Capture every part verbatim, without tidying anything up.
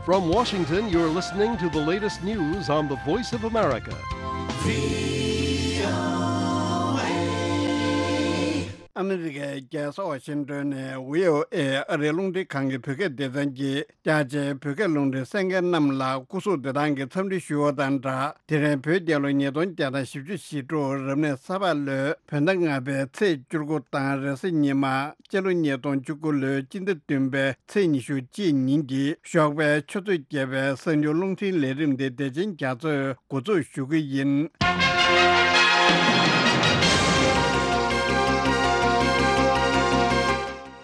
From Washington, you're listening to the latest news on the Voice of America. ཨ་མི་རི་ཀའི་རྒྱལ་ས་ཝ་ཤིང་ཏོན་ནས་བྷི་ཨོ་ཨེ་ཨ་རིའི་རླུང་འཕྲིན་ཁང་གི་བོད་སྐད་སྡེ་ཚན་གྱིས། རྒྱ་ཆེའི་བོད་སྐད་རླུང་འཕྲིན་གསན་མཁན་རྣམས་ལ་སྐུ་གཟུགས་བདེ་ཐང་གི་འཚམས་འདྲི་ཞུ་བ་དང་སྦྲགས། དེ་རིང་བོད་རྒྱལ་ལོ་ཉིས་སྟོང་བརྒྱ་དང་བཞི་བཅུ་ཞེ་དྲུག་རབ་གནས་ས་ཕག་ལོའི་བོད་ཟླ་ལྔ་པའི་ཚེས་བཅུ་དགུ་དང་། རེས་གཟའ་ཉི་མ་སྤྱི་ལོ་ཉིས་སྟོང་བཅུ་དགུ་ལོའི་སྤྱི་ཟླ་བདུན་པའི་ཚེས་ཉི་ཤུ་གཅིག་ཉིན་གྱི་ཞོགས་པའི་ཆུ་ཚོད་བརྒྱད་པའི་གསར་འགྱུར་རླུང་འཕྲིན་ལས་རིམ་དེ་བདེ་ཆེན་རྒྱ་མཚོས་འགོ་འཛུགས་ཞུ་གི་ཡིན།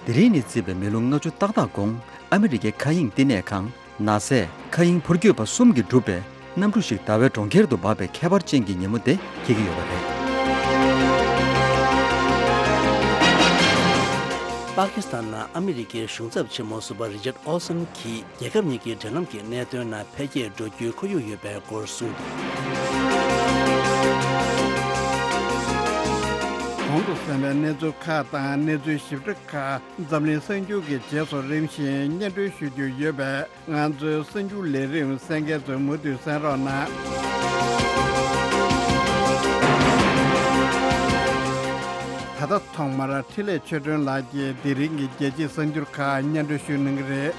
དེ་རིང་ནས་བརྩིས་པའི་མི་ལོ་ལྔ་བཅུ་ཏག་ཏག་གོང་། ཨ་མི་རི་ཀའི་མཁའ་དབྱིངས་བསྟི་གནས་ཁང་ནཱ་སཱའི་མཁའ་དབྱིངས་འཕུར་སྐྱོད་པ་གསུམ་གྱིས་གྲུབ་པའི་གནམ་གྲུ་ཞིག་ཟླ་བའི་གྲོང་ཁྱེར་དུ་འབབ་པའི་ཁྱད་པར་ཅན་གྱི་ཉིན་མོ་དེ་འཁེལ་གྱི་ཡོད་པ་རེད། པ་ཀི་སི་ཐན་ནང་ཨ་མི་རི་ཀའི་གཞུང་ཚབ་ཆེན་མོ་ཟུར་པ་རི་ཅར་ཨོལ་སན་གྱིས། རྒྱལ་ཁབ་གཉིས་ཀྱི་འབྲེལ་ལམ་གྱི་གནད་དོན་ནང་འཕེལ་རྒྱས་འགྲོ་རྒྱུའི་ཁོར་ཡུག་ཡོད་པའི་སྐོར་གསུངས་འདུག། གོང་དུ་གསན་པའི་གནས་ཚུལ་ཁག་དང་གནས་ཚུལ་ཞིབ་ཕྲ་ཁག་འཛམ་གླིང་གསར་འགྱུར་གྱི་རྗེས་སུ་རིམ་བཞིན་སྙན་སྒྲོན་ཞུ་རྒྱུ་ཡོད་པས། ང་ཚོའི་གསར་འགྱུར་ལས་རིམ་གསན་མཁན་ཚོས་མུ་མཐུད་གསན་རོགས་གནང་། ད་ལྟ་ཐོག་མར་འཕྲིན་ལས་ཆོས་སྒྲོན་ལགས་ཀྱིས་དེ་རིང་གི་རྒྱལ་སྤྱིའི་གསར་འགྱུར་ཁག་སྙན་སྒྲོན་ཞུ་གནང་གི་རེད།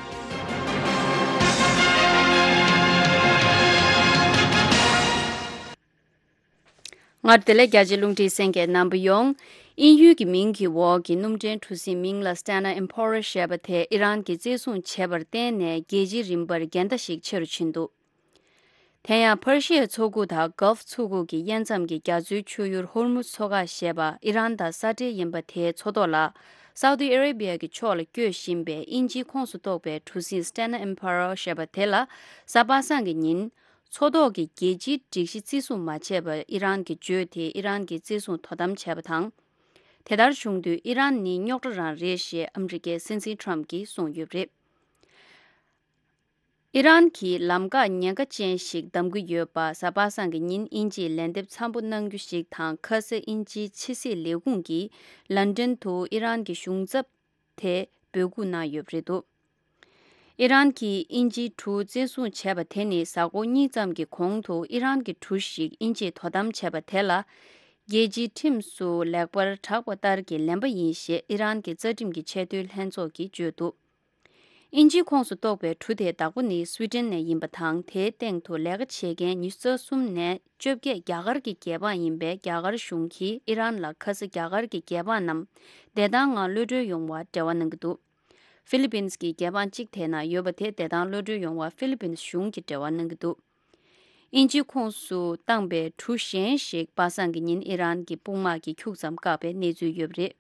སྔར་དེ་ལས་རྒྱ་ཆེའི་རླུང་འཕྲིན་གསན་མཁན་རྣམ་པ་ཡོངས། དབྱིན་ཡུལ་གྱི་མིང་གི་འོག་གི་སྣུམ་འདྲེན་གྲུ་གཟིངས་མིང་ལ་Stena Impero ཞེས་པ་དེ་ཨི་རན་གྱིས་བཙན་བཟུང་བྱས་པར་བརྟེན་ནས། རྒྱལ་སྤྱིའི་རིམ་པར་འགལ་ཟླ་ཞིག་ཆེ་རུ་ཕྱིན་འདུག། དེ་ཡང་ཕར་ཤི་ཡའི་མཚོ་ཁུག་དང་གྷལ་ཕ་མཚོ་ཁུག་གི་དབྱེ་མཚམས་ཀྱི་རྒྱ་མཚོའི་ཆུ་ཡུར་ཧོར་མུ་མཚོ་ཁ་ཞེས་པ་ཨི་རན་དང་ས་འབྲེལ་ཡིན་པ་དེའི་མཚོ་ཐོག་ལ། སའུ་ཏི་ཨ་རེ་བྷི་ཡ་གི་ཕྱོགས་ལ་སྐྱོད་བཞིན་པའི་དབྱིན་ཇིའི་ཁོངས་སུ་གཏོགས་པའི་གྲུ་གཟིངས་Stena Impero ཞེས་པ་དེ་ལ། གཟའ་པ་སངས་ཀྱི་ཉིན། མཚོ་ཐོག་གི་རྒྱལ་སྤྱིའི་སྒྲིག་གཞི་བརྩི་སྲུང་མ་བྱས་པར་ཨི་རན་གྱིས་བརྗོད་དེ། ཨི་རན་གྱིས་བརྩི་སྲུང་དོ་དམ་བྱས་པ་དང་། དེ་ལྟར་བྱུང་དུས་ཨི་རན་ནི་རྙོག་དྲ་རང་རེད་ཞེས་ཨ་མི་རི་ཀའི་སྲིད་འཛིན་ཊམ་གྱིས་གསུངས་ཡོད་པ་རེད། ཨི་རན་གྱིས་ལམ་འགག་ཉེན་ཁ་ཅན་ཞིག་བདམས་ཀྱི་ཡོད་པ། གཟའ་པ་སངས་ཀྱི་ཉིན་དབྱིན་ཇིས་ལན་འདེབས་འཚམ་པོ་གནང་རྒྱུ་ཞིག་དང་། ཁ་ས་དབྱིན་ཇིའི་ཕྱི་སྲིད་ལས་ཁུངས་ཀྱིས་ལན་ཀྲན་དུ་ཨི་རན་གྱི་གཞུང་ཚབ་དེ་འབོད་འགུག་གནང་ཡོད་པ་རེད་འདུག། ཨི་རན་གྱིས་དབྱིན་ཇིའི་གྲུ་བཙན་བཟུང་བྱས་པ་དེ་ནི། གཟའ་འཁོར་གཉིས་ཙམ་གྱི་གོང་དུ་ཨི་རན་གྱི་གྲུ་ཞིག་དབྱིན་ཇིས་དོ་དམ་བྱས་པ་དེ་ལ། རྒྱལ་སྤྱིའི་ཁྲིམས་སུ་ལེགས་པར་གྲགས་པ་ལྟར་གྱི་ལན་པ་ཡིན་ཞེས་ཨི་རན་གྱི་རྩ་ཁྲིམས་ཀྱི་ཆེས་མཐོའི་ལྷན་ཚོགས་ཀྱིས་བརྗོད་འདུག། དབྱིན་ཇིའི་ཁོངས་སུ་གཏོགས་པའི་གྲུ་དེའི་བདག་པོ་ནི་སུའི་ཏན་ནས་ཡིན་པ་དང་། དེའི་སྟེང་དུ་ལས་ཀ་བྱེད་མཁན་ཉི་ཤུ་རྩ་གསུམ་ནས་བཅོ་བརྒྱད་རྒྱ་གར་གྱི་རྒྱལ་འབངས་ཡིན་པས། རྒྱ་གར་གཞུང་གིས་ཨི་རན་ལ་ཁ་ས་རྒྱ་གར་གྱི་རྒྱལ་འབངས་རྣམས་བདེ་ཐང་ངང་གློད་གྲོལ་ཡོང་བར་འབྲེལ་བ་གནང་གི་འདུག། ཧྥི་ལི་པིན་གྱི་རྒྱལ་འབངས་གཅིག་དེ་ན་ཡོད་པ་དེ། བདེ་ཐང་གློད་གྲོལ་ཡོང་བར་ཧྥི་ལི་པིན་གཞུང་གིས་འབྲེལ་བ་གནང་གི་འདུག། དབྱིན་ཇིའི་ཁོངས་སུ་བཏང་པའི་གྲུ་གཞན་ཞིག་པ་སངས་ཀྱི་ཉིན་ཨི་རན་གྱི་དཔུང་དམག་གིས་ཁྱུག་ཙམ་བཀག་པའི་གནས་ཚུལ་ཡོད་པ་རེད།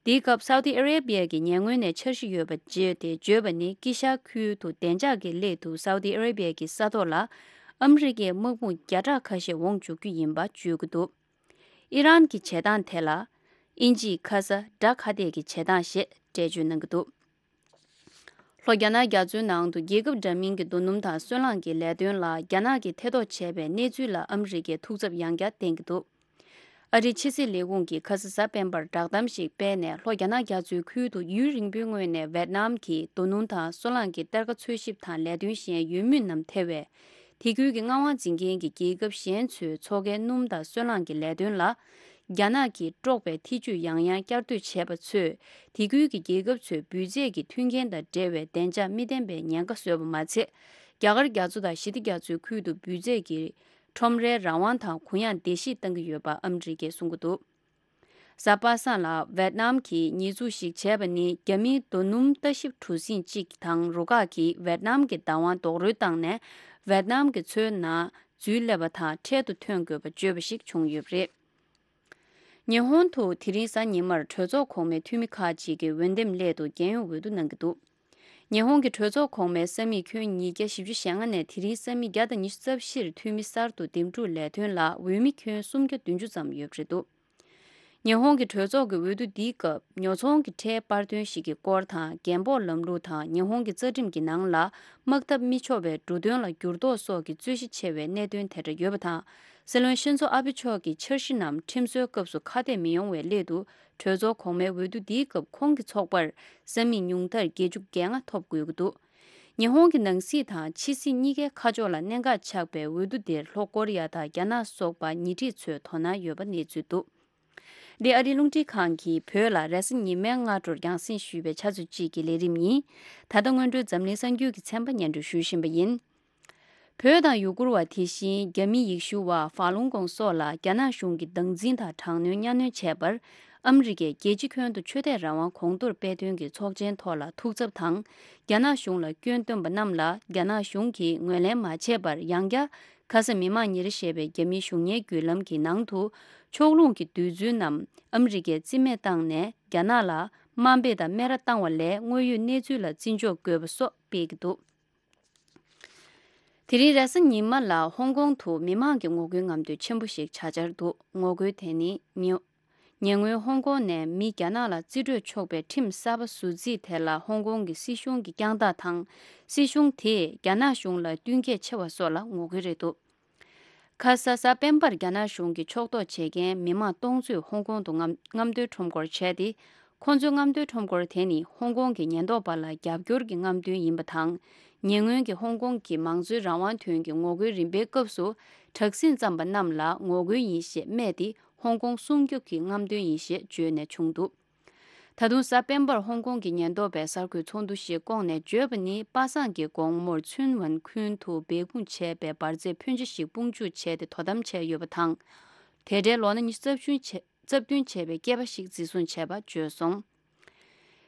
དེའི་སྐབས་སའུ་ཏི་ཨ་རེ་བྷི་ཡ་གི་ཉེ་སྔོན་ནས་འཆར་གཞི་ཡོད་པ་བརྗོད་དེ། བརྗོད་པ་ནི། དཀྱིལ་ཤར་ཁུལ་དུ་བདེ་འཇགས་ཀྱི་སླད་དུ་སའུ་ཏི་ཨ་རེ་བྷི་ཡ་གི་ས་ཐོག་ལ་ཨ་མི་རི་ཀའི་དམག་དཔུང་བརྒྱ་ཕྲག་ཁ་ཤས་འོང་བཅུག་རྒྱུ་ཡིན་པ་བརྗོད་ཀྱི་འདུག། ཨི་རན་གྱི་བྱེད་སྟངས་དེ་ལ། དབྱིན་ཇིས་ཁ་ས་དགྲ་ཁ་གཏད་ཀྱི་བྱེད་སྟངས་ཞེས་འགྲེལ་བརྗོད་གནང་གི་འདུག། ལྷོ་རྒྱ་ནག་རྒྱ་མཚོའི་ནང་དུ་རྒྱལ་ཁབ་འདྲ་མིན་གྱི་རྡོ་སྣུམ་དང་སོལ་རླངས་ཀྱི་ལས་དོན་ལ་རྒྱ་ནག་གིས་ཐེ་གཏོགས་བྱས་པའི་གནས་ཚུལ་ལ་ཨ་མི་རི་ཀས་ཐུགས་འཚབ་ཡང་བསྐྱར་བསྟན་གྱི་འདུག། ཨ་རིའི་ཕྱི་སྲིད་ལས་ཁུངས་ཀྱིས་ཁ་ས་གཟའ་སྤེན་པར་བསྒྲགས་གཏམ་ཞིག་སྤེལ་ནས། ལྷོ་རྒྱ་ནག་རྒྱ་མཚོའི་ཁུལ་དུ་ཡུན་རིང་པོའི་སྔོན་ནས་ཝེད་ནམ་གྱིས་རྡོ་སྣུམ་དང་སོལ་རླངས་ཀྱི་གཏེར་ཁ་འཚོལ་ཞིབ་དང་ལས་དོན་གཞན་ཡོད་མུས་རྣམས་ཐེ་བའི། དེ་ཁུལ་གྱི་མངའ་དབང་འཛིན་མཁན་གྱི་རྒྱལ་ཁབ་གཞན་ཚོས་མཚོ་ཁའི་སྣུམ་དང་སོལ་རླངས་ཀྱི་ལས་དོན་ལ། རྒྱ་ནག་གིས་དཀྲོགས་པའི་ཐེ་ཇུས་ཡང་ཡང་བསྐྱར་ཟློས་བྱས་པ་ཚོས། དེ་ཁུལ་གྱི་རྒྱལ་ཁབ་ཚོའི་འབུད་རྫས་ཀྱི་མཐུན་རྐྱེན་དང་འབྲེལ་བའི་བདེ་འཇགས་མི་ལྡན་པའི་ཉེན་ཁ་བཟོས་པ་མ་ཚད། རྒྱ་གར་རྒྱ་མཚོ་དང་ཞི་བདེ་རྒྱ་མཚོའི་ཁུལ་དུ་འབུད་རྫས་ཀྱི་ཁྲོམ་རའི་རང་དབང་དང་གུ་ཡངས་བརྡལ་བཤིག་བཏང་གི་ཡོད་པ་ཨ་མི་རི་ཀས་གསུང་གི་འདུག། གཟའ་པ་སངས་ལ་ཝེད་ནམ་གྱི་ཉེས་འཛུགས་ཤིག་བྱས་པ་ནི། རྒྱ་མིའི་རྡོ་སྣུམ་ལྟ་ཞིབ་གྲུ་གཟིངས་གཅིག་དང་རུ་ཁག་གིས་ཝེད་ནམ་གྱི་བདག་དབང་རྡོག་རོལ་བཏང་ནས། ཝེད་ནམ་གྱི་མཚོའི་ནང་འཛུལ་སླེབས་པ་དང་འཕྲལ་དུ་ཐོན་དགོས་པ་བརྗོད་པ་ཞིག་བྱུང་ཡོད་པ་རེད། ཉི་ཧོང་དུ་དེ་རིང་གཟའ་ཉི་མར་གྲོས་ཚོགས་གོང་མའི་འཐུས་མི་ཁག་ཅིག་གིས་འོས་འདེམས་སླད་དུ་རྒྱལ་ཡོངས་འོས་བསྡུ་གནང་གི་འདུག། ཉི་ཧོང་གི་གྲོས་ཚོགས་གོང་མའི་ས་མིག་ཁྱོན་ཉིས་བརྒྱ་བཞི་བཅུ་ཞེ་ལྔ་ནས་དེ་རིང་ས་མིག་བརྒྱ་དང་ཉི་ཤུ་རྩ་བཞིར་འཐུས་མི་གསར་དུ་འདེམས་སྒྲུག་ལས་དོན་ལ་འོས་མི་ཁྱོན་སུམ་བརྒྱ་བདུན་ཅུ་ཙམ་ཡོད་པ་རེད་འདུག། ཉི་ཧོང་གི་གྲོས་ཚོགས་ཀྱི་འོས་བསྡུ་འདིའི་སྐབས་ཉོ་ཚོང་གི་ཁྲལ་སྤར་དོན་ཞིག་གི་སྐོར་དང་། རྒན་འབོག་ལམ་ལུགས་དང་ཉི་ཧོང་གི་རྩ་ཁྲིམས་ཀྱི་ནང་ལ་དམག་འཐབ་མི་ཆོག་པའི་འབྲུ་དོན་ལ་འགྱུར་ལྡོག་སོགས་ཀྱི་རྩོད་གཞི་ཆེ་བའི་གནད་དོན་དེ་འདྲ་ཡོད་པ་དང་། སྲིད་བློན་ཤིན་ཛོ་ཨ་བྷེ་མཆོག་གི་འཆར་གཞི་རྣམས་ཁྲིམས་བཟོའི་སྐབས་སུ་ཁ་གཏད་མི་ཡོང་བའི་སླད་དུ། གྲོས་ཚོགས་གོང་མའི་འོས་བསྡུ་འདིའི་སྐབས་ཁོང་གི་ཚོགས་པར་ས་མིག་ཉུང་མཐར་བརྒྱད་ཅུ་གྱ་ལྔ་ཐོབ་དགོས་ཀྱི་འདུག། ཉི་ཧོང་གི་ནང་སྲིད་དང་ཕྱི་སྲིད་གཉིས་ཀའི་ཁ་ཕྱོགས་ལ་གནད་འགག་ཆགས་པའི་འོས་བསྡུ་དེར་ལྷོ་ཀོ་རི་ཡ་དང་རྒྱ་ནག་སོགས་པ་ཉེ་འཁྲིས་ཚོས་དོ་སྣང་ཡོད་པ་གནས་ཚུལ་འདུག་འདི་ཨ་རིའི་རླུང་འཕྲིན་ཁང་གིས་བོད་ལ་རེས་གཟའ་ཉི་མའི་སྔ་དྲོར་རྒྱང་སྲིང་ཞུས་པའི་ཆུ་ཚོད་གཅིག་གི་ལས་རིམ་ཡིན། ད་ལྟ་སྔོན་འགྲོའི་འཛམ་གླིང་གསར་འགྱུར་གྱི་ཚན་པ་སྙན་སྒྲོན་ཞུ་བཞིན་པ་ཡིན། བོད་དང་ཡུ་གུར་བ་དེ་བཞིན་རྒྱ་མི་ཡེ་ཤུ་བ་ཧྥ་ལུང་ཀོང་སོགས་ལ་རྒྱ་ནག་གཞུང་གིས་སྟངས་འཛིན་དང་དྲག་གནོན་གཉའ་གནོན་བྱས་པར། ཨ་མི་རི་ཀས་རྒྱལ་སྤྱི་ཁྱོན་དུ་ཆོས་དད་རང་དབང་གོང་མཐོར་སྤེལ་དོན་གྱི་ཚོགས་ཆེན་ཐོག་ལ་ཐུགས་འཚབ་དང་། རྒྱ་ནག་གཞུང་ལ་སྐྱོན་བཏོན་པ་རྣམས་ལ་རྒྱ་ནག་གཞུང་གིས་ངོས་ལེན་མ་བྱས་པར། ཡང་བསྐྱར་ཁ་ས་མི་དམངས་ཉིན་རེ་ཞེས་པའི་རྒྱ་མིའི་གཞུང་གཉེར་བརྒྱུད་ལམ་གྱི་ནང་དུ། ཕྱོགས་ལྷུང་གི་འདོད་ཚུལ་རྣམས་ཨ་མི་རི་ཀས་རྩིས་མེད་བཏང་ནས། རྒྱ་ནག་ལ་དམའ་འབེབས་དང་སྨད་ར་བཏང་བ་ལས། དངོས་ཡོད་གནས་ཚུལ་ལ་བརྩི་འཇོག་དགོས་པ་སོགས་སྤེལ་གྱི་འདུག་དེ་རིང་རེས་གཟའ་ཉི་མ་ལ་ཧོང་ཀོང་དུ་མི་མང་གི་ངོ་རྒོལ་རྔམ་སྟོན་ཆེན་པོ་ཞིག་བྱ་འཆར་འདུག་ངོ་རྒོལ་དེ་ནི་ཉེ་ཉེ་སྔོན་ཧོང་ཀོང་ནས་མི་རྒྱ་ནག་ལ་རྩིས་སྤྲོད་ཆོག་པའི་ཁྲིམས་གསར་པ་ཟུར་འཛུགས་དེ་ལ་ཧོང་ཀོང་གི་སྲིད་གཞུང་གིས་རྒྱང་ཐག་དང་། སྲིད་གཞུང་དེས་རྒྱ་ནག་གཞུང་ལ་བསྟུན་མཁས་ཆེ་བ་སོགས་ལ་ངོ་རྒོལ་རེད་འདུག་ཁ་ས་གཟའ་སྤེན་པར་རྒྱ་ནག་གཞུང་གི་ཕྱོགས་གཏོགས་བྱེད་མཁན་མི་མང་སྟོང་ཚོས་ཧོང་ཀོང་དུ་རྔམ་རྔམ་སྟོན་ཁྲོམ་སྐོར་བྱས་ཏེ། ཁོང་ཚོའི་རྔམ་སྟོན་ཁྲོམ་སྐོར་དེ་ནི་ཧོང་ཀོང་གི་ཉེན་རྟོག་པ་ལ་རྒྱབ་སྐྱོར་གྱི་རྔམ་སྟོན་ཡིན་པ་དང་། ཉེ་སྔོན་གྱི་ཧོང་ཀོང་གི་མང་གཙོའི་རང་དབང་དོན་གྱི་ངོ་རྒོལ་རིམ་པའི་སྐབས་སུ། དྲག་ཟིང་བརྩམས་པ་རྣམས་ལ་ངོ་རྒོལ་ཡིན་ཞེས་སྨྲས་ཏེ། ཧོང་ཀོང་སྲུང་སྐྱོབ་ཀྱི་རྔམ་སྟོན་ཡིན་ཞེས་བརྗོད་ནས་བྱུང་འདུག་ད་དུང་གཟའ་སྤེན་པར་ཧོང་ཀོང་གི་ཉེན་རྟོག་པས་གསར་འགོད་ཚོགས་འདུ་ཞིག་བསྐོངས་ནས་བརྗོད་པ་ནི། པ་སངས་ཀྱི་དགོང་མོར་ཚུན་ཝན་ཁུན་དུ་སྦས་སྐུང་བྱས་པའི་འབར་རྫས་ཕོན་ཆེ་ཞིག་དཔུང་འཇུག་བྱས་ཏེ་དོ་དམ་བྱས་ཡོད་པ་དང་། དེ་འདྲའི་ལོ་ན་ཉི་ཤུ་རྩ་བདུན་བྱས་རྩ་བདུན་བྱས་པའི་སྐྱེས་པ་ཞིག་འཛིན་བཟུང་བྱས་པ་བརྗོད་སོང་།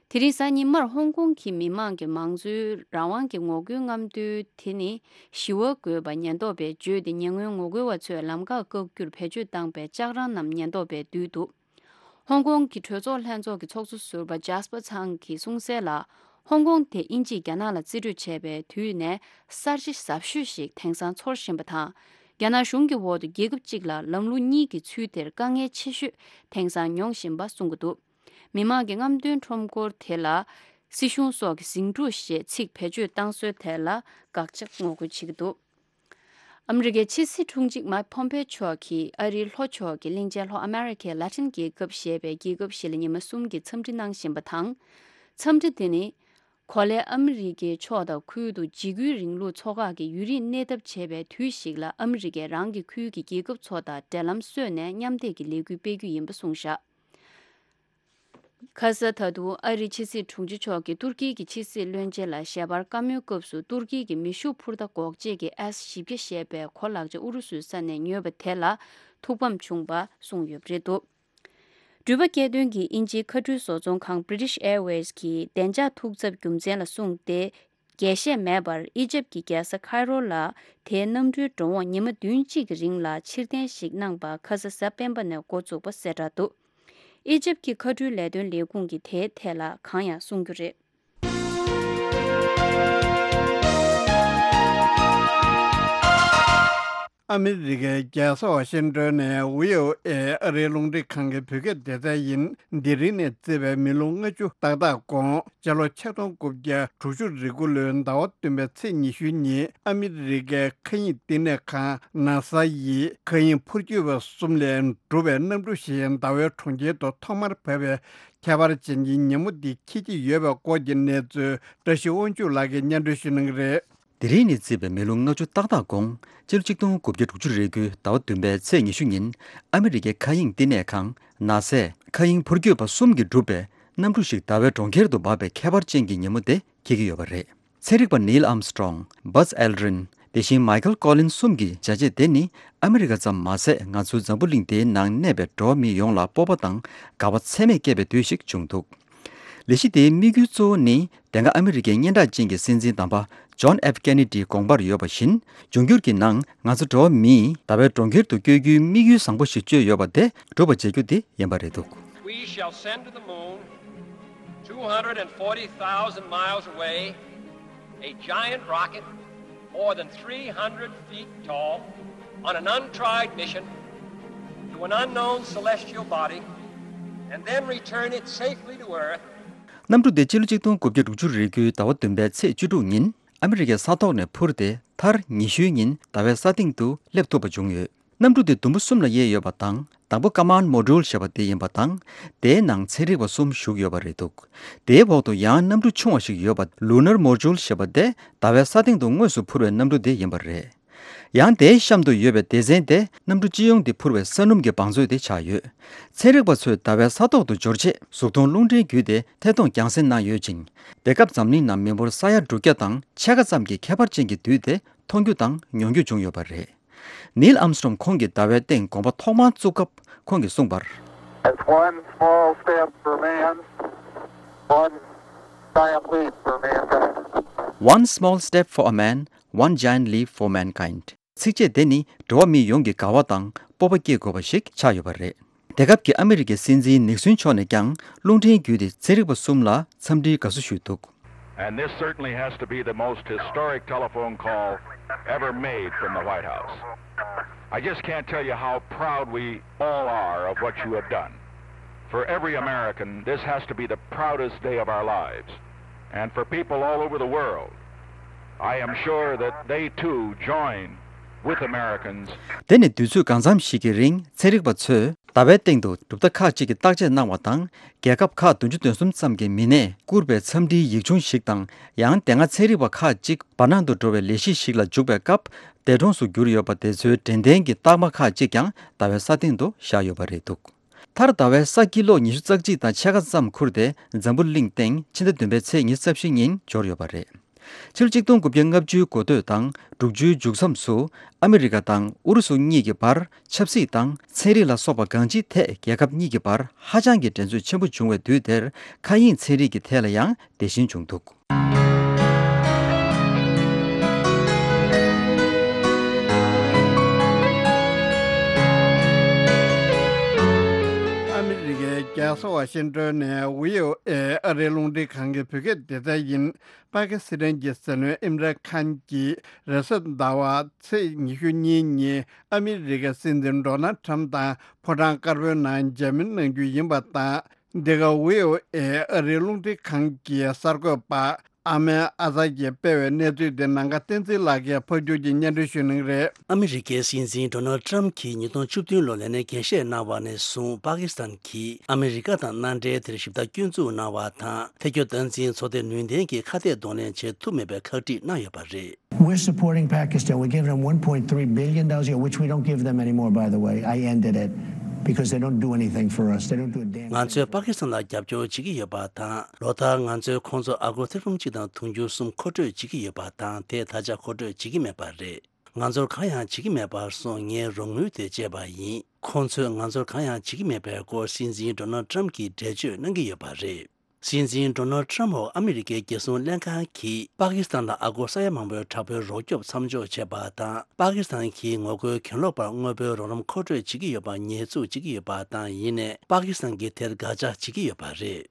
དེ་རིང་གཟའ་ཉི་མར་ཧོང་ཀོང་གི་མི་མང་གི་མང་གཙོའི་རང་དབང་གི་ངོ་རྒོལ་རྔམ་སྟོན་དེ་ནི་ཞི་བ་དགོས་པ་ཉེན་རྟོག་པས་བརྗོད་དེ། ཉེ་སྔོན་ངོ་རྒོལ་བ་ཚོས་ལམ་ཁར་བཀག་རྒྱུར་བེད་སྤྱོད་བཏང་པའི་ལྕགས་རང་རྣམས་ཉེན་རྟོག་པས་བསྡུས་འདུག་ཧོང་ཀོང་གི་གྲོས་ཚོགས་ལྷན་ཚོགས་ཀྱི་ཚོགས་གཙོ་ཟུར་པ་ཇཱ་སི་པ་ཚང་གིས་གསུངས་གསལ་ལ། ཧོང་ཀོང་དེ་དབྱིན་ཇིས་རྒྱ་ནག་ལ་རྩིས་སྤྲོད་བྱས་པའི་དུས་ནས་གསར་བརྗེ་ཟབ་ཤོས་ཤིག་དེང་སང་ཚོར་བཞིན་པ་དང་། རྒྱ་ནག་གཞུང་གི་འོག་ཏུ་རྒྱལ་ཁབ་གཅིག་ལ་ལམ་ལུགས་གཉིས་ཀྱི་ཚུལ་དེར་དཀའ་ངལ་ཆེ་ཤོས་དེང་སང་མྱོང་བཞིན་པ་གསུང་གི་འདུག་མི་མང་གི་རྔམ་སྟོན་ཁྲོམ་སྐོར་དེ་ལ་སྲིད་གཞུང་སོགས་ཀྱི་ཟིང་འཁྲུག་ཞེས་ཚིག་བེད་སྤྱོད་བཏང་སྲོལ་དེ་ལ་དགག་བྱ་ངོ་རྒོལ་བྱེད་ཀྱི་འདུག་ཨ་མི་རི་ཀའི་ཕྱི་སྲིད་དྲུང་ཆེ་མཱིག་ཕོམ་པེ་མཆོག་གིས་ཨ་རིའི་ལྷོ་ཕྱོགས་ཀྱི་གླིང་ཆེན་ལྷོ་ཨ་མེ་རི་ཁའི་ལ་ཏིན་རྒྱལ་ཁབ་ཞེས་པའི་རྒྱལ་ཁབ་ཞིག་ལ་ཉི་མ་གསུམ་གྱི་འཚམས་འདྲི་གནང་བཞིན་པ་དང་། འཚམས་འདྲི་དེ་ནི། གོ་ལའི་ཨ་མི་རི་ཀའི་ཕྱོགས་དང་ཁུལ་དུ་འཇིགས་སྐུལ་རིང་ལུགས་ཚོགས་ཁག་གིས་ཡུན་རིང་གནས་ཐབས་བྱས་པའི་དུས་ཤིག་ལ། ཨ་མི་རི་ཀས་རང་གི་ཁུལ་གྱི་རྒྱལ་ཁབ་ཚོ་དང་འབྲེལ་ལམ་བཟོས་ནས་མཉམ་འདེགས་ཀྱི་ལས་འགུལ་སྤེལ་རྒྱུ་ཡིན་པ་གསུངས་བཞག་ཁ་ས་ད་དུང་ཨ་རིའི་ཕྱི་སྲིད་དྲུང་ཆེ་མཆོག་གིས་ཏུར་ཀི་གི་ཕྱི་སྲིད་བློན་ཆེན་ལ་ཞལ་པར་བཀའ་མོལ་སྐབས་སུ། ཏུར་ཀི་གི་མེ་ཤུགས་འཕུར་མདའ་འགོག་བྱེད་ཀྱི་ཨེས་བཞི་བརྒྱ་ཞེས་པའི་གོ་ལག་ཆ་ཨུ་རུ་སུའི་ས་ནས་ཉོས་པ་དེ་ལ་ཐུགས་ཕམ་བྱུང་བ་གསུངས་ཡོད་པ་རེད་འདུག་འགྲུལ་པ་སྐྱེལ་འདོན་གྱི་དབྱིན་ཇིའི་མཁའ་འགྲུལ་བཟོ་ཚོང་ཁང་British Airways གིས་བདེ་འཇགས་ཐུགས་འཚབ་རྒྱུ་མཚན་ལ་བཟུང་སྟེ། རྒྱས་བཤད་མེད་པར་ཨི་ཇེབ་ཀྱི་རྒྱལ་ས་ཁའི་རོ་ལ་དེའི་གནམ་གྲུའི་འགྲོ་འོང་ཉི་མ་བདུན་གཅིག་གི་རིང་ལ་ཕྱིར་འཐེན་ཞིག་གནང་པ་ཁ་ས་གཟའ་སྤེན་པ་ནས་འགོ་བཙུགས་པ་གསལ་བསྒྲགས་འདུག་ཨི་ཇེབ་ཀྱི་མཁའ་འགྲུལ་ལས་དོན་ལས་ཁུངས་ཀྱིས་དེའི་ཐད་ལ་གང་ཡང་གསུང་རྒྱུ་རེད། ཨ་མི་རི་ཀའི་རྒྱལ་ས་ཝ་ཤིང་ཏོན་ནས་བྷི་ཨོ་ཨེ་ཨ་རིའི་རླུང་འཕྲིན་ཁང་གི་བོད་སྐད་སྡེ་ཚན་ཡིན། དེ་རིང་ནས་བརྩིས་པའི་མི་ལོ་ལྔ་བཅུ་ཏག་ཏག་གོང་། སྤྱི་ལོ་ཆིག་སྟོང་དགུ་བརྒྱ་དྲུག་ཅུ་རེ་དགུ་ལོའི་ཟླ་བ་བདུན་པའི་ཚེས་ཉི་ཤུ་ཉིན། ཨ་མི་རི་ཀའི་མཁའ་དབྱིངས་བསྟི་གནས་ཁང་ནཱ་ས་ཡིས་མཁའ་དབྱིངས་འཕུར་སྐྱོད་པ་གསུམ་ལས་གྲུབ་པའི་གནམ་གྲུ་ཞིག་ཟླ་བའི་གྲོང་ཁྱེར་དུ་ཐོག་མར་བབས་པའི་ཁྱད་པར་ཅན་གྱི་ཉིན་མོ་འདི་འཁེལ་གྱི་ཡོད་པའི་སྐོར་གྱི་གནས་ཚུལ་བཀྲ་ཤིས་དབང་ཕྱུག་ལགས་ཀྱིས་སྙན་སྒྲོན་ཞུ་གནང་གི་རེད། དེ་རིང་ནས་བརྩིས་པའི་མི་ལོ་ལྔ་བཅུ་ཏག་ཏག་གོང་། སྤྱི་ལོ་གཅིག་སྟོང་དགུ་བརྒྱ་དྲུག་ཅུ་རེ་དགུའི་ཟླ་བ་བདུན་པའི་ཚེས་ཉི་ཤུ་ཉིན། ཨ་མི་རི་ཀའི་མཁའ་དབྱིངས་བསྟི་གནས་ཁང་ནཱ་སའི་མཁའ་དབྱིངས་འཕུར་སྐྱོད་པ་གསུམ་གྱིས་གྲུབ་པའི་གནམ་གྲུ་ཞིག་ཟླ་བའི་གྲོང་ཁྱེར་དུ་འབབ་པའི་ཁྱད་པར་ཅན་གྱི་ཉིན་མོ་དེ་འཁེལ་གྱི་ཡོད་པ་རེད། ཚན་རིག་པ་ནིལ་ཨམ་སི་ཀྲོང་། བཱཛ་ཨེལ་ཌྲིན། དེ་བཞིན་མའི་ཁལ་ཀོ་ལིན་གསུམ་གྱི་བྱས་རྗེས་དེ་ནི། ཨ་མི་རི་ཀ་ཙམ་མ་ཟད། ང་ཚོའི་འཛམ་བུ་གླིང་འདིའི་ནང་གནས་པའི་འགྲོ་བ་མི་ཡོངས་ལ་སྤོབས་པ་དང་དགའ་བ་ཚད་མེད་སྐྱེས་པའི་དུས་ཤིག་བྱུང་འདུག་ལས་གཞི་དེའི་དམིགས་ཡུལ་གཙོ་བོ་ནི། དེ་སྔ་ཨ་མི་རི་ཀའི་སྙན་གྲགས་ཅན་གྱི་སྲིད་འཛིན་དམ་པ་ཇོན་ཨེཕ་ཀེ་ནེ་ཌིའི་དགོངས་པར་ཡོད་པ་བཞིན། འབྱུང་འགྱུར་གྱི་ནང་ང་ཚོ་འགྲོ་བ་མིས་ཟླ་བའི་གྲོང་ཁྱེར་དུ་བསྐྱོད་རྒྱུའི་དམིགས་ཡུལ་བཟང་པོ་ཞིག་བཅོས་ཡོད་པ་དེ་འགྲུབ་པ་བྱེད་རྒྱུ་དེ་ཡིན་པ་རེད་འདུག We shall send to the moon, two hundred forty thousand miles away, a giant rocket more than three hundred feet tall on an untried mission to an unknown celestial body and then return it safely to Earth. གནམ་གྲུ་དེ་སྤྱི་ལོ་གཅིག་སྟོང་དགུ་བརྒྱ་དྲུག་ཅུ་རེ་དགུའི་ཟླ་བ་བདུན་པའི་ཚེས་བཅུ་དྲུག་ཉིན་ཨ་མི་རི་ཀའི་ས་ཐོག་ནས་འཕུར་ཏེ། མཐར་ཉི་ཤུའི་ཉིན་ཟླ་བའི་ས་སྟེང་དུ་སླེབས་ཐུབ་པ་བྱུང་ཡོད། གནམ་གྲུ་དེ་ཟླུམ་པོ་གསུམ་ལ་དབྱེ་ཡོད་པ་དང་། དང་པོ་Command Module ཞེས་པ་དེ་ཡིན་པ་དང་། དེའི་ནང་ཚན་རིག་པ་གསུམ་བཞུགས་ཡོད་པ་རེད་འདུག་དེའི་འོག་ཏུ་ཡང་གནམ་གྲུ་ཆུང་བ་ཞིག་ཡོད་པ་Lunar Module ཞེས་པ་དེ་ཟླ་བའི་ས་སྟེང་དུ་དངོས་སུ་འཕུར་བའི་གནམ་གྲུ་དེ་ཡིན་པ་རེད། ཡང་དེའི་གཤམ་དུ་ཡོད་པའི་སྡེ་ཚན་དེ་གནམ་གྲུ་སྤྱི་ཡོངས་དེ་འཕུར་བའི་ས་སྣུམ་གྱི་བང་མཛོད་དེ་ཆགས་ཡོད། ཚན་རིག་པ་ཚོས་ཟླ་བའི་ས་ཐོག་ཏུ་འབྱོར་རྗེས་གཟུགས་མཐོང་རླུང་འཕྲིན་བརྒྱུད་དེ་ཐད་གཏོང་རྒྱང་སྲིང་གནང་ཡོད་ཅིང་། དེ་སྐབས་འཛམ་གླིང་ནང་མི་འབོར་ས་ཡ་དྲུག་བརྒྱ་དང་ཕྱེད་ཀ་ཙམ་གྱི་ཁྱད་པར་ཅན་གྱི་དུས་དེ་མཐོང་རྒྱུ་དང་མྱོང་རྒྱུ་བྱུང་ཡོད་པ་རེད། ནིལ་ཨམ་སི་ཀྲོང་ཁོང་གིས་ཟླ་བའི་སྟེང་གོམ་པ་ཐོག་མར་བཙུགས་སྐབས་ཁོང་གིས་གསུངས་པར། It's one small step for man, one giant leap for mankind. One small step for a man, one giant leap for mankind. ཚིགས་བཅད་དེ་ནི་འགྲོ་བ་མི་ཡོངས་ཀྱི་དགའ་བ་དང་སྤོབས་པ་སྐྱེ་དགོས་པ་ཞིག་ཆགས་ཡོད་པ་རེད། དེ་སྐབས་ཀྱི་ཨ་མི་རི་ཀའི་སྲིད་འཛིན་ནིག་སོན་མཆོག་ནས་ཀྱང་རླུང་འཕྲིན་བརྒྱུད་དེ་ཚན་རིག་པ་གསུམ་ལ་འཚམས་འདྲིའི་དགའ་བསུ་ཞུས་འདུག And this certainly has to be the most historic telephone call ever made from the White House. I just can't tell you how proud we all are of what you have done. For every American, this has to be the proudest day of our lives. And for people all over the world, I am sure that they too join with Americans. དེ་ནི་དུས་ཚོད་གང་འཚམ་ཞིག་གི་རིང་ཚན་རིག་པ་ཚོས་ཟླ་བའི་སྟེང་དུ་གྲུབ་མཐའ་ཁག་ཅིག་གི་བརྟག་དཔྱད་གནང་བ་དང་། རྒྱལ་ཁབ་ཁག་བདུན་ཅུ་དོན་གསུམ་ཙམ་གྱི་མི་སྣས་བསྐུར་པའི་འཚམས་འདྲིའི་ཡིག་ཆུང་ཞིག་དང་། ཡང་དེ་སྔ་ཚན་རིག་པ་ཁག་ཅིག་བར་སྣང་དུ་འགྲོ་བའི་ལས་གཞི་ཞིག་ལ་འཇུག་པའི་སྐབས་འདས་གྲོངས་སུ་གྱུར་ཡོད་པ་དེ་ཚོའི་དྲན་རྟེན་གྱི་རྟགས་མ་ཁག་ཅིག་ཀྱང་ཟླ་བའི་ས་སྟེང་དུ་བཞག་ཡོད་པ་རེད་འདུག་མཐར་ཟླ་བའི་ས་ཀི་ལོ་ཉི་ཤུ་རྩ་གཅིག་དང་ཕྱེད་ཀ་ཙམ་ཁུར་ཏེ་འཛམ་བུ་གླིང་སྟེང་ཕྱི་ཟླ་བདུན་པའི་ཚེས་ཉི་ཤུ་རྩ་བཞི་ཉིན་འབྱོར་ཡོད་པ་རེད། ཕྱི་ལོ་གཅིག་སྟོང་དགུ་བརྒྱ་ལྔ་བཅུའི་འགོ་སྟོད་དང་དྲུག་ཅུའི་མཇུག་མཚམས་སུ་ཨ་མི་རི་ཀ་དང་ཨུ་རུ་སུ་གཉིས་ཀྱི་བར་ཆབ་སྲིད་དང་ཚན་རིག་ལ་སོགས་པ་གང་ཅིའི་ཐད་རྒྱལ་ཁབ་གཉིས་ཀྱི་བར་ཧ་ཅང་གི་འགྲན་རྩོད་ཆེན་པོ་བྱུང་བའི་དུས་དེར་མཁའ་དབྱིངས་ཚན་རིག་གི་ཐད་ལ་ཡང་དེ་བཞིན་བྱུང་འདུག་ཨ་མི་རི་ཀའི་རྒྱལ་ས་ཝ་ཤིང་ཏོན་ནས་ཝི་ཨོ་ཨེ་ཨ་རིའི་རླུང་འཕྲིན་ཁང་གི་བོད་སྐད་སྡེ་ཚན་ཡིན། པ་ཀི་སི་ཐན་གྱི་སྲིད་བློན་ཨིམ་རན་ཁཱན་གྱིས་རེས་གཟའ་ཟླ་བ་ཚེས་ཉི་ཤུ་གཉིས་ཉིན་ཨ་མི་རི་ཀའི་སྲིད་འཛིན་ཌོ་ནལ་ཁྲམ་དང་ཕོ་བྲང་དཀར་པོའི་ནང་མཇལ་མོལ་གནང་རྒྱུ་ཡིན་པ་དང་། འདི་ག་ཝི་ཨོ་ཨེ་ཨ་རིའི་རླུང་འཕྲིན་ཁང་གི་གསར་འགོད་པ་ཨ་མན་ཨ་ཛར་གྱིས་སྤེལ་བའི་གནས་ཚུལ་དེ་ནམ་མཁའ་བསྟན་འཛིན་ལགས་ཀྱིས་ཕབ་སྒྱུར་གྱིས་སྙན་སྒྲོན་ཞུ་གནང་གི་རེད། ཨ་མི་རི་ཀའི་སྲིད་འཛིན་ཌོ་ནལ་ཏྲམ་གྱིས་ཉིས་སྟོང་བཅུ་བདུན་ལོར་ལས་གནས་འགན་བཞེས་གནང་བ་ནས་བཟུང་པ་ཀི་སི་ཐན་གྱིས་ཨ་མི་རི་ཀ་དང་མནའ་འབྲེལ་དེར་ཞིབ་ལྟ་སྐྱོན་འཛུགས་གནང་བ་དང་། འཐབ་རྒོལ་སྟངས་འཛིན་ཚོགས་སྡེ་ནུས་ལྡན་གྱི་ཁ་གཏད་གདོང་ལེན་བྱེད་ཐུབ་མེད་པའི་ཁག་དཀྲི་གནང་ཡོད་པ་རེད། We're supporting Pakistan. We're giving them one point three billion dollars a year, which we don't give them anymore, by the way. I ended it because they don't do anything for us. They don't do a damn thing. ང་ཚོས་པ་ཀི་སི་ཐན་ལ་རྒྱབ་སྐྱོར་བྱེད་ཀྱི་ཡོད་པ་དང་། ལོ་ལྟར་ང་ཚོས་ཁོང་ཚོར་ཨ་སྒོར་ཐེར་འབུམ་གཅིག་དང་དུང་ཕྱུར་གསུམ་མཁོ་སྤྲོད་བྱེད་ཀྱི་ཡོད་པ་དང་། དེ་ད་ཆ་མཁོ་སྤྲོད་བྱེད་ཀྱི་མེད་པ་རེད། ང་ཚོར་གང་ཡང་བྱེད་ཀྱི་མེད་པར་སོང་། ངས་རོགས་དངུལ་དེ་བཅད་པ་ཡིན། ཁོང་ཚོས་ང་ཚོར་གང་ཡང་བྱེད་ཀྱི་མེད་པའི་སྐོར་སྲིད་འཛིན་ཌོ་ནལ་ཏྲམ་གྱིས་འགྲེལ་བརྗོད་གནང་གི་ཡོད་པ་རེད། སྲིད་འཛིན་ཌོ་ནལ་ཏྲམ་འོག་ཨ་མི་རི་ཀའི་རྒྱལ་སྲུང་ལྷན་ཁང་གིས་པ་ཀི་སི་ཐན་ལ་ཨ་སྒོར་ས་ཡ་མང་པོའི་དྲག་པོའི་རོགས་སྐྱོབ་མཚམས་འཇོག་བྱས་པ་དང་། པ་ཀི་སི་ཐན་གྱིས་ངོ་རྒོལ་གྱེན་ལོག་པར་དངོས་པོའི་རོགས་རམ་མཁོ་སྤྲོད་བྱེད་ཀྱི་ཡོད་པ་ཉེས་འཛུགས་བྱེད་ཀྱི་ཡོད་པ་དང་། ཡིན་ནའི་པ་ཀི་སི་ཐན་གྱིས་དེར་དགག་བྱ་བྱེད་ཀྱི་ཡོད་པ་རེད།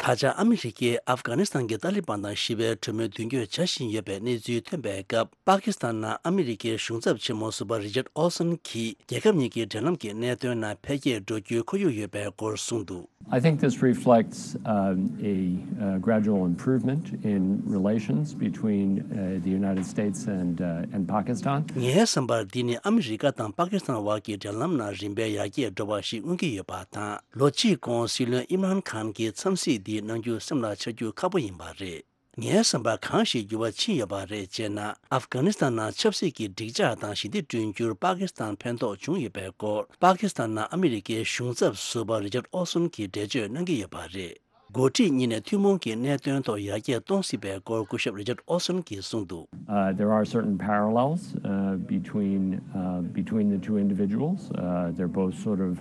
ད་ཆ་ཨ་མི་རི་ཀས་ཨབ་གྷ་ནི་སི་ཐན་གྱི་ཏཱ་ལི་བན་དང་ཞི་བའི་གྲོས་མོལ་མདུན་སྐྱོད་བྱ་བཞིན་ཡོད་པའི་གནས་ཚུལ་ཐོན་པའི་སྐབས། པ་ཀི་སི་ཐན་ནང་ཨ་མི་རི་ཀའི་གཞུང་ཚབ་ཆེན་མོ་ཟུར་པ་རི་ཅར་ཨོལ་སོན་གྱིས་རྒྱལ་ཁབ་གཉིས་ཀྱི་འབྲེལ་ལམ་གྱི་གནད་དོན་ནང་འཕེལ་རྒྱས་འགྲོ་རྒྱུའི་ཁོར་ཡུག་ཡོད་པའི་སྐོར་གསུངས་འདུག I think this reflects, um, a, uh, gradual improvement in relations between, uh, the United States and, uh, and Pakistan. ངའི་བསམ་པར་འདི་ནི་ཨ་མི་རི་ཀ་དང་པ་ཀི་སི་ཐན་བར་གྱི་འབྲེལ་ལམ་ནང་རིམ་པས་ཡར་རྒྱས་འགྲོ་བ་ཞིག་མངོན་གྱི་ཡོད་པ་དང་། ལོ་གཅིག་གོང་སྲིད་བློན་ཨིམ་རན་ཁཱན་གྱིས་འཚམས་གཟིགས་འདི་གནང་རྒྱུ་སེམས་ལ་འཆར་རྒྱུ་ཁག་པོ་ཡིན་པ་རེད། ངའི་བསམ་པར་གང་ཞིག་འགྱུར་བ་ཕྱིན་ཡོད་པ་རེད་ཅེ་ན། ཨབ་གྷ་ནི་སི་ཐན་ནང་ཆབ་སྲིད་ཀྱི་འགྲིག་འཇགས་དང་ཞི་བདེ་བསྐྲུན་རྒྱུར་པ་ཀི་སི་ཐན་ཕན་ཐོགས་བྱུང་ཡོད་པའི་སྐོར། པ་ཀི་སི་ཐན་ནང་ཨ་མི་རི་ཀའི་གཞུང་ཚབ་ཟུར་པ་རི་ཅར་ཨོ་སོན་གྱིས་འགྲེལ་བརྗོད་གནང་གི་ཡོད་པ་རེད། འགོ་ཁྲིད་གཉིས་ནས་ཐུན་མོང་གི་གནད་དོན་ཐོག་ཡར་རྒྱས་གཏོང་སྲིད་པའི་སྐོར་སྐུ་ཞབས་རི་ཅར་ཨོ་སོན་གྱིས་གསུངས་འདུག Uh, there are certain parallels, uh, between, uh, between the two individuals. Uh, they're both sort of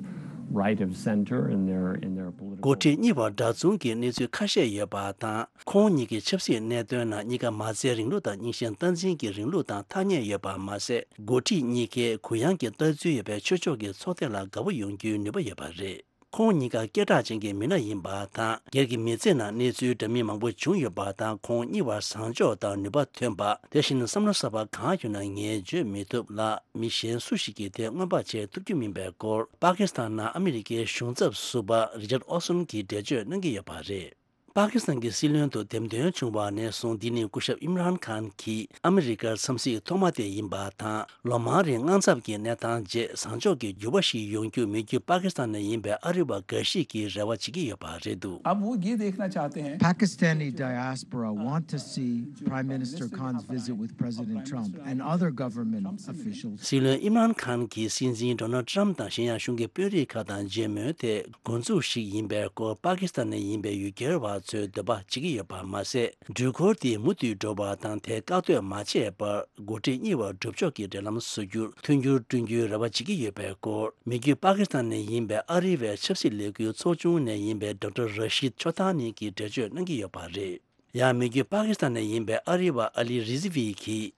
right of center in their, in their political འགོ་ཁྲིད་གཉིས་བར་འདྲ་མཚུངས་ཀྱི་གནས་ཚུལ་ཁ་ཤས་ཡོད་པ་དང་། ཁོང་གཉིས་ཀྱི་ཆབ་སྲིད་གནད་དོན་ནང་གཉིས་ཀ་མ་རྩའི་རིང་ལུགས་དང་རྙིང་ཞེན་སྟངས་འཛིན་གྱི་རིང་ལུགས་དང་ཐག་ཉེ་ཡོད་པ་མ་ཟད། འགོ་ཁྲིད་གཉིས་ཀས་གུ་ཡངས་ཀྱི་ལྟ་ཚུལ་ཡོད་པའི་ཆོས་ཕྱོགས་ཀྱི་ཚོགས་སྡེ་ལ་དགའ་པོ་ཡོང་རྒྱུའི་ནུས་པ་ཡོད་པ་རེད། ཁོང་གཉིས་ཀ་སྐད་གྲགས་ཅན་གྱི་མི་སྣ་ཡིན་པ་དང་། སྒེར་གྱི་མི་ཚེ་ནང་གནས་ཚུལ་འདྲ་མིན་མང་པོ་བྱུང་ཡོད་པ་དང་། ཁོང་གཉིས་བར་བཟང་ཕྱོགས་དང་ནུས་པ་ཐོན་པ། དེ་བཞིན་བསམ་བློ་གསར་པ་གང་ཡོད་ན་ངས་བརྗོད་མི་ཐུབ་ལ། མི་གཞན་སུ་ཞིག་གིས་དེ་མངོན་པ་བྱེད་ཐུབ་རྒྱུ་མིན་པའི་སྐོར། པ་ཀི་སི་ཐན་ནང་ཨ་མི་རི་ཀའི་གཞུང་ཚབ་ཟུར་པ་རི་ཅར་ཨོ་སོན་གྱིས་འགྲེལ་བརྗོད་གནང་གི་ཡོད་པ་རེད། པ་ཀི་སི་ཐན་གྱི་སྲིད་བློན་དུ་འདེམས་ཐོན་བྱུང་བ་ནས་བཟུང་འདི་ནི་སྐུ་ཞབས་ཨིམ་རཱན་ཁཱན་གྱི་ཨ་མི་རི་ཀར་འཚམས་གཟིགས་ཐོག་མ་དེ་ཡིན་པ་དང་། ལོ་མང་རིང་དངངས་འཚབ་ཀྱི་གནས་སྟངས་རྗེས་བཟང་ཕྱོགས་ཀྱི་འགྱུར་བ་ཞིག་ཡོང་རྒྱུ་མི་རྒྱུད་པ་ཀི་སི་ཐན་ནས་ཡིན་པའི་ཨ་རི་བ་འགའ་ཞིག་གིས་རེ་བ་བྱེད་ཀྱི་ཡོད་པ་རེད་འདུག། अब वो ये देखना चाहते हैं। Pakistani diaspora want to see Prime Minister Khan's visit with President Trump and other government officials. སྲིད་བློན་ཨིམ་རཱན་ཁཱན་གྱིས་སྲིད་འཛིན་ཌོ་ནལ་ཊམ་དང་གཞན་ཡང་གཞུང་གི་དཔོན་རིགས་ཁག་དང་མཇལ་མོལ་དེ་འགོ་འཛུགས་ཤིག་ཡིན་པའི་སྐོར། པ་ཀི་སི་ཐན་ནས་ཡིན་པའི་ཡུལ་གྱར་བ་ཚོས་འདོད་པ་བྱེད་ཀྱི་ཡོད་པ་མ་ཟད། འགྲུལ་འཁོར་དེ་མུ་མཐུད་འགྲོ་བ་དང་དེ་བཀག་སྡོད་མ་བྱས་པར་འགོ་ཁྲིད་གཉིས་བར་སྒྲུབ་ཕྱོགས་ཀྱི་འབྲེལ་ལམ་བཟོ་རྒྱུར་མཐུན་འགྱུར་བསྐྲུན་རྒྱུའི་རེ་བ་བྱེད་ཀྱི་ཡོད་པའི་སྐོར། མི་རྒྱུད་པ་ཀི་སི་ཐན་ནས་ཡིན་པའི་ཨ་རི་བའི་ཆབ་སྲིད་ལས་འགུལ་ཚོགས་ཆུང་ནས་ཡིན་པའི་ཌོག་ཊར་ར་ཤིད་ཆོ་ཐ་ནི་གིས་འགྲེལ་བརྗོད་གནང་གི་ཡོད་པ་རེད། ཡང་མི་རྒྱུད་པ་ཀི་སི་ཐན་ནས་ཡིན་པའི་ཨ་རི་བ་ཨ་ལི་རི་ཛི་ཝི་གིས།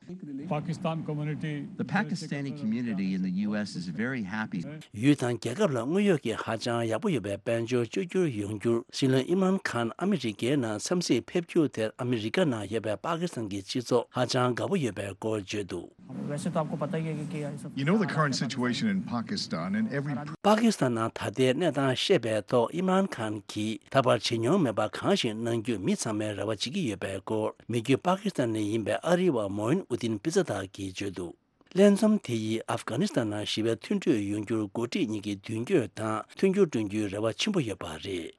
Pakistan community, The Pakistani community in the U S is very happy. ཡུལ་དང་རྒྱལ་ཁབ་ལ་དངོས་ཡོད་ཀྱི་ཧ་ཅང་ཡག་པོ་ཡོད་པའི་དཔལ་འབྱོར་བཅོས་བསྒྱུར་ཡོང་རྒྱུར་སྲིད་བློན་ཨིམ་རཱན་ཁཱན་ཨ་མི་རི་ཀའི་ནང་འཚམས་གཟིགས་ཕེབས་རྒྱུ་དེར་ཨ་མི་རི་ཀ་ནང་ཡོད་པའི་པ་ཀི་སི་ཐན་གྱི་སྤྱི་ཚོགས་ཧ་ཅང་དགའ་པོ་ཡོད་པའི་སྐོར་བརྗོད་འདུག། वैसे तो आपको पता ही है कि क्या है सब। You know the current situation in Pakistan and every པ་ཀི་སི་ཐན་ནང་ད་ལྟའི་གནས་སྟངས་བཤད་པའི་ཐོག་ཨིམ་རཱན་ཁཱན་གྱིས་ད་བར་བྱེད་མྱོང་མེད་པ་གང་ཞིག་གནང་རྒྱུ་མི་ཚང་མས་རེ་བ་བྱེད་ཀྱི་ཡོད་པའི་སྐོར། མི་རྒྱུད་པ་ཀི་སི་ཐན་ནས་ཡིན་པའི་ཨ་རི་བ་མོ་ཨིན་ཨུ་དིན་པི་ཛ་དག་གིས་བརྗོད་འདུག། ལྷན་འཛོམས་དེ་ཡིས་ཨབ་གྷ་ནི་སི་ཐན་ནང་ཞི་བའི་མཐུན་གྲོས་ཡོང་རྒྱུར་འགོ་ཁྲིད་གཉིས་ཀྱིས་མདུན་སྐྱོད་དང་མཐུན་འགྱུར་བསྐྲུན་རྒྱུའི་རེ་བ་ཆེན་པོ་ཡོད་པ་རེད།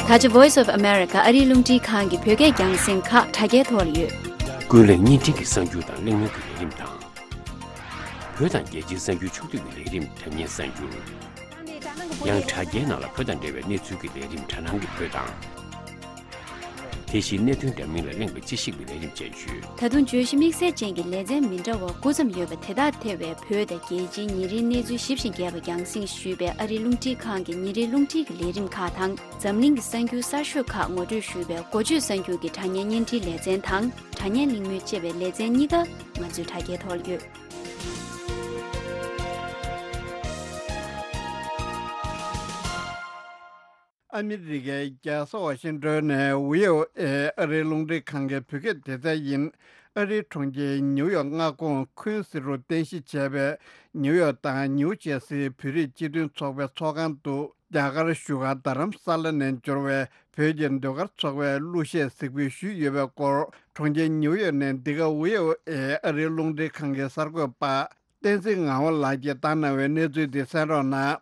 ད་ཆ་Voice of America ཨ་རིའི་རླུང་འཕྲིན་ཁང་གི་བོད་སྐད་རྒྱང་སྲིང་ཁག་དྲ་རྒྱའི་ཐོག་ལ་ཡོད། ཀུན་གླེང་བརྙན་འཕྲིན་གྱི་གསར་འགྱུར་དང་གླེང་མོལ་གྱི་ལས་རིམ་དང་། བོད་དང་རྒྱལ་སྤྱིའི་གསར་འགྱུར་ཕྱོགས་བསྡུས་ཀྱི་ལས་རིམ་དྲ་བརྙན་གསར་འགྱུར། ཡང་དྲ་རྒྱའི་ནང་ལ་བོད་དང་འབྲེལ་བའི་གནས་ཚུལ་གྱི་ལས་རིམ་དྲ་སྣང་གི་བོད་དང་། དེ་བཞིན་གནད་དོན་འདྲ་མིན་ལ་གླེང་བའི་དཔྱད་ཞིབ་ཀྱི་ལས་རིམ་བཅས་ཡོད། ད་དུང་བརྗོད་གཞི་དམིགས་བསལ་ཅན་གྱི་ལེ་ཚན་མི་འདྲ་བ་དགུ་ཙམ་ཡོད་པ་དེ་དག་ཐེ་བའི་བོད་དང་རྒྱལ་སྤྱིའི་ཉིན་རེའི་གནས་ཚུལ་ཞིབ་ཅིང་རྒྱས་པ་རྒྱང་སྲིང་ཞུས་པའི་ཨ་རིའི་རླུང་འཕྲིན་ཁང་གི་ཉིན་རེའི་རླུང་འཕྲིན་གྱི་ལས་རིམ་ཁག་དང་། འཛམ་གླིང་གི་གསར་འགྱུར་གསར་ཤོས་ཁག་ངོ་སྤྲོད་ཞུས་པའི་འགོ་བརྗོད་གསར་འགྱུར་གྱི་དྲ་བརྙན་བརྙན་འཕྲིན་ལེ་ཚན་དང་། དྲ་བརྙན་གླེང་མོལ་ཅེས་པའི་ལེ་ཚན་གཉིས་ཀ་ང་ཚོའི་དྲ་རྒྱའི་ཐོག་ཡོད། ཨ་མི་རི་ཀའི་རྒྱལ་ས་ཝ་ཤིང་ཏོན་ནས་ཝི་ཨོ་ཨེ་ཨ་རིའི་རླུང་འཕྲིན་ཁང་གི་བོད་སྐད་སྡེ་ཚན་ཡིན། ཨ་རིའི་གྲོང་ཁྱེར་ཉིའུ་ཡོག་མངའ་ཁོངས་ཁུན་སི་རུ་རྟེན་གཞི་བྱས་པའི་ཉིའུ་ཡོག་དང་ནིའུ་ཇེ་སིའི་བོད་རིགས་སྤྱི་མཐུན་ཚོགས་པའི་ཚོགས་ཁང་དུ། རྒྱ་གར་བཞུགས་སྒར་རྡ་རམ་ས་ལ་ནས་འབྱོར་བའི་བོད་ཀྱི་ཟློས་གར་ཚོགས་པས་གླུ་གཞས་གཟིགས་འབུལ་ཞུས་ཡོད་པའི་སྐོར། གྲོང་ཁྱེར་ཉིའུ་ཡོག་ནས་འདི་ག་ཝི་ཨོ་ཨེ་ཨ་རིའི་རླུང་འཕྲིན་ཁང་གི་གསར་འགོད་པ་བསྟན་འཛིན་ངག་དབང་ལགས་ཀྱིས་བཏང་གནང་བའི་གནས་ཚུལ་འདི་གསན་རོགས་གནང་།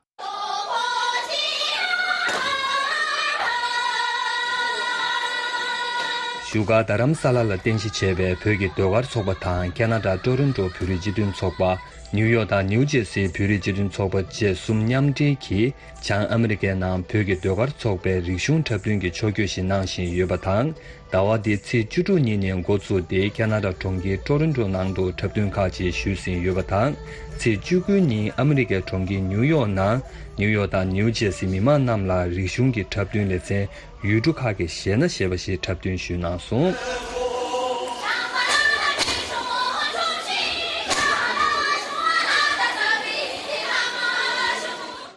བཞུགས་སྒར་རྡ་རམ་ས་ལ་ལ་རྟེན་གཞི་བྱས་པའི་བོད་ཀྱི་ཟློས་གར་ཚོགས་པ་དང་ཁེ་ན་ཌ་ཊོ་རོན་ཊོ་བོད་རིགས་སྤྱི་མཐུན་ཚོགས་པ། ནིའུ་ཡོག་དང་ནིའུ་ཇེ་སིའི་བོད་རིགས་སྤྱི་མཐུན་ཚོགས་པ་བཅས་གསུམ་མཉམ་འབྲེལ་གྱིས། བྱང་ཨ་མི་རི་ཀའི་ནང་བོད་ཀྱི་ཟློས་གར་ཚོགས་པའི་རིག་གཞུང་འཁྲབ་སྟོན་གྱི་ཕྱོགས་བསྐྱོད་ཞིག་གནང་བཞིན་ཡོད་པ་དང་། ཟླ་བ་འདིའི་ཚེས་བཅུ་དྲུག་ཉིན་ནས་འགོ་བཙུགས་ཏེ་ཁེ་ན་ཌ་གྲོང་ཁྱེར་ཊོ་རོན་ཊོ་ནང་དུ་འཁྲབ་སྟོན་ཁག་ཅིག་ཞུས་ཟིན་ཡོད་པ་དང་། ཚེས་བཅུ་དགུ་ཉིན་ཨ་མི་རི་ཀའི་གྲོང་ཁྱེར་ཉིའུ་ཡོག་ནང་ནིའུ་ཡོག་དང་ནིའུ་ཇེ་སི་མི་མང་རྣམས་ལ་རིག་གཞུང་གི་འཁྲབ་སྟོན་ལེ་ཚན། ཡུལ་གྲུ་ཁག་གི་གཞས་སྣ་ཞེས་པ་ཞིག་འཁྲབ་སྟོན་ཞུས་གནང་སོང་།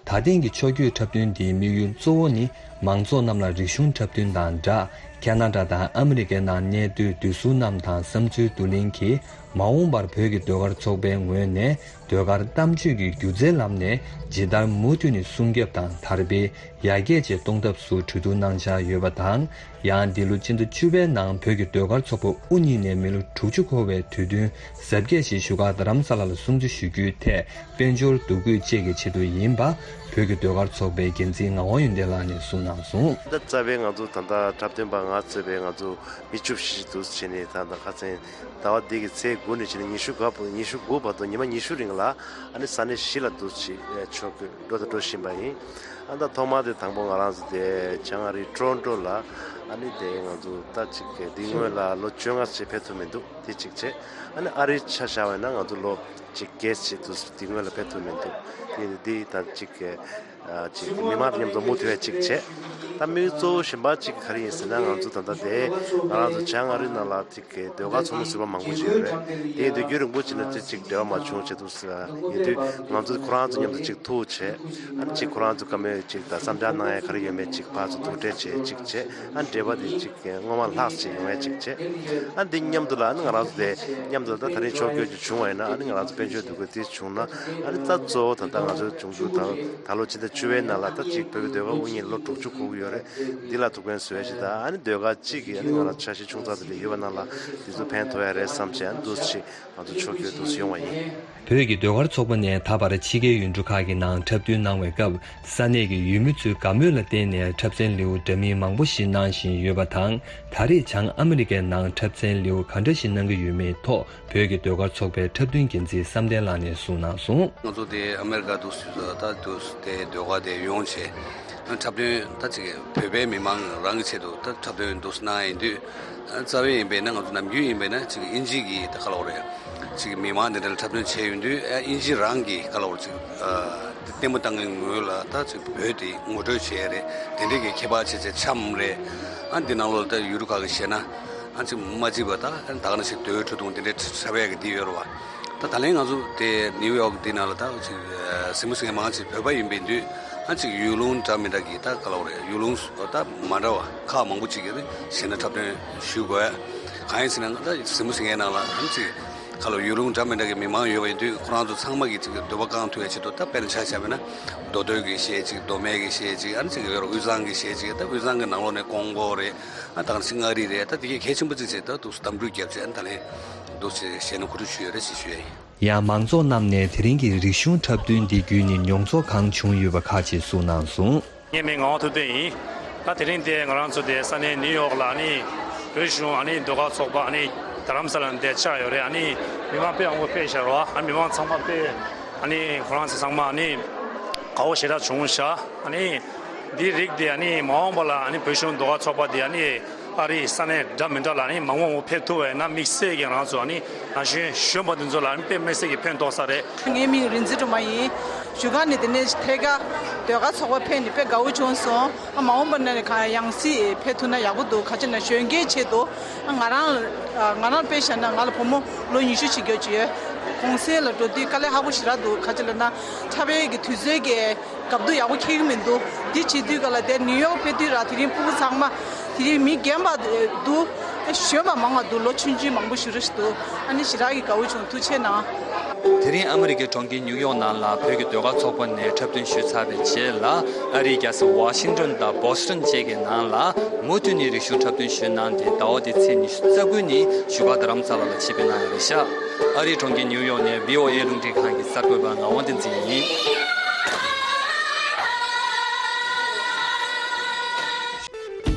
ད་ཐེངས་ཀྱི་ཕྱོགས་བསྐྱོད་འཁྲབ་སྟོན་འདིའི་དམིགས་ཡུལ་གཙོ་བོ་ནི་མང་ཚོགས་རྣམས་ལ་རིག་གཞུང་འཁྲབ་སྟོན་དང་སྦྲགས། ཁེ་ན་ཌ་དང་ཨ་མི་རི་ཀའི་ནང་གནས་སྡོད་བསྡུས་གསོལ་རྣམས་དང་བསམ་ཚུལ་བསྡུ་ལེན་གྱིས། མ་འོངས་པར་བོད་ཀྱི་ཟློས་གར་ཚོགས་པའི་ངོས་ནས། ཟློས་གར་གཏམ་བརྗོད་ཀྱི་སྒྱུ་རྩལ་ལམ་ནས་ཇི་ལྟར་མུ་མཐུད་ནས་སྲུང་སྐྱོབ་དང་དར་སྤེལ་ཡར་རྒྱས་བཅས་གཏོང་ཐབས་སུ་གྲོས་བསྡུར་གནང་འཆར་ཡོད་པ་དང་། ཡང་འདི་ལོ་སྤྱི་ཟླ་བཅུ་པའི་ནང་བོད་ཀྱི་ཟློས་གར་ཚོགས་པ་དབུ་བརྙེས་ནས་མི་ལོ་དྲུག་ཅུ་འཁོར་བའི་དུས་སྟོན་གཟབ་རྒྱས་ཤིག་བཞུགས་སྒར་རྡ་རམ་ས་ལ་ལ་སྲུང་བརྩི་ཞུ་རྒྱུའི་ཐད་དཔལ་འབྱོར་འདུ་འགོད་བཅས་ཀྱི་ཆེད་དུ་ཡིན་པ། བོད་ཀྱི་ཟློས་གར་ཚོགས་པའི་འགན་འཛིན་ངག་དབང་ཡོན་ཏན་ལགས་ནས་གསུངས་གནང་སོང་། ད་རྩ་བའི་ང་ཚོ་ད་ལྟ་འཁྲབ་སྟོན་པ་ང་གཙོས་པའི་ང་ཚོ་མི་བཅུ་བཞི་ཞིག་འདུག་བྱས་ནས་ད་ལྟ་ཁ་སང་ཟླ་བ་འདི་གི་ཚེས་དགུ་ནས་བྱས་ནས་ཉི་ཤུ་དགུ་བར་ཉི་ཤུ་དགུ་བར་དུ་ཉི་མ་ཉི་ཤུ་རིང་ལ་ཨ་ནི་ས་གནས་བཞི་ལ་འདུག་ཅིག་ཕྱོགས་ཀྱི་འགྲོ་དང་འགྲོ་བཞིན་པ་ཡིན། ཨ་ད་ཐོག་མ་དེ་དང་པོ་ང་རང་ཚོ་དེ་བྱང་ཨ་རིའི་ཊོ་རོན་ཊོ་ལ་ཨ་ནི་དེ་ང་ཚོ་ད་ཅིག་འདི་སྔོན་ལ་ལོ་བཅོ་ལྔ་ཅིག་ཕེབས་ཐུབ་མི་འདུག་དེ་གཅིག་བྱས། ཨ་ནི་ཨ་རིའི་ཆ་བཞག་པ་ཡིན་ན་ང་ཚོ་ལོ་ཅིག་བརྒྱད་ཅིག་འདུག་འདི་སྔོན་ལ་ཕེབས་ཐུབ་མི་འདུག་དེ་འདི་ད་ཅིག་ཅིག་མི་མང་མཉམ་དུ་མུ་མཐུད་ཅིག་བྱས། ད་དམིགས་ཡུལ་གཙོ་བོ་གཞན་པ་ཅིག་ག་རེ་ཡིན་ཟེར་ན་ང་ཚོ་ད་ལྟ་དེ་ང་རང་ཚོ་བྱང་ཨ་རི་ནང་ལ་ཅིག་ཟློས་གར་ཚོགས་མི་ཟུར་པ་མང་པོ་ཅིག་ཡོད་རེད། དེ་ཡིན་དུས་རྒྱུན་རིང་པོ་ཅིག་ནས་ཅིག་ཅིག་འབྲེལ་བ་མ་བྱུང་བྱས་འདུག་ཡིན་དུས་ང་ཚོ་ཁོ་རང་ཚོ་མཉམ་དུ་ཅིག་ཐུག་བྱས། ཨ་ནི་ཅིག་ཁོ་རང་ཚོ་བཀའ་མོལ་ཅིག་དང་བསམ་འཆར་གནང་ཡ་ག་རེ་ཡོད་མེད་ཅིག་ཕར་ཚུར་ཐུག་འཕྲད་བྱས་ཅིག་བྱས། ཨ་འབྲེལ་བ་དེ་ཅིག་སྔོན་མ་ལྷག་ཅིག་ཡོང་ཡ་ཅིག་བྱས། ཨ་འདི་མཉམ་དུ་ལ་ཨ་ནི་ང་རང་ཚོ་དེ་མཉམ་དུ་ད་ད་རིང་ཕྱོགས་བསྐྱོད་ཅིག་བྱུང་བ་ཡིན་ན་ཨ་ནི་ང་རང་ཚོ་དཔལ་འབྱོར་འདུ་འགོད་དེ་བྱུང་ན་ཨ་ནི་ད་གཙོ་བོ་ད་ལྟ་ང་ཚོ་འབྱུང་འགྱུར་དང་ད་ལོ་ཕྱི་ཟླ་ བཅུ་པའི་ནང་ལ་ད་གཅིག་བོད་ཀྱི་ཟློས་གར་དབུ་བརྙེས་ལོ་དྲུག་ཅུ་འཁོར་གྱི་ཡོད་རེད། འདི་ལ་ཐུགས་ཕན་གསོས་ཡ་ཞིག་དང་། ཨ་ནི་ཟློས་གར་གཅིག་གིས་ཨ་ནི་ང་ལ་འཆར་གཞི་ཆུང་ཙག་དེ་འདྲ་ཡོད་པ་ནང་ལ་འདི་ཚོ་ཕན་ཐོགས་ཡ་རེད་བསམ་བྱས། ཨ་ནི་འདུག་སེ་ང་ཚོ་ཕྱོགས་བསྐྱོད་འདུག་སེ་ཡོང་བ་ཡིན། བོད་ཀྱི་ཟློས་གར་ཚོགས་པ་ནས་ད་བར་ཕྱི་རྒྱལ་ཡུལ་གྲུ་ཁག་གི་ནང་འཁྲབ་སྟོན་གནང་བའི་སྐབས། ས་གནས་ཀྱི་ཡུལ་མི་ཚོའི་དགའ་མོས་ལ་བརྟེན་ནས་འཁྲབ་ཚན་ལེའུ་འདྲ་མིན་མང་པོ་ཞིག་གནང་བཞིན་ཡོད་པ་དང་། ད་རེས་བྱང་ཨ་མི་རི་ཀའི་ནང་འཁྲབ་ཚན་ལེའུ་ག་འདྲ་ཞིག་གནང་གི་ཡོད་མེད་ཐོག་བོད་ཀྱི་ཟློས་གར་ཚོགས་པའི་འཁྲབ་སྟོན་འགན་འཛིན་བསམ་གཏན་ལགས་ནས་གསུངས་གནང་སོང་། ང་ཚོ་དེ་ཨ་མེ་རི་ཀ་འདུག་སེ་ད་འདུག་སེ་དེ་ཟློས་གར་དེ་ཡོང་བྱས། འཁྲབ་སྟོན་ད་ཅིག་བོད་པའི་མི་མང་རང་གི་ཆེད་དུ་ད་འཁྲབ་སྟོན་འདུག་སེ་གནང་ཡིན་དུས། རྩ་བའི་ཡིན་པས་ན་ང་ཚོ་ནམ་རྒྱུན་ཡིན་པས་ན་ཅིག་དབྱིན་ཇི་གི་ད་ག་ལབ་དགོས་རེད། ཅིག་མི་མང་དེ་འདྲ་ལ་འཁྲབ་སྟོན་བྱས་ཡོང་དུས། ཨ་དབྱིན་ཇི་རང་གི་ག་ལབ་དགོས་རེད། ཅིག་ཨ་དེ་ལྟད་མོ་ལྟ་མཁན་ངོས་ལ་ད་ཅིག་བོད་དེ་ངོ་སྤྲོད་བྱས་རེད། དེ་འདྲའི་གི་ཁྱད་པར་ཆེ་ཆེ་འཆམ་རེད། ཨ་འདི་ནང་ལོགས་ལ་ད་ཡུལ་གྲུ་ཁག་གི་བཤད་ན། ཨ་ཅིག་མ་གཅིག་པ་ད་ད་ག་ནང་བཞིན་རྡོའི་ཁྲོ་ཐུང་དེ་འདྲའི་འཁྲབ་ཡག་གི་འདི་ཡོད་རེད་བ། ད་ད་ལན་ང་ཚོ་དེ་ནིའུ་ཡོག་འདི་ནང་ལ་ད་ཅིག་གཟིགས་མོ་གཟིགས་མཁན་མང་ཆེ་བོད་པ་ཡིན་པའི་དུས། ཨ་ཅིག་ཡུལ་ལུང་འདྲ་མི་འདྲ་གི་ད་ག་ལབ་དགོས་རེད། ཡུལ་ལུང་ད་མ་འདྲ་བ་ཁག་མང་པོ་ཅིག་གི་གཞས་སྣ་འཁྲབ་སྟོན་ཞུ་དགོས། གང་ཡིན་ཟེར་ན་ད་གཟིགས་མོ་གཟིགས་མཁན་ནང་ལ་ཨ་ཅིག་ག་ལབ་ཡུལ་ལུང་འདྲ་མི་འདྲ་གི་མི་མང་ཡོད་པ་ཡིན་དུས། ཁོ་རང་ཚོ་ཚང་མ་གི་ཅིག་འདོད་པ་བསྐང་ཐུབ་ཡ་ཆེད་དུ། ད་དཔེར་ན་ཆ་བཞག་པ་ཡིན་ན་མདོ་སྟོད་ཀྱི་གཞས་ཅིག་མདོ་སྨད་ཀྱི་གཞས་ཅིག་ཨ་ནི་ཅིག་ཡོད་རེད། དབུས་གཙང་གི་གཞས་ཅིག་ད་དབུས་གཙང་གི་ནང་ལོགས་ནས་ཀོང་པོ་རེད། ཨ་ད་ག་ནང་བཞིན་མངའ་རིས་རེད། ད་དེ་གའི་གལ་ཆེན་པོ་གཅིག་བྱས་ད་འདུག་སེ་གདམ་འགྲུལ་བརྒྱབ་བྱས། ཨ་ནི་ད་ལན་འདུག་སེ་གཞས་སྣ་གོ་སྒྲིག་ཞུས་ཡོད་རེད་ཅེས་ཞུ་ཡ་ཡིན། ཡང་མང་ཚོགས་རྣམས་ནས་དེ་རིང་གི་རིག་གཞུང་འཁྲབ་སྟོན་འདི་བརྒྱུད་ནས་མྱོང་ཚོར་གང་བྱུང་ཡོད་པ་ཁག་ཅིག་གསུངས་གནང་སོང་། ངའི་མིང་ངག་དབང་ཐུབ་བསྟན་ཡིན། ད་དེ་རིང་འདིར་ང་རང་ཚོ་དེ་ས་གནས་ནིའུ་ཡོག་ལ་ཨ་ནི་བོད་གཞུང་ཨ་ནི་ཟློས་གར་ཚོགས་པ་ཨ་ནི་རྡ་རམ་ས་ལ་ནས་འདིར་བཅར་ཡོད་རེད། ཨ་ནི་མི་མང་དཔེ་མང་པོ་ཕེབས་ཤག་རོ། ཨ་ནི་མི་མང་ཚང་མ་དཔེ་ཨ་ནི་ཁོ་རང་ཚོ་ཚང་མ་ཨ་ནི་དགའ་བོ་ཞེ་དྲག་བྱུང་ཤག་ཨ་ནི་འདིའི་རིགས་དེ་ཨ་ནི་མ་འོངས་པ་ལ་ཨ་ནི་བོད་གཞུང་ཟློས་གར་ཚོགས་པ་དེ་ཨ་ནི་ཨ་རིའི་ས་གནས་འདྲ་མི་འདྲ་ལ་ཨ་ནི་མང་པོ་མང་པོ་ཕེབས་ཐུབ་པ་ཡིན་ན། དམིགས་བསལ་གྱི་ང་རང་ཚོ་ཨ་ནི་ན་གཞོན་གཞོན་པ་འདི་ཚོ་ལ་ཨ་ནི་དཔེ་མི་སྲིད་ཀྱི་ཕན་ཐོགས་ས་རེད། ངའི་མིང་རིག་འཛིན་སྒྲོལ་མ་ཡིན། བཞུགས་སྒར་ནས་དེ་ནས་ཐད་ཀར་ཟློས་གར་ཚོགས་པ་ཕེབས་ནས་དཔེ་དགའ་བོ་བྱུང་སོང་། ཨ་མ་འོངས་པ་ན་ནས་གང་ཡང་སྲིད་ཕེབས་ཐུབ་ན་ཡག་པོ་འདུག་ག་ཅི་ན་གཞོན་སྐྱེས་ཆེད་དུ། ཨ་ང་རང་ང་རང་དཔེ་བཞག་ན་ང་ལ་བུ་མོ་ལོ་ཉི་ཤུ་ཅིག་ཡོད་ཀྱི་ཡོད། གུང་སེང་ལ་འགྲོ་དུས་དཀའ་ལས་ཁག་པོ་ཞེ་དྲག་འདུག་ག་ཅི་ལབ་ན་འཁྲབ་པའི་གི་དུས་ཚོད་ཀྱི་སྐབས་དུ་ཡག་པོ་འཁེལ་གི་མི་འདུག་འདི་བྱེད་དུས་ག་ལ་དེ་ནིའུ་ཡོག་ཕེབས་དུས་ར་དེ་རིང་ཕྲུ་གུ་ཚང་མ་དེ་རིང་མི་རྒན་པ་འདུག་གཞོན་པ་མང་བ་འདུག་ལོ་ཆུང་ཆུང་མང་པོ་ཞེ་དྲག་འདུག་ཨ་ནི་ཞེ་དྲག་གི་དགའ་བོ་བྱུང་། ཐུགས་རྗེ་གནང་། དེ་རིང་ཨ་མི་རི་ཀའི་གྲོང་ཁྱེར་ཉིའུ་ཡོག་ནང་ལ་བོད་ཀྱི་ཟློས་གར་ཚོགས་པ་ནས་འཁྲབ་སྟོན་ཞུས་ཚར་བའི་རྗེས་ལ། ཨ་རིའི་རྒྱལ་ས་ཝ་ཤིང་ཏོན་དང་བོ་སི་ཊོན་བཅས་ཀྱི་ནང་ལ་མུ་མཐུད་ནས་རིག་གཞུང་འཁྲབ་སྟོན་ཞུས་གནང་སྟེ། ཟླ་བ་འདིའི་ཚེས་ཉི་ཤུ་རྩ་དགུ་ཉིན་བཞུགས་སྒར་རྡ་རམ་ས་ལ་ལ་ཆེད་ཕེབས་གནང་ཡོད་རེད་ཤག་ཨ་རིའི་གྲོང་ཁྱེར་ཉིའུ་ཡོག་ནས་བྷི་ཨོ་ཨེ་རླུང་འཕྲིན་ཁང་གི་གསར་འགོད་པ་ངག་དབང་བསྟན་འཛིན་ཡིན།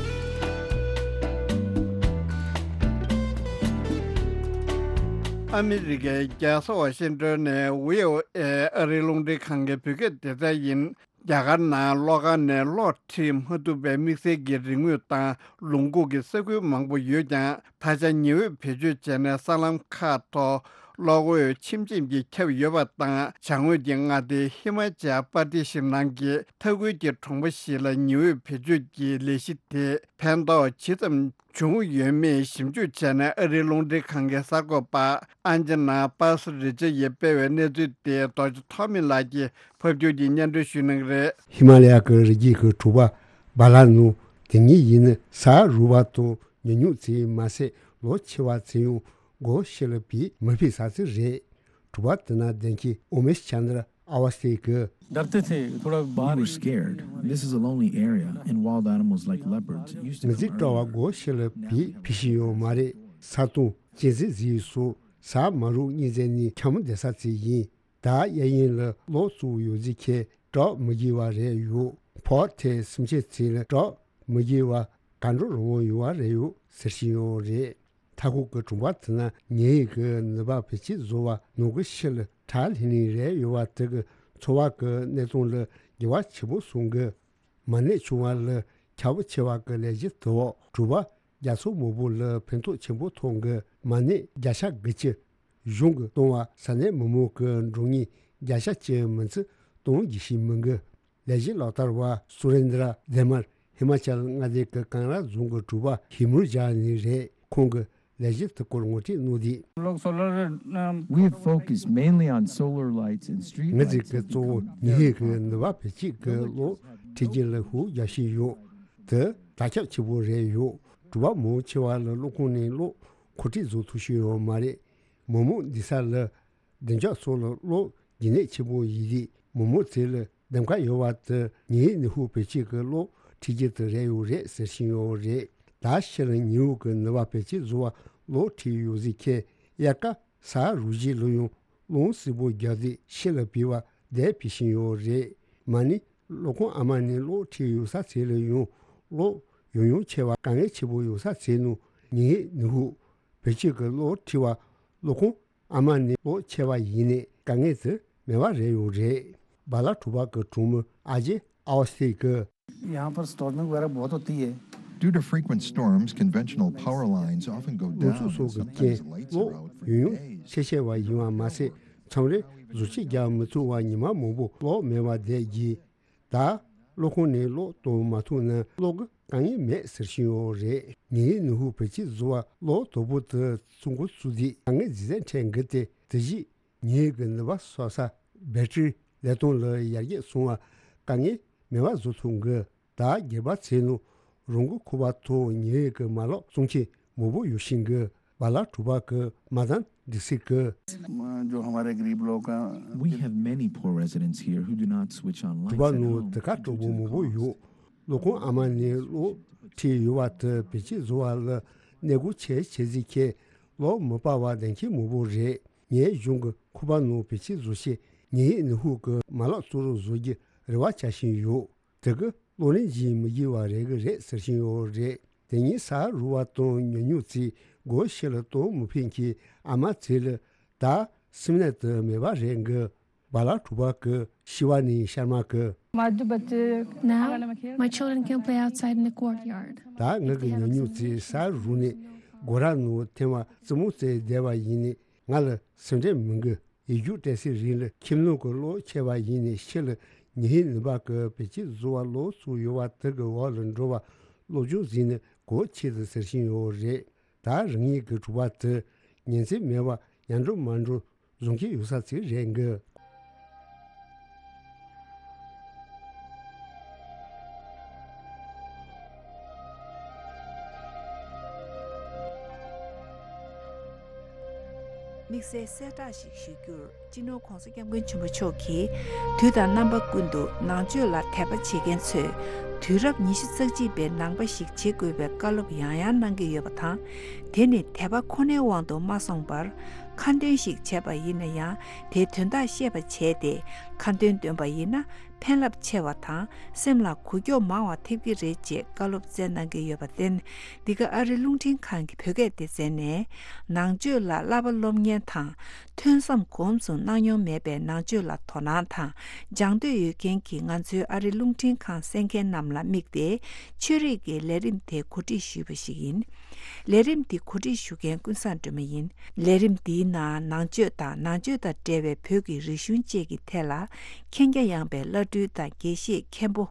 ཨ་མི་རི་ཀའི་རྒྱལ་ས་ཝ་ཤིང་ཏོན་ནས་བྷི་ཨོ་ཨེ་ཨ་རིའི་རླུང་འཕྲིན་ཁང་གི་བོད་སྐད་སྡེ་ཚན་ཡིན། རྒྱ་གར་ནང་གློག་ཁང་ནས་གློག་ཁྲིད་མ་ཐུབ་པའི་དམིགས་བསལ་གྱི་རིག་དངོས་དང་ལུང་ཁུག་གི་ས་ཁུལ་མང་པོ་ཡོད་ཀྱང་། ད་ཆ་ཉི་འོད་བེད་སྤྱོད་བྱས་ནས་སྲང་ལམ་ཁག་ཐོག་གློག་འོད་ཆེམ་ཆེམ་གྱིས་ཁྱབ་ཡོད་པ་དང་། བྱང་ངོས་ཀྱི་མངའ་སྡེ་ཧི་མ་ཅལ་པར་དི་ཤི་ནང་གི་མཐའ་ཁུལ་གྱི་གྲོང་པ་ཞིག་ལ་ཉི་འོད་བེད་སྤྱོད་ཀྱི་ལས་གཞི་དེ་ཕན་ཐོགས་ཇི་ཙམ་བྱུང་ཡོད་མེད་ཞིབ་འཇུག་བྱས་ནས། ཨ་རིའི་རླུང་འཕྲིན་ཁང་གི་གསར་འགོད་པ་ཨན་ཇི་ན་པཱ་སི་རི་ཅར་ཡིས་སྤེལ་བའི་གནས་ཚུལ་དེ་རྡོ་རྗེ་ཐོགས་མེད་ལགས་ཀྱིས་ཕབ་སྒྱུར་གྱིས་སྙན་སྒྲོན་ཞུ་གནང་གི་རེད། ཧི་མ་ལ་ཡ་གི་རི་རྒྱུད་ཀྱི་དྲུག་པ་བ་ལ་ནུ་དེ་ཉིད་ཡིན་ན། ས་རུབ་པ་དང་ཉུང་ཉུང་ཙམ་མ་ཟད། ལོ་ཆེ་བ་ཚད་ཡང་སྒོ་ཕྱེ་ལ་བིས་མི་ཕེབས་ས་ཅིག་རེད། དྲུག་པ་དེ་ན་བདེ་སྐྱིད་ཨོ་མེ་ཤ་ཆན་དར་ཨ་ཝ་སྟེ་གི། We were scared. This is a lonely area, and wild animals like leopards used to མི་ཚེ་སྤྲོ་བ་སྒོ་ཕྱེ་ལ་བིས་ཕི་ཤི་ཡོད་མ་རེད། ས་དང་གཅན་གཟན་ཟིག་སོགས་ས་མ་རུབ་གཉིས་ཚན་ནི་འཁྱམ་བསྡད་ས་ཅིག་ཡིན། ད་གཡས་གཡོན་ལ་གློག་བཙུགས་ཡོད་ཟིག་ཁྱེད་གྲོགས་མི་དགེ་བ་རེད་ཡོད། ཕོག་ཐེ་སེམས་ཅན་ཚིག་ལ་གྲོགས་མི་དགེ་བ་ག་འགྲོ་རང་དབང་ཡོད་བ་རེད་ཡོད་ཟེར་ཤི་ཡོད་རེད། མཐའ་འཁོར་གྱི་གྲོང་པ་དེ་ན་ཉེ་ཡིག་གི་ནུས་པ་བེད་སྤྱད་བཟོ་བ་ནང་གི་ཤི་ལ་ཁྲག་ལྷིང་ལྷིང་རེད་ཡོད་བ་དེ་གི་འཚོ་བ་གི་གནས་སྟངས་ལ་འགྱུར་བ་ཆེན་པོ་སོང་གི། མ་ནད་བྱུང་བ་ལ་ཁྱབ་ཆེ་བ་གི་ལས་གཞི་དེ་འོག་གྲུབ་པ་རྒྱ་མཚོ་མང་པོ་ལ་ཕན་ཐོགས་ཆེན་པོ་ཐོགས་གི། མ་ནད་བརྒྱ་ཆ་དགུ་བཅུ་གཞུང་གི་གཏོང་བ་ས་གནས་མི་མང་གི་འགྲོ་ངེས་བརྒྱ་ཆ་གཅིག་མིན་ཚུལ་གཏོང་རྒྱུ་ཞིག་མིན་གི། ལས་གཞི་ལག་བསྟར་བ་སུ་རེན་དྲ་དེ་མར་ཧི་མ་ཅལ་མངའ་སྡེ་གི་ཀང་ར་རྫོང་གི་གྲུབ་པ་ཧི་མུར་ཇཱ་ནི་རེད། ཁོང་གི་ལས་གཞི་དེ་སྐོར་ངོ་སྤྲོད་གནང་དུས། We focus mainly on solar lights and street lights. ངེད་ཚོས་གཙོ་བོ་ཉི་ཧེ་གི་ནུས་པ་བེད་སྤྱད་ཀྱི་གློག་ཁྲིད་ཀྱི་ལས་ཤུགས་རྒྱག་བཞིན་ཡོད། དེ་དར་ཁྱབ་ཆེ་པོ་རེད་ཡོད། གྲུབ་པ་མང་ཆེ་བ་ལ་གློག་ཁང་ནས་གློག་མཁོ་སྤྲོད་བཟོ་ཐུབ་ཤེས་ཡོད་མ་རེད། མི་མང་བསྡད་ས་ལ་བདེ་འཇགས་སོགས་ལ་གློག་རྒྱུན་གནས་ཆེ་པོ་ཡིན་དུས་མི་མང་ཚོ་ལ་ འདེམས་ཀ་ཡོད་པ་དེ་ཉི་ཧེ་ནི་ཧུ་བེད་སྤྱོད་ཀྱི་གློག་འཁྲིད་རྒྱུ་དེ་རེད་ཡོད་རེད་ཟེར་བཞིན་ཡོད་རེད། ད་ཕྱིར་ཉི་ཧོང་གི་ནུས་པ་བེད་སྤྱོད་བཟོ་བ་གློག་འཁྲིད་ཡོད་ཟིག་ཁྱེད་དབྱར་ཁ་ས་རུ་བཞི་ལ་ཡང་རླུང་བསིལ་པོ་རྒྱག་དུས་ཕྱི་ལ་བུད་པ་བསྡད་ཕེབས་བཞིན་ཡོད་རེད། མ་ནི་གློག་ཁང་ཨ་མ་ནས་གློག་འཁྲིད་ཡོད་ས་ཚད་ལ་ཡང་གློག་ཡང་ཡང་ཆད་པ་དཀའ་ངལ་ཆེ་པོ་ཡོད་ས་ཚད་ནང་ཉི་ཧེ་ནི་ཧུ་བེད་སྤྱོད་ཀྱི་གློག་འཁྲིད་པ་གློག་ཁང་ཨ་མ་ནས་གློག་ཆད་པ་ཡིན་ནས་དཀའ་ངལ་དེ་མེད་པ་རེད་ཡོད་རེད། སྦ་ལ་གྲུ་པ་གི་གྲོང་མི་ཨ་ཇེ་ཨའོ་སི་ཐེ་གིས། यहाँ पर स्टॉर्मिंग वगैरह बहुत होती है। Due to frequent storms, conventional power lines often go down, and sometimes the lights are out for days. གློག་ཡང་ཡང་ཆད་ཆད་པ་ཡིན་པ་མ་ཟད། མཚམས་རེ་གཟུགས་ཅིག་རྒྱག་མི་ཐུབ་པ་ཉི་མ་མང་པོ་གློག་མེད་པ་བསྡད་ཀྱི། ད་གློག་ཁང་ནས་གློག་གཏོང་མ་ཐུབ་ན་གློག་གི་དཀའ་ངལ་མེད་ཟེར་བཞིན་ཡོད་རེད། ཉི་ཧེ་ནི་ཧུ་བེད་སྤྱོད་བཟོ་བ་གློག་དོ་པོ་དེ་ཚོང་འགོ་བཙུགས་དུས་དཀའ་ངལ་ཇི་ཙམ་འཕྲད་འགི་སྟེ་དེ་བཞིན་ཉི་ཧེ་གི་ནུས་པ་གསོག་ས་བེ་ཏྲི་ལས་སྟངས་ལ་ཡར་རྒྱས་སོང་བ་དཀའ་ངལ་མེད་པ་བཟོ་ཐུབ་འགི། ད་སྒེར་པ་ཚོའི་ནང་རང་གི་ཁུ་བ་ཐོག་ཉི་ཧེ་གི་མ་ལག་བཙོང་མཁན་མང་པོ་ཡོད་བཞིན་གི། སྦ་ལ་གྲུ་པ་གི་མ་དང་འདི་སྲིད་གི། जो हमारे गरीब लोग हैं, We have many poor residents here who do not switch on གྲུ་པ་lights at ནང་home དེ་ག་དྲག་པོ་མང་པོ་ཡོད། གློག་ཁང་ཨ་མ་ནས་གློག་འཁྲིད་ཡོད་པ་དེ་བེད་སྤྱོད་བཟོ་བ་ལ་གནས་སྒོ་ཆེ་ཆེ་ཟིག་ཁྱེད་གློག་མི་སྤར་བ་ལྡན་མཁན་མང་པོ་རེད། ངའི་གཞུང་གི་ཁུ་པ་ནང་བེད་སྤྱོད་བཟོ་ཆེད་ཉི་ཧེ་ནི་ཧུ་གི་མ་ལག་གཙོ་བོར་བཟོ་རྒྱུ་རེ་བ་བྱ་བཞིན་ཡོད། དེ་གི་གློག་ལེན་བྱེད་མི་དགོས་པ་རེད་གི་རེད་ཟེར་བཞིན་ཡོད་རེད། དེ་ཉིན་ས་རུ་བ་དང་ཉུང་ཉུང་ཚིག་སྒོ་ཕྱི་ལ་གཏོང་མི་ཕོད་མཁན་ཨ་མ་ཚོ་ལ་ད་སེམས་ནད་དུ་མེད་པ་རེད་གི། སྦ་ལ་གྲུ་པ་གི་ཤི་བ་ནི་ཤར་མ་གི། Now, my children can play outside in the courtyard. ད་ངེད་ཀྱི་ཉུང་ཉུང་ཚིག་ས་རུ་ནས་སྒོ་ར་ནང་ཐེམ་བ་རྩེད་མོ་རྩེ་བསྡད་པ་ཡིན་ནི་ང་ལ་སེམས་ཁྲལ་མི་འགི། ཡིག་རྒྱུགས་སྤྲད་སའི་རིང་ལ་ཁྱིམ་ནང་གི་གློག་ཆད་པ་ཡིན་ནས་ཕྱི་ལ་ཉི་ཧེ་ནུས་པ་གི་བེད་སྤྱོད་བཟོ་བ་གློག་བཙུགས་ཡོད་པ་དེ་གི་འོག་ལ་འགྲོ་བ་སློབ་སྦྱོང་ཟིན་ནས་གོ་ཆེད་དུ་ཟེར་བཞིན་ཡོད་རེད། ད་རང་ཉིད་ཀྱི་གྲུ་པ་དེ་ཉིན་མཚན་མེད་པར་ཡར་འགྲོ་མར་འགྲོ་བཟོ་མཁན་ཡོད་ས་ཚིག་རེད་འགི། དམིགས་བསལ་གསལ་བསྒྲགས་ཤིག་ཞུ་རྒྱུར། སྤྱི་ནོར་༧གོང་ས་༧སྐྱབས་མགོན་ཆེན་པོ་མཆོག་གིས་དུས་དང་རྣམ་པ་ཀུན་ཏུ་ནང་ཆོས་ལ་དད་པ་བྱེད་མཁན་ཚོས་དུས་རབས་ཉི་ཤུ་རྩ་གཅིག་པའི་ནང་པ་ཞིག་བྱེད་དགོས་པའི་བཀའ་སློབ་ཡང་ཡང་གནང་གི་ཡོད་པ་དང་། དེ་ནི་དད་པ་ཁོ་ནའི་དབང་དུ་མ་སོང་བར། ཁ་འདོན་ཞིག་བྱས་པ་ཡིན་ན་ཡང་དེའི་དོན་དག་ཤེས་པ་བྱས་ཏེ་ཁ་འདོན་འདོན་པ་ཡིན་ན་ཕན་རླབས་ཆེ་བ་དང་སེམས་ལ་འགུག་སྐྱོབ་མང་བ་ཐེབས་ཀྱི་རེད་ཅེས་བཀའ་སློབ་སྩལ་གནང་གི་ཡོད་པར་བརྟེན། འདི་ག་ཨ་རི་རླུང་འཕྲིན་ཁང་གི་བོད་སྐད་སྡེ་ཚན་ནས་ནང་ཆོས་ལ་བསླབ་པ་སློབ་གཉེར་དང་ཐོས་བསམ་གོམས་སུ་གནང་མྱོང་མེད་པའི་ནང་ཆོས་ལ་དོ་སྣང་དང་སྦྱང་འདོད་ཡོད་མཁན་གྱི་ང་ཚོའི་ཨ་རི་རླུང་འཕྲིན་ཁང་གསན་མཁན་རྣམས་ལ་དམིགས་ཏེ་ཆོས་རིག་གི་ལས་རིམ་དེ་གོ་སྒྲིག་ཞུས་པ་ཞིག་ཡིན། ལས་རིམ་འདི་གོ་སྒྲིག་ཞུ་མཁན་ཀུན་བཟང་སྒྲོལ་མ་ཡིན། ལས་རིམ་འདིའི་ནང་ནང་ཆོས་དང་ནང་ཆོས་དང་འབྲེལ་བའི་བོད་ཀྱི་རིག་གཞུང་བཅས་ཀྱི་ཐད་ལ་མཁྱེན་རྒྱ་ཡངས་པའི་བླ་སྤྲུལ་དང་དགེ་བཤེས་མཁན་པོ་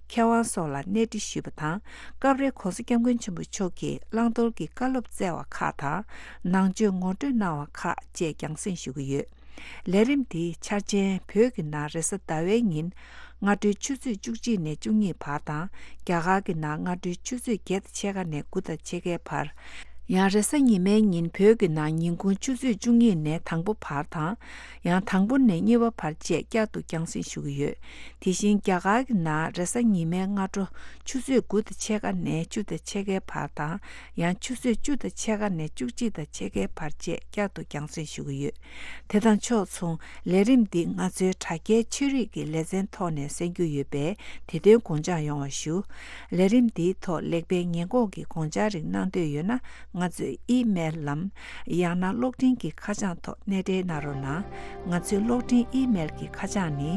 མཁས་དབང་སོགས་ལ་གནས་འདྲི་ཞུས་པ་དང་། སྐབས་རེ་༧གོང་ས་༧སྐྱབས་མགོན་ཆེན་པོ་མཆོག་གིས་བླང་དོར་གྱི་བཀའ་སློབ་སྩལ་བ་ཁག་དང་ནང་ཆོས་ངོ་སྤྲོད་གནང་བ་ཁག་བཅས་རྒྱང་སྲིང་ཞུ་གི་ཡོད། ལས་རིམ་འདིའི་འཆར་ཅན་བོད་ཀྱི་ནང་རེས་གཟའ་ཟླ་བའི་ཉིན་སྔ་དྲོའི་ཆུ་ཚོད་བཅུ་གཅིག་ནས་བཅུ་གཉིས་བར་དང་རྒྱ་གར་གྱི་ནང་སྔ་དྲོའི་ཆུ་ཚོད་བརྒྱད་དང་ཕྱེད་ཀ་ནས་དགུ་དང་ཕྱེད་ཀའི་བར། ཡང་རེས་གཟའ་ཉི་མའི་ཉིན་བོད་ཀྱི་ནང་ཉིན་གུང་ཆུ་ཚོད་བཅུ་གཉིས་ནས་དང་པོ་བར་དང་། ཡང་དང་པོ་ནས་གཉིས་པ་བར་བཅས་བསྐྱར་དུ་རྒྱང་སྲིང་ཞུ་གི་ཡོད། དེ་བཞིན་རྒྱ་གར་གྱི་ནང་རེས་གཟའ་ཉི་མའི་སྔ་དྲོ་ཆུ་ཚོད་དགུ་དང་ཕྱེད་ཀ་ནས་བཅུ་དང་ཕྱེད་ཀའི་བར་དང་། ཡང་ཆུ་ཚོད་བཅུ་དང་ཕྱེད་ཀ་ནས་བཅུ་གཅིག་དང་ཕྱེད་ཀའི་བར་བཅས་བསྐྱར་དུ་རྒྱང་སྲིང་ཞུ་གི་ཡོད། དེ་དང་ཕྱོགས་མཚུངས་ལས་རིམ་འདི་ང་ཚོའི་དྲ་རྒྱའི་ཆོས་རིག་གི་ལེ་ཚན་ཐོག་ནས་གསན་རྒྱུ་ཡོད་པས་དེ་དོན་དགོངས་འཇགས་ཡོང་བ་ཞུ། ལས་རིམ་འདིའི་ཐོག་ལེགས་སྤེལ་ཉེས་འགོག་གི་དགོངས་འཆར་རིགས་གནང་འདོད་ཡོད་ན་ང་ཚོའི་ཨི་མེལ་ལམ། ཡང་ན་གློག་འཕྲིན་གྱི་ཁ་བྱང་ཐོག་གནས་འབྲེལ་གནང་རོགས་གནང་། ང་ཚོའི་གློག་འཕྲིན་ཨི་མེལ་གྱི་ཁ་བྱང་ནི།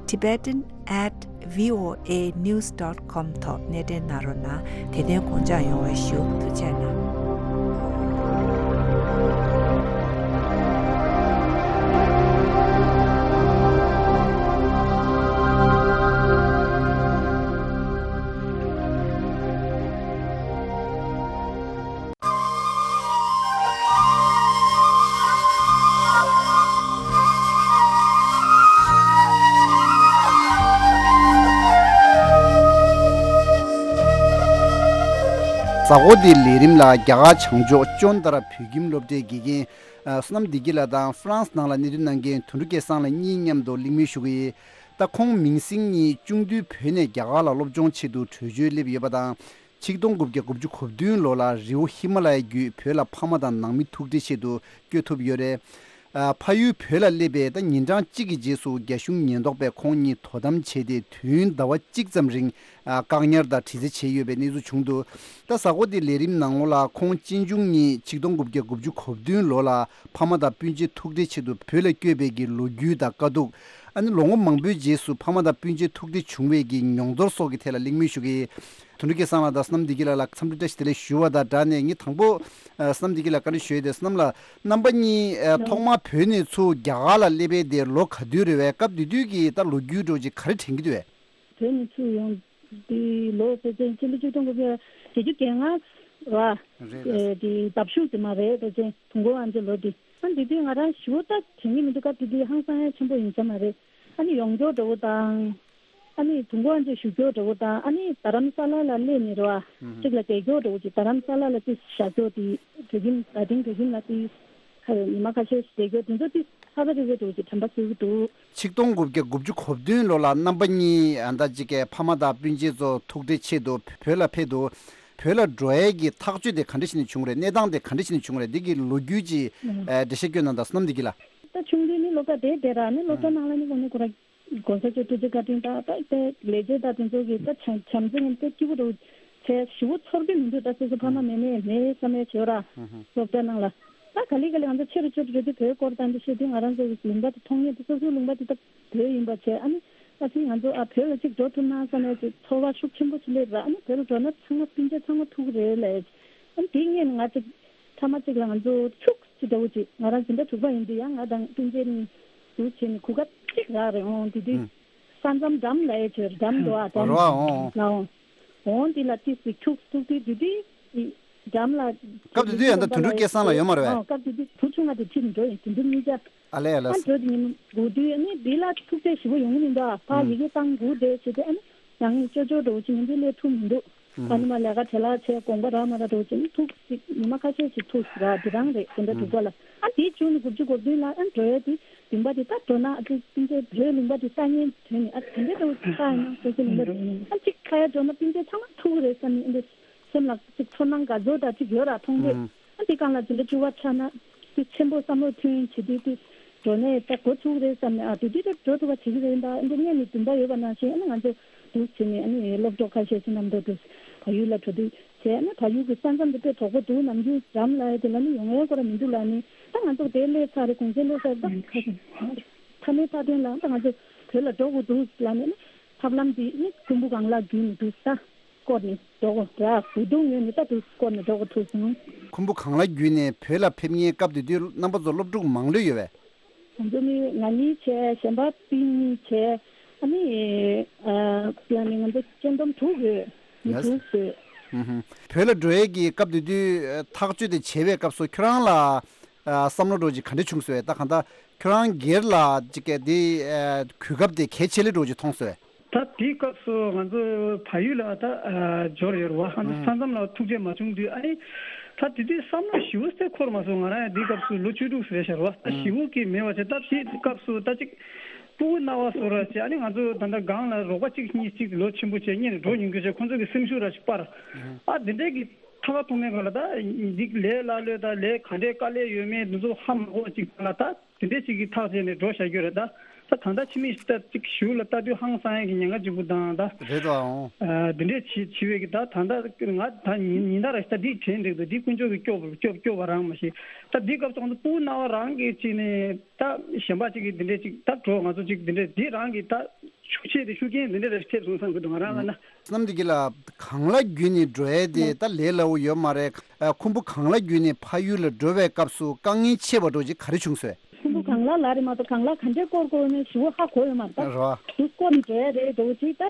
tibetan at voanews dot com ཐོག་གནས་འབྲེལ་གནང་རོགས་གནང་། དེ་དོན་དགོངས་འཇགས་ཡོང་བ་ཞུ། ཐུགས་རྗེ་གནང་། གཟའ་འཁོར་འདིའི་ལས་རིམ་ལ་རྒྱ་གར་བྱང་ཕྱོགས་ཅོན་ཏ་ར་བོད་ཁྱིམ་སློབ་གྲྭའི་དགེ་རྒན་བསོད་ནམས་བདེ་སྐྱིད་ལགས་དང་ཧྥ་རན་སི་ནང་ལ་གནས་སྡོད་གནང་མཁན་དོན་གྲུབ་སྐལ་བཟང་ལགས་གཉིས་མཉམ་དུ་གླེང་མོལ་ཞུ་གི་ཡོད། ད་ཁོང་མིང་སྲིང་གཉིས་ཆུང་དུས་བོད་ནས་རྒྱ་གར་ལ་སློབ་སྦྱོང་ཆེད་དུ་བྲོས་བྱོལ་སླེབས་ཡོད་པ་དང་། ཆིག་སྟོང་དགུ་བརྒྱ་དགུ་བཅུ་གོ་བདུན་ལོ་ལ་རི་བོ་ཧི་མ་ལ་ཡ་བརྒྱུད་བོད་ལ་ཕ་མ་དང་ནང་མི་ཐུག་འཕྲད་ཆེད་དུ་བསྐྱོད་ཐུབ་ཡོད་རེད། ཨ། ཕ་ཡུལ་བོད་ལ་སླེབས་པའི་ད་ཉིན་གྲངས་གཅིག་གི་རྗེས་སུ་རྒྱ་གཞུང་ཉེན་རྟོག་པས་ཁོང་གཉིས་དོ་དམ་བྱས་ཏེ། དུས་ཡུན་ཟླ་བ་གཅིག་ཙམ་རིང་ཨ། བཀག་ཉར་དང་དྲི་རྩད་བྱས་ཡོད་པའི་གནས་ཚུལ་བྱུང་འདུག་ད་གཟའ་འཁོར་འདིའི་ལས་རིམ་ནང་ལོགས་ལ་ཁོང་གཅེན་གཅུང་གཉིས་ཆིག་སྟོང་དགུ་བརྒྱ་དགུ་བཅུ་གོ་བདུན་ལོ་ལ་ཕ་མ་དང་སྤུན་མཆེད་ཐུག་འཕྲད་ཆེད་དུ་བོད་ལ་བསྐྱོད་པའི་གི་ལོ་རྒྱུས་དང་དཀའ་སྡུག་ཨ་ནི་ལོ་ངོ་མང་པོའི་རྗེས་སུ་ཕ་མ་དང་སྤུན་མཆེད་ཐུག་འཕྲད་བྱུང་བའི་གི་མྱོང་ཚོར་སོགས་ཀྱི་ཐད་ལ་གླེང་མོལ་ཞུ་གི། དོན་གྲུབ་སྐལ་བཟང་ལགས་དང་བསོད་ནམས་བདེ་སྐྱིད་ལགས་ལ་འཚམས་འདྲི་བཀྲ་ཤིས་བདེ་ལེགས་ཞུ་བ་དང་སྦྲགས་ནས། ངས་དང་པོ་ཨ། བསོད་ནམས་བདེ་སྐྱིད་ལགས་བཀའ་འདྲི་ཞུ་ཡས་དེ། བསོད་ནམས་ལགས། རྣམ་པ་གཉིས་ཨ། ཐོག་མར་བོད་ནས་ཚུར་རྒྱ་གར་ལ་སླེབས་པའི་དེ་ལོ་ག་དུས་རེད་པས། སྐབས་དེ་དུས་ཀྱི་ད་ལོ་རྒྱུས་འདྲ་བོ་ཅིག་ག་རེ་དྲན་གྱི་འདུག་པས། བོད་ནས་ཚུར་ཡོང་དུས་ལོ་ཕལ་ཆེར་ཕྱི་ལོ་ཆིག་སྟོང་དགུ་བརྒྱ་བརྒྱད་ཅུ་གྱ་ལྔ་ར། རེད་རེད། ཨེ། དེ་ཟླ་གཞུག་དེ་མ་རེད། ཕལ་ཆེར་དུས་འཁོར་དབང་ཆེན་ལོ་དེ། ཨ། དེ་དུས་ང་རང་ཞེ་པོ་ད་དྲན་གྱི་མི་འདུག་སྐབས་དེ་དུས་ཧང་སང་ཡ་ཆེན་པོ་ཡིན་ས་མ་རེད། ཨ་ནི་ཡོང་རྒྱུ་འདྲ་བོ་དང་། ཨ་ནི་དུས་འཁོར་དབང་ཆེན་བཞུགས་རྒྱུ་འདྲ་བོ་དང་། ཨ་ནི་རྡ་རམ་ས་ལ་ལ་སླེབས་ནས་རེད་པ། ཨུ་ཧུམ། གཅིག་ལ་བསྡད་རྒྱུ་འདྲ་བོ་ཅིག་རྡ་རམ་ས་ལ་ལ་ཅིག་བཞག་རྒྱུ་དེ་བོད་ཁྱིམ། རྡ་སྟེང་བོད་ཁྱིམ་ལ་དེ་ཁ་ཉི་མ་ཁ་ཤས་ཤིག་བསྡད་རྒྱུ་དེ་ཚོ་དེ་ཧ་ལས་པ་རེད་འདྲ་བོ་ཅིག་དྲན་པ་སྐྱེ་གི་འདུག་ཆིག་སྟོང་དགུ་བརྒྱ་དགུ་བཅུ་གོ་བདུན་ལོ་ལ་རྣམ་པ་གཉིས་ཨ། ད་ཅིག་གི་ཕ་མ་དང་སྤུན་མཆེད་ཚོ་ཐུག་འཕྲད་ཆེད་དུ་བོད་ལ་ཕེབས་འདུག་བོད་ལ་འགྲོ་ཡས་ཀྱི་ཐག་གཅོད་དེ་ག་འདྲ་བྱས་ནས་བྱུང་རེད། གནས་སྟངས་དེ་ག་འདྲ་བྱས་ནས་བྱུང་རེད། འདི་གི་ལོ་རྒྱུས་ཅིག་ཨ། འགྲེལ་བཤད་སྐྱོན་གནང་དང་། བསོད་ནམས་བདེ་སྐྱིད་ལགས། ད་ཆུང་དུས་ནི་སློབ་གྲྭ་དེ་དེ་ར་ནི། སློབ་གྲྭ་ནང་ལ་ནི་ཁོ་ནི་ཁོ་ར་གོང་ས་མཆོག་ཐུགས་རྗེ་བཀའ་དྲིན་དང་། ད་དེ་ལས་བྱེད་དང་དེ་ཚོ་གི་ད་བྱམས་བྱམས་བརྩེ་ངན་དེ་སྐྱིད་པོ་འདྲ་བྱས། ཞེ་པོ་ཚོར་གྱི་མི་འདུག་ད་སོ་སོ་ཕ་མ་མེད་མེད་མེད་བསམ་ཡས་བྱེད་ར། སློབ་གྲྭ་ནང་ལ་ད་ག་ལེ་ག་ལེ་ང་ཚོ་ཆེ་རུ་ཆེ་རུ་འགྲོ་དུས་བོད་སྐོར་དང་འདི་བཤད་དུས། ང་རང་ཚོ་གི་ལུང་པ་དེ་མཐོང་ཡས་དེ་སོ་སོའི་ལུང་པ་དེ་ད་བོད་ཡིན་པ་བྱས། ཨ་ནི་ཨ་ཙི་ང་ཚོ་ཨ་བོད་ལ་གཅིག་འགྲོ་ཐུབ་ན་བསམ་ཡས་ཅིག་ཚོར་བ་ཤུགས་ཆེན་པོ་ཅིག་སླེབས་ར། ཨ་ནི་བོད་ལ་འགྲོ་ན་ཚང་མ་སྤུན་མཆེད་ཚང་མ་ཐུག་རེད་ལབ་ཡས་ཅིག་ཨ་ནི་དེ་སྔོན་ང་ཅིག་ཐ་མ་གཅིག་ལ་ང་ཚོ་ཕྱུགས་ཅིག་འདྲ་བོ་ཅིག་ང་རང་འཛིན་གྲྭ་དྲུག་པ་ཡིན་དུས་ཡང་ང་དང་སྤུན་མཆེད་གཉིས་འདུག་བྱས་ནས་གོ་སྐབས་གཅིག་རག་རེད། འོང་དེ་དུས་ཨུ། ས་མཚམས་འགྲམ་ལ་ཡ་ཆེར་འགྲམ་འདུག་ཨ། འགྲམ་རོ་ཨ། འོང་། ལ་འོང་། འོང་དེ་ལ་ཏིས་སི་ཁྱུག་ཐུག་དུས་དེ་དུས་འགྲམ་ལ། སྐབས་དེ་དུས་ཡང་ད་དོན་གྲུབ་སྐལ་བཟང་ལགས་ཡོད་མ་རེད་པས། འོང་། སྐབས་དེ་དུས་བུ་ཆུང་བ་དེ་ཁྲིད་ནས་འགྲོ་ཡིན། དེ་དུས་གཉིས་ཆ། ཨ་ལས་ཨ་ལས། ཨ་འགྲོ་དེ་ཉིན་དགུ་དུས་ཨ་ནི་དེ་ལ་ཐུག་ཚད་ཞེ་པོ་ཡོང་གི་མི་འདུག་ཨ། ཕ་ཡི་གེ་བཏང་དགུ་དེ་བྱས་ཏེ། ཨ་ནི་ཡང་ཅོ་ཅོ་འདྲ་བོ་ཅིག་ཡིན་དུས་སླེབས་ཐུབ་མི་འདུག་ཨ་ནི་མ་ལས་ཀ་བྲེལ་བ་ཆེ་དགོངས་པ་རག་མ་རག་འདྲ་བོ་ཅིག་ཐུག་ཅིག་ཉི་མ་ཁ་ཤས་ཤིག་ཐུག་ར། དེ་རང་རེད། དེ་འདྲ་འདུག་པ་ལ། ཨ་དེའི་བྱུང་ནས་དགུ་བཅུ་གོ་བདུན་ལ་ཨ་འགྲོ་ཡས་དེ་ལུང་པ་དེ་ད་འགྲོ་ན་ཨ་ཅིག་སྤུན་མཆེད་བོད་ལུང་པ་དེ་ལྟ་ཉན་དོན་ནི་ཨ་དེ་འདྲ་འདྲ་བོ་ཅིག་ལྟ་ཡིན་ན་སོ་སོ་ལུང་པ་དེ་ཨ་ཅིག་ཁ་ཡ་འགྲོ་ན་སྤུན་མཆེད་ཚང་མ་ཐུག་རེད་བསམ་ནས་ཨ་འདྲ་སེམས་ལ་ཅིག་ཚོར་སྣང་དགའ་ཚོར་འདྲ་ཅིག་ཡོད་ར། མཐོང་དུས་ཨ་དེ་སྒང་ལ་དེ་འདྲ་སྐྱོ་བ་ཆགས་ན་དེ་ཆེན་པོ་བསམ་བློ་ཐོན་བྱེད་དུས་དེ། འགྲོ་ནས་ད་འགོ་ཚུགས་རེད་བསམ་ནས། ཨ་དེ་དུས་ད་འགྲོ་ཐུབ་པ་བྱེད་ཀྱི་རེད། ད་འདི་སྔོན་ནས་འདུན་པ་ཡོད་པ་ནང་བཞིན་ཨ་ནི་ང་ཚོ་འདུག་བྱས་ནས་ཨ་ནི་སློབ་གྲོགས་ཁ་ཤས་ཤིག་རྣམ་རྟོག་ཏུ་བལ་ཡུལ་ལ་འགྲོ་དུས་བྱས། ཨ་ནི་བལ་ཡུལ་གྱི་ས་མཚམས་དེ་དཔེ་དོག་པོ་འདུག་ནམ་རྒྱུན་འགྲམ་ལ་ཡ་དེ་ལ་ནི་ཡོང་ཡ་སྐོར་མི་འདུག་ལ། ནི་ད་ང་ཚོ་དེ་སླེབས་ཚར་རེད། གུང་སེང་སླེབས་ཚར་རེད། ད་མཐའ་མའི་མཐའ་དོན་ལ་ད་ང་ཚོ་བོད་ལ་འགྲོ་དགོས་འདུག་ལ་ནི་ཐབས་ལམ་འདི་ནི་ཁུམ་བུ་སྒང་ལ་བརྒྱུད་ནས་འདུག་ད། བསྐོར་ནས་འགྲོ་དགོས་ར། འུ་དུམ་ངོས་ནས་ད་དུ་བསྐོར་ནས་འགྲོ་དགོས་ཐུག་སོང་། ཁུམ་བུ་སྒང་ལ་བརྒྱུད་ནས་བོད་ལ་ཕེབས་མཁན་སྐབས་དེ་དུས་རྣམ་པ་ཚོ་སློབ་ཕྲུག་མང་ལོས་ཡོད་པས། ང་ཚོ་ནི་ང་གཉིས་བྱས། གཞན་པ་སྤུན་གཉིས་བྱས། ཨ་ནི་ཨ་ཡང་ནི་ང་ཚོ་སྤྱན་ལྡོམ་དྲུག་ཡོད། མི་ཡ། དྲུག་ཡོད། ཧུམ་ཧུམ། བོད་ལ་འགྲོ་ཡས་ཀྱི་སྐབས་དེ་དུས་ཐག་གཅོད་དེ་བྱེད་པའི་སྐབས་སུ་ཁྱོད་རང་ལ་ཨ་བསམ་བློ་འདྲ་བོ་ཅིག་ག་འདྲ་བྱུང་སོང་། ད་གང་ལྟར་ཁྱོད་རང་སྒེར་ལ་ཅིག་གི་དེ་ཨ་གོ་སྐབས་དེ་གལ་ཆེ་ལོས་འདྲ་བོ་ཅིག་མཐོང་སོང་། ད་དེའི་སྐབས་སུ་ང་ཚོ་བལ་ཡུལ་ལ་ད་ཨ་འབྱོར་ཡོད་རེད་བ། ཨ་ནི་ཨ་ས་མཚམས་ལ་ཐུག་འཕྲད་མ་བྱུང་དུས། ཨ་ནི་ད་དེ་དུས་བསམ་བློ་ཞེ་པོ་ཅིག་འཁོར་མ་སོང་། ང་རང་ཡང་དེའི་སྐབས་སུ་ལོ་བཅུ་དྲུག་ཙམ་རེད་ཤག་རེད་བ། ད་ཨ་ཞེ་པོ་ཅིག་མེད་པ་བྱས། ད་དེའི་སྐབས་སུ་ད་ཅིག་སྤུ་གུ་སྣང་བ་བཟོ་འདྲ་བྱས། ཨ་ནི་ང་ཚོ་ད་ལྟ་སྒང་ལ་རོགས་པ་གཅིག་གཉིས་གཅིག་ལོ་ཆེན་པོ་བྱས་སྔོན་ནས་འགྲོ་མྱོང་མཁན་བྱས། ཁོང་ཚོ་གི་སེམས་ཤུགས་འདྲ་ཅིག་སྤར། ཨ་དེ་འདྲའི་གི་ཐོག་མཐོང་མེད་ག་ལ། ད་འདི་ལས་སླ་ལོས་ད་ལས་ག་འདྲའི་དཀའ་ལས་ཡོད་མེད་འདི་ཚོ་ཧ་མ་གོ་བ་ཅིག་ལ། ད་དེ་འདྲའི་ཅིག་གི་ཐག་བཅད་ནས་འགྲོ་བཞག་རྒྱུ་རེད། ད་ད་ད་ལྟ་ཕྱི་མིག་ལྟ་ཅིག་གཞུག་ལ་ལྟ་དུས་ཧང་སང་ཡ་གི་ཉེན་ཁ་ཅིག་པོ་དང་། ད་རེད་དོ། ཨང་། ཨ་དེ་འདྲའི་བྱེད་བྱེད་པའི་གི་ད་ད་ལྟ་ང་ད་ཉིན་ཉིན་ལྟར་ད་འདི་དྲན་འགྲིག་འདུག་འདི་དཀོན་མཆོག་གི་སྐྱོབ་སྐྱོབ་སྐྱོབ་པ་རང་མ་ཤེས། ད་འདི་སྐབས་སུ་ང་ཚོ་སྤུ་གུ་སྣང་བ་རང་གི་ཅིག་ནས་ད་གཞན་པ་ཅིག་གི་འདི་འདྲའི་ཅིག་ད་འགྲོ་ང་ཚོ་ཅིག་འདི་འདྲའི་འདི་རང་གི་ད་ཤུགས་ཆེ་དེ་ཤུགས་རྐྱེན་འདི་འདྲ་རེ་ཐེབས་སོང་བསམ་གི་འདུག་ང་རང་ལ་ན། བསོད་ནམས་བདེ་སྐྱིད་ལགས། གངས་ལ་བརྒྱུད་ནས་འགྲོ་ཡས་དེ་ད་ལས་སླ་བོ་ཡོད་མ་རེད། ཨ་ཁུམ་བུ་གངས་ལ་བརྒྱུད་ནས་ཕ་ཡུལ་ལ་འགྲོ་བའི་སྐབས་སུ་དཀའ་ངལ་ཆེ་བ་འདྲ་བོ་ཅིག་ག་རེ་བྱུང་སོང་། ཁུམ་བུ་གངས་ལ་ལ་རེད་མ་གཏོགས་གངས་ལ་ག་འདྲས་སྐོར་དགོས་མིན་ཞེ་པོ་ཧ་གོ་ཡོད་མ་རེད། ད་རེད་བ། དུ་སྐོར་ནས་འགྲོ་ཡས་རེད་འདྲ་བོ་ཅིག་ད་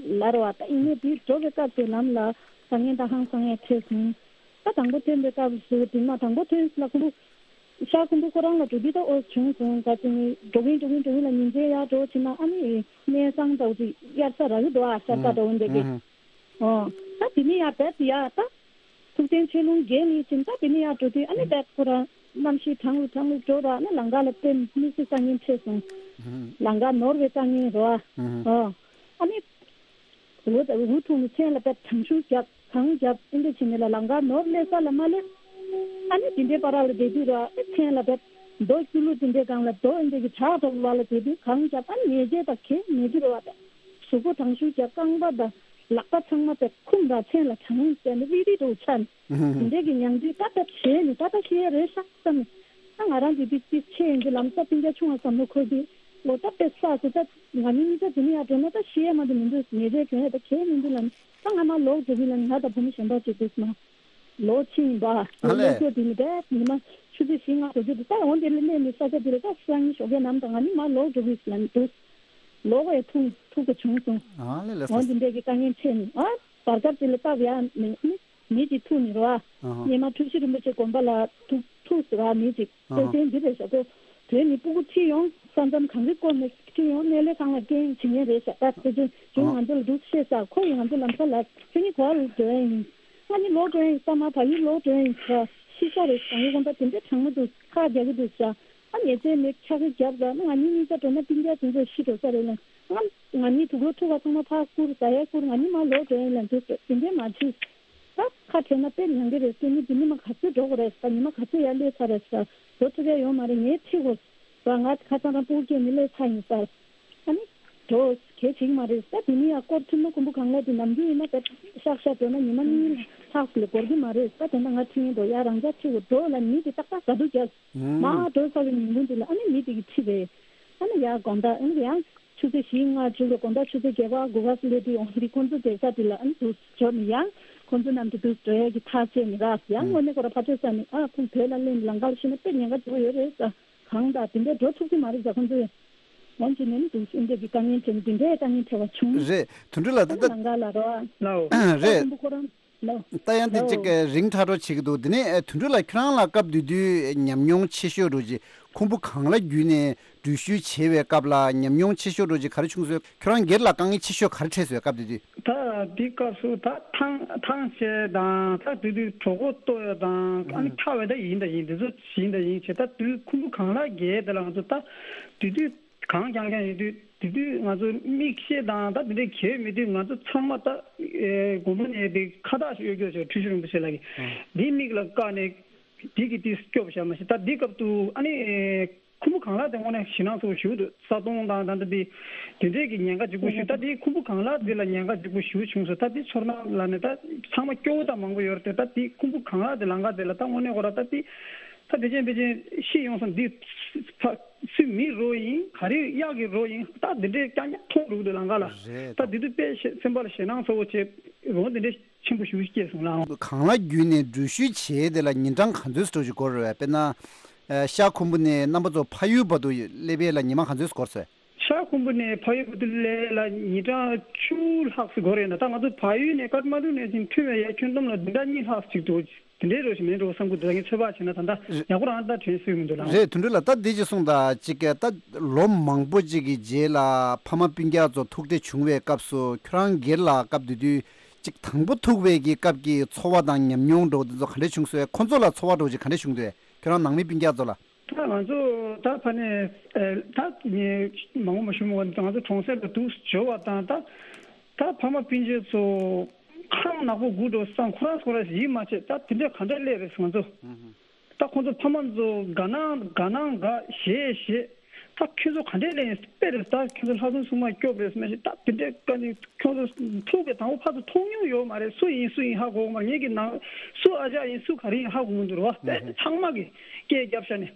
ལ་རེད་བ། ད་ཡིན་ནའི་དེ་འགྲོ་བའི་སྐབས་སུ་ལམ་ལ་དཀའ་ངལ་དང་ཧང་སང་ཡས་འཕྲད་སོང་། ད་དང་པོ་ཐོན་པའི་སྐབས་སུ་དེ་མ་དང་པོ་ཐོན་ལ་ཁུམ་བུ། ཤར་ཁུམ་བུ་ཁོ་རང་ལ་འགྲོ་དུས་ད་ཨོ་བྱུང་སོང་། ག་ཅི་ནི་འགྲོ་གིན་འགྲོ་གིན་འགྲོ་གིན་ལ་ཉིན་མཚན་ཡར་འགྲོ་ཕྱིན་ན་ཨ་ནི་གནས་ཚང་འདྲ་བོ་ཅིག་དབྱར་ས་རག་གི་འདུག་ཨ། ཤར་ས་འདྲ་བོ་འདྲ་གི། ཨོ་ད་དེ་ནི་ཡར་བས་ཡར་ད་ཐུགས་རྟེན་ཆོས་ལུང་བརྒལ་ནས་ཕྱིན། ད་དེ་ནི་ཡར་འགྲོ་དུས་ཨ་ནི་བས་ཁོ་རང་གནམ་གཤིས་གྲང་རུ་གྲང་རུ་འགྲོ་ར། ཨ་ནི་ལམ་ཁ་ལ་དཔེ་མི་སྲིད་ས་ཉིན་འཕྲད་སོང་། ལང་ཀ་ནོར་བའི་དཀའ་ངལ་རོ། ཨ་ཨ་ནི། འུ་འུ་ཐུག་ནས་མཚན་ལ་དཔེ་དྲང་ཤུགས་རྒྱབ་གང་རྒྱབ་ཨེ་འདྲ་བྱས་ནས་ལ་ལང་ཀ་ནོར་སླེབས་ས་ལ་མ་སླེབས། ཨ་ནི་དེ་འདྲའི་བར་ལ་བསྡད་དུས་ར་ཨེ་མཚན་ལ་དཔེ་རྡོ་སྐྱུ་ལུ་དེ་འདྲའི་སྒང་ལ་རྡོ་ཨེ་འདྲ་གི་བྲག་དོག་ལ་ལ་བསྡད་དུས་གང་རྒྱབ་ཨ་ནི་ཉལ་ཆས་དང་གས་མེད་དུས་ར་བ་དང་གཟུགས་པོ་དྲང་ཤུགས་རྒྱབ་རྐང་པ་དང་ལག་པ་ཚང་མ་དཔེ་ཁུམ་ར་མཚན་ལ་གྲང་ཟེར་ནས་རིལ་རིལ་དུ་ཆགས་ནས་དེ་འདྲའི་གི་མྱང་དུས་ད་ལྟ་བྱས་ནས་ད་ལྟ་ཤི་ཡ་རེད་ཤག་བསམ་ནས། ད་ང་རང་གི་དེ་དེ་ཆེ་ཡིན་གྱི་ལམ་སང་སྤུན་ཀྱག་ཆུང་བ་བསམ་བློ་འཁོར་དུས་ལོ་ད་དཔེ་བསགས་སུ་ད་ང་གཉིས་གཉིས་ཆ་དེ་ནས་ཡར་འགྲོ་ན་ད་ཤི་ཡ་མ་གཏོགས་མི་འདུག་ཉེ་རེ་གྱོན་ཡ་ད་གལ་མི་འདུག་ལབ་ནས་ད་ང་མར་ལོག་འགྲོ་གི་ལབ་ནས་ང་དང་བུ་མོ་གཞན་པ་གཅིག་འདུག་མ་ལོག་ཕྱིན་ཡིན་པ་ཨ་ལོ་ལས་སྐྱོ་དེ་ནི་དཔེ་ཉི་མ་ཆུ་ཚོད་བཞི་ལྔ་འགྲོ་རྒྱུ་འདུག་ད་འོ་དེ་ལ་གནས་ནས་ས་ཆ་དེ་ལ་ད་སང་ཉིན་ཞོགས་ཀས་ནམ་དང་ང་གཉིས་མར་ལོག་འགྲོ་གི་ལབ་ནས་འདུག་ལོག་པ་ཡ་ཐུག་ཐུག་པ་བྱུང་སོང་། ཨ་ལས་ལས་འོ་སོ་དེ་འདྲས་ཀྱི་དཀའ་ངལ་འཕྲད་ནས་ཨ། བར་སྐབས་དེ་ལ་སྟབས་ཡག་མི་མི་མི་གཅིག་ཐུག་ནི་རོ། ཨ་ཧ། སྙེ་མ་ཁྲུ་བཞི་རིན་པོ་ཆེ་དགོན་པ་ལ་ཐུག་ཐུག་ཟེར་བ་མི་གཅིག་ཨ་ཧ། སྟོད་ཆེན་འདི་རེད་ཤག་གོ། དོན་ནི་སྤུ་གུ་ཁྲིད་ཡོང་ས་མཚམས་གངས་རི་བསྐོར་ནས་ཁྲིད་ཡོང་གནས་ལས་ཁང་ལ་སྐད་འབྱིན་མཁན་རེད་ཤག་ད་སྟོད་ཆེན་ཁྱོད་ང་ཚོ་ལ་འདུག་བཤད་ས་ཁོ་ཡིས་ང་ཚོ་ལམ་ཁ་ལ་ཁྱོད་ནི་ག་པར་འགྲོ་ཡ་ཡིན། ང་ནི་ལོག་འགྲོ་ཡ་ཡིན་ས་མ་བ་ཡུལ་ལོག་འགྲོ་ཡ་ཡིན་ས་ཤི་ས་རེད་ས་ཡི་དགོན་པ་དེ་འདྲ་གྲང་མོ་འདུག་ཁ་རྒྱག་གི་འདུག་ས། ཨ་ཉེ་ཚན་མེད་ཆག་གི་རྒྱབ་ཟ་ང་གཉིས་གཉིས་ཀ་འགྲོ་ན་སྤུན་ཀྱག་དེ་ཚོ་ཤི་འགྲོ་ས་རེད་ལ། ང་ང་གཉིས་དུག་ལོག་ཐུག་པ་ཚང་མ་ཕར་བསྐུར་ཟ་ཡ་བསྐུར་ང་གཉིས་མར་ལོག་འགྲོ་ཡིན་ལ་འདུག་ཟེར་དེ་འདྲས་མ་བྱེད། ད་ཁ་བྲལ་ན་དཔེ་ཉང་གི་རེད་སྐྱེ་ནི་འདི་ནི་མ་ག་ཚོད་འགྲོ་དགོས་རེད་ཟ་ཉི་མ་ག་ཚོད་ཡར་སླེབས་ཚར་རེད་ཟ་འགྲོ་ཐུབ་ཡ་ཡོད་མ་རེད་ངས་ཁྲིད་དགོས་ཟ་ང་ཁ་སང་རང་སྤུ་གུ་སྐྱེས་ནི་སླེབས་ཚར་ཡིན་ཟ། ཨ་ནི། འགྲོ། གལ་ཆེ་གི་མ་རེད་ད་དེ་ནི་ཡང་སྐོར་ཐུབ་ན་ཁུམ་བུ་གངས་ལ་དེ་ནམ་རྒྱུན་ཡིན་ན་དཔེ་ཤག་ཤག་འགྲོ་ན་ཉི་མ་གཉིས་ལྷག་ཙམ་ལས་འགོར་གི་མ་རེད་ད་དེ་འདྲ་ང་ཁྲིད་ཡིན་འགྲོ་ཡ་རང་འཇགས་ཁྲིད་དགོས་འགྲོ་ལ་མི་དེ་ཏག་ཏག་ག་དུས་རྒྱག་མ་འགྲོ་ས་གི་ཉིན་གུང་དེ་ལ་ཨ་ནི་མི་དེ་གི་ཁྲིད་རེད། ཨ་ནི་ཡ་དགོང་དག་ཨ་ནི་ཡང་ཆུ་ཚོད་བཞི་ལྔ་བཅུ་ལ་དགོང་དག་ཆུ་ཚོད་བརྒྱད་པ་དགུ་པ་སླེབས་དུས་ཡོང་དེ་ཁོང་ཚོ་བསྡད་ས་དེ་ལ་ཨ་ནི་དུས་འགྲོ་ནི་ཡང་ཁོང་ཚོ་རྣམས་དེ་དུས་འགྲོ་ཡ་གི་ཐག་བཅད་ནི་ར་ཡང་དངོས་གནས་ཁོ་ར་ཕར་ཚོད་ས་ནི་ཨ་ཁོང་བོད་ལ་སླེབས་ནི་ལམ་ཁ་ལ་ཤི་ན་དཔེ་ཉེན་ཁ་འདུག་ཡོད་རེད་ས། གང་དང་དེ་འདྲའི་འགྲོ་ཐུབ་ཀྱི་མ་རེད་ཟེར་ཁོང་ཚོས། ངོམ་གྱི་ནས་ནི་འདུག་སེམས་ཁྲལ་གྱི་དཀའ་ངལ་འཕྲད་ནས་དེ་འདྲའི་དཀའ་ངལ་འཕྲད་པ་བྱུང་། རེད། དོན་གྲུབ་ལགས་ད་ལྟ་ལང་ཀ་ལ་རོ། ལའོ། རེད། ཁོང་པོ་ཁོ་རང་ལའོ། ད་ཡང་དེ་ལའོ། གཅིག་རིང་ཁྲ་འགྲོ་བྱེད་ཀྱི་འདུག་དེ་ནས་དོན་གྲུབ་ལགས་ཁྱོད་རང་ལ་སྐབས་དེ་དུས་ཉམས་མྱོང་ཆེ་ཤོས་འགྲོ་གྱི་ཁུམ་བུ་གངས་ལ་བརྒྱུད་ནས་འགྲུལ་བཞུད་བྱེད་པའི་སྐབས་ལ་ཉམས་མྱོང་ཆེ་ཤོས་འགྲོ་གྱི་ག་རེ་བྱུང་སོང་ཁྱོད་རང་སྒེར་ལ་དཀའ་ངལ་ཆེ་ཤོས་ག་རེ་འཕྲད་སོང་སྐབས་དེ་དུས། ད་འདི་སྐབས་སུ་ད་ཐང་ཐང་ཆད་དང་ད་དེ་དུས་གྲོད་ཁོག་ལྟོགས་ཡ་དང་ཨ་ནི་ཁྲག་བས་ད་ཡིན་ད་ཡིན་འདི་ཚོ་ཡིན་ད་ཡིན་བྱས་ད་དུས་ཁུམ་བུ་གངས་ལ་བརྒལ་དེ་ལ་ང་ཚོ་ད་དེ་དུས་གངས་རྐྱང་རྐྱང་ཡིན་དུས་དེ་དུས་ང་ཚོ་མིག་ཤེལ་དང་ད་དེ་འདྲའི་གྱོན་མེད་དུས་ང་ཚོ་ཚང་མ་ད་དགོན་པ་ནས་དེ་ཁ་བཏགས་ཤིག་གཡོག་གྱོག་བྱས་ཁྲུས་ཤོག་རིན་པོ་ཆེ་ལ་གི་འདི་མིག་ལ་བཀག་ནས་དེ་གི་དེ་སྐྱོབ་བྱ་མ་ཤེས་ད་འདི་སྐབས་དུ་ཨ་ནི། ཁུམ་བུ་གངས་ལ་དེ་དངོས་གནས་ཞེད་སྣང་ཚ་པོ་ཞེ་པོ་འདུག་ས་དོང་དང་ད་ལྟ་དེ་དེ་འདྲས་ཀྱི་ཉེན་ཁ་ལྗིད་པོ་ཞེ་པོ་ད་དེ་ཁུམ་བུ་གངས་ལ་དེ་ལ་ཉེན་ཁ་ལྗིད་པོ་ཞེ་པོ་བྱུང་སོང་ད་དེ་ཚོར་སྣང་ལ་ནས་ད་ཚང་མ་སྐྱོ་བོ་དང་མང་པོ་ཡོད་རེད་ད་དེ་ཁུམ་བུ་གངས་ལ་དེ་ལང་ཀ་དེ་ལ་ད་དངོས་གནས་ཁོ་ར་ད་དེ་ད་དེ་ཅན་དེ་ཅན་ཤི་ཡོང་སོང་འདི་ཕ་སུའི་མི་རོ་ཡིན་ག་རེ་གཡག་གི་རོ་ཡིན་ད་དེ་འདྲས་རྐྱང་རྐྱང་མཐོང་འདུག་དེ་ལང་ཀ་ལ་རེད་ད་དེ་དུས་དཔེ་སེམས་པ་ལ་ཞེད་སྣང་ཚ་པོ་བྱས་རོ་དེ་འདྲས། ཆེན་པོ་ཞེ་པོ་ཞིག་སྐྱེས་སོང་ལགས། གངས་ལ་བརྒྱུད་ནས་འགྲུལ་བཞུད་བྱས་དེ་ལ་ཉིན་གྲངས་ག་ཚོད་འགྲོ་ཞིག་འགོར་རེད་དཔེར་ན། ཤར་ཁུམ་བུ་ནས་རྣམ་པ་ཚོ་ཕ་ཡུལ་བར་དུ་སླེབས་ཡས་ལ་ཉི་མ་ག་ཚོད་འགོར་སོང་། ཤར་ཁུམ་བུ་ནས་ཕ་ཡུལ་བར་དུ་སླེབས་ལ་ཉིན་གྲངས་བཅུ་ལྷག་ཙམ་འགོར་རེད་ན་ད་ང་ཚོ་བལ་ཡུལ་ནས་ཀཏ་མན་ཌུ་ནས་ཅིག་ཐོན་པའི་ཡ་ཁྱོན་བསྡོམས་ལ་བདུན་ཕྲག་གཉིས་ལྷག་ཅིག་འདུག་དེ་འདྲའི་རོ་ཞིག་མིན་འགྲོ་བསམ་གི་འདུག་ངས་ཚོད་དཔག་བྱས་ན་ད་ལྟ་ཡག་པོ་རང་ད་དྲན་སྲོལ་མི་འདུག་ལགས། རེད་དོན་གྲུབ་ལགས་ད་འདི་ཅིག་གསུངས་དང་ཅིག་ད་ལོ་མང་པོ་ཅིག་གི་རྗེས་ལ་ཕ་མ་སྤུན་ཀྱག་ཚོ་ཐུག་འཕྲད་བྱུང་བའི་སྐབས་སུ་ཁྱོད་རང་སྒེར་ལ་སྐབས་དེ་དུས། གཅིག་དང་པོ་ཐུག་པའི་གི་སྐབས་ཀྱི་ཚོར་བ་དང་ཉམས་མྱོང་འདྲ་བོ་འདི་ཚོ་ག་འདྲས་བྱུང་སོང་། ཁོ་ཚོ་ལ་ཚོར་བ་འདྲ་བོ་ཅིག་ག་འདྲས་བྱུང་འདུག་ཁྱོད་རང་ནང་མི་སྤུན་ཀྱག་ཚོ་ལ། ད་ང་ཚོ་ད་ཕ་ནས་ད་ངས་མང་པོ་མ་ཞུ་མ་ང་ཚོ་གྲོང་གསེབ་ལ་འདུག་འབྱོར་བ་དང་ད་ད་ཕ་མ་སྤུན་མཆེད་ཚོ་ཁང་ནག་པོ་སྒུག་འགྲོ་བསམ་ཁོ་རང་ཁོ་རང་ཡིད་མ་ཆེས་ད་དེ་འདྲས་ག་འདྲས་སླེབས་རེད་ང་ཚོ། ད་ཁོང་ཚོ་ཕ་མ་ཚོ་དགའ་སྣང་དགའ་སྣང་དགའ་ཞེད་ཞེད། ད་ཁྱོད་ཚོ་ག་འདྲས་ལས་ཡིན་དཔེ་རེད་ད་ཁྱོད་ཚོ་ལྷ་སྲུང་སྲུང་མ་སྐྱོབ་རེད་སྨྲས་ཤིག་ད་དེ་འདྲས་བཀའ་ནི་ཁྱོད་ཚོ་ཐུག་པའི་དང་པོ་ཕར་ཚུར་མཐོང་མྱོང་ཡོད་མ་རེད། སུ་ཡིན་སུ་ཡིན་ཧ་གོ་གི་མ་རེད། ངེད་ཀྱི་ནང་སུ་ཨ་ཅག་ཡིན་སུ་ག་རེ་ཡིན་ཧ་གོ་མི་འདུག་ར་བ། དཔེ་ཚང་མ་གི་སྐད་རྒྱབ་ཤ་ནས་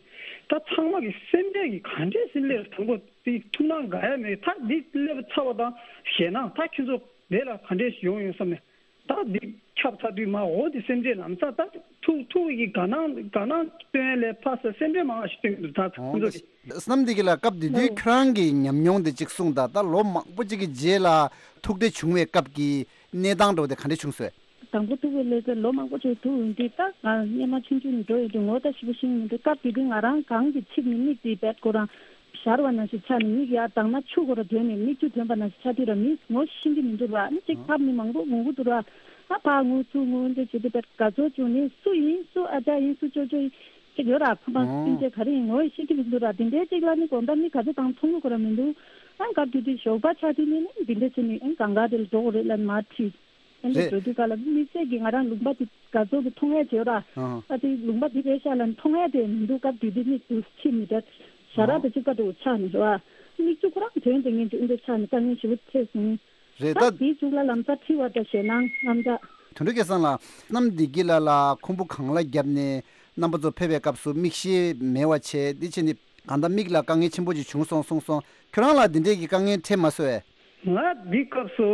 ད་ཚང་མ་གི་སེམས་ཁྲལ་གི་ག་འདྲས་སེམས་ལས་དང་པོ་དེ་ཐུགས་སྣང་དགའ་ཡ་མེད། ད་འདི་སླེབས་ཚར་བ་དང་ཞེད་སྣང་ད་ཁྱོད་ཚོ་དེ་ལ་ག་འདྲས་ཡོང་ཡོང་བསམ་ནས། ད་འདི་ཁྱབ་ཚར་དུས་མ་འོ་དེ་སེམས་ཁྲལ་ལམ་སང་ད་ཐུག་ཐུག་གི་དགའ་སྣང་དགའ་སྣང་སྟོན་ལས་ཕ་ས་སེམས་ཁྲལ་མང་བ་ཞིག་སྟོན་གྱི་འདུག་ད་ཁོང་ཚོ་གི། བསོད་ནམས་བདེ་སྐྱིད་ལགས་སྐབས་དེ་དུས་ཁྱོད་རང་གི་ཉམས་མྱོང་དེ་གཅིག་གསུངས་དང་ད་ལོ་མང་པོ་གཅིག་གི་རྗེས་ལ་ཐུག་འཕྲད་བྱུང་བའི་སྐབས་ཀྱི་གནས་སྟངས་འདྲ་བོ་དེ་ག་འདྲ་བྱུང་སོང་། དང་པོ་ཐུག་པའི་ལས་ཚེ་ལོ་མང་པོ་ཅིག་ཐུག་ཡོང་དུས་ད་ང་སྔོན་མ་ཆུང་ཆུང་ནས་འགྲོ་ཡོང་དུས་ངོ་ད་ཞིབ་པོ་ཤེས་ཀྱི་མི་འདུག་སྐབས་དེ་དུས་ང་རང་གང་གི་ཚིག་ནི་མིག་དེ་བེད་ཁོ་རང་། ཞར་བ་ནང་བཞིན་ཆགས་ནས་མིག་ཡར་དྭངས་མ་ཆུ་ཁོ་ར་དོན་ནས་མིག་ཆུ་དོན་པ་ནང་བཞིན་ཆགས་དུས་ར་མི་ངོ་ཤེས་ཀྱི་མི་འདུག་ར་ནི་གཅིག་ཐབ་ནི་མང་པོ་མང་པོ་འདུག་ར། ཨ་ཕ་ངུ་ཚུ་ངུ་འདི་བྱེད་དུས་པད་དགའ་ཚོར་བྱུང་ནས་སུ་ཡིན་སུ་ཨ་ཅག་ཡིན་སུ་ཅོ་ཅོ་ཡིན། ཅིག་ཡོད་ར། ཕ་མ་ཨོ་སྤུན་མཆེད་ག་རེ་ཡིན་ངོ་ཤེས་ཀྱི་མི་འདུག་ར། དེ་འདྲའི་ཅིག་ལ་ནི་དགོང་དག་མི་ག་ཚོད་བཏང་མཐོང་གི་ཁོ་ར་མི་འདུག་ཨ་སྐབས་དེ་དུས་ཞོགས་པ་ཆགས་དུས་ནི་ནི་དེ་འདྲ་བྱས་ནི་ཨ་གང་ག་དེ་ལ་འགྲོ་དགོས་རེད་ལབ་མར་ཁྲིད། ཨ་ནི་རེད། འགྲོ་དུས་ག་ལ་མི་ཚེ་གི་ང་རང་ལུང་པ་དེ་ག་ཚོད་དུ་མཐོང་ཡ་བྱེད་ར། ཨ་ཨ་དེ་ལུང་པ་དེ་རེད་ཤག་ལ་མཐོང་ཡ་དེ་མི་འདུག་སྐབས་དེ་དུས་ནི་དུ་ཕྱི་མི་འདྲ་ཞྭ་ར་ཨ་དེ་གཅིག་པ་དུ་ཆགས་ནི་ར། མིག་ཆུ་ཁོ་རང་དོན་དེ་ངན་གྱི་ཨུ་འདྲ་ཆགས་ནི་དཀའ་ངལ་ཞེ་པོ་ཐེབས་སོང་། རེད་ད། ད་དེའི་མཇུག་ལ་ལམ་སང་ཁྲིད་པ་དང་ཞེད་སྣང་རྔམ་སྐྲག་དོན་གྲུབ་སྐལ་བཟང་ལགས། གནམ་བདེ་སྐྱིད་ལགས་ལ་ཁུང་བུ་གང་ལ་བརྒྱབ་ནས་རྣམ་པ་ཚོ་ཕེབས་པའི་སྐབས་སུ་མིག་ཤེལ་མེད་པ་བྱས་འདི་བྱས་ནས་གང་ལྟར་མིག་ལ་དཀའ་ངལ་ཆེན་པོ་ཅིག་བྱུང་སོང་གསུངས་སོང་། ཁྱོད་རང་ལ་འདི་འདྲས་ཀྱི་དཀའ་ངལ་འཕྲད་མ་སོང་ངས། ང་འདི་སྐབས་སུ་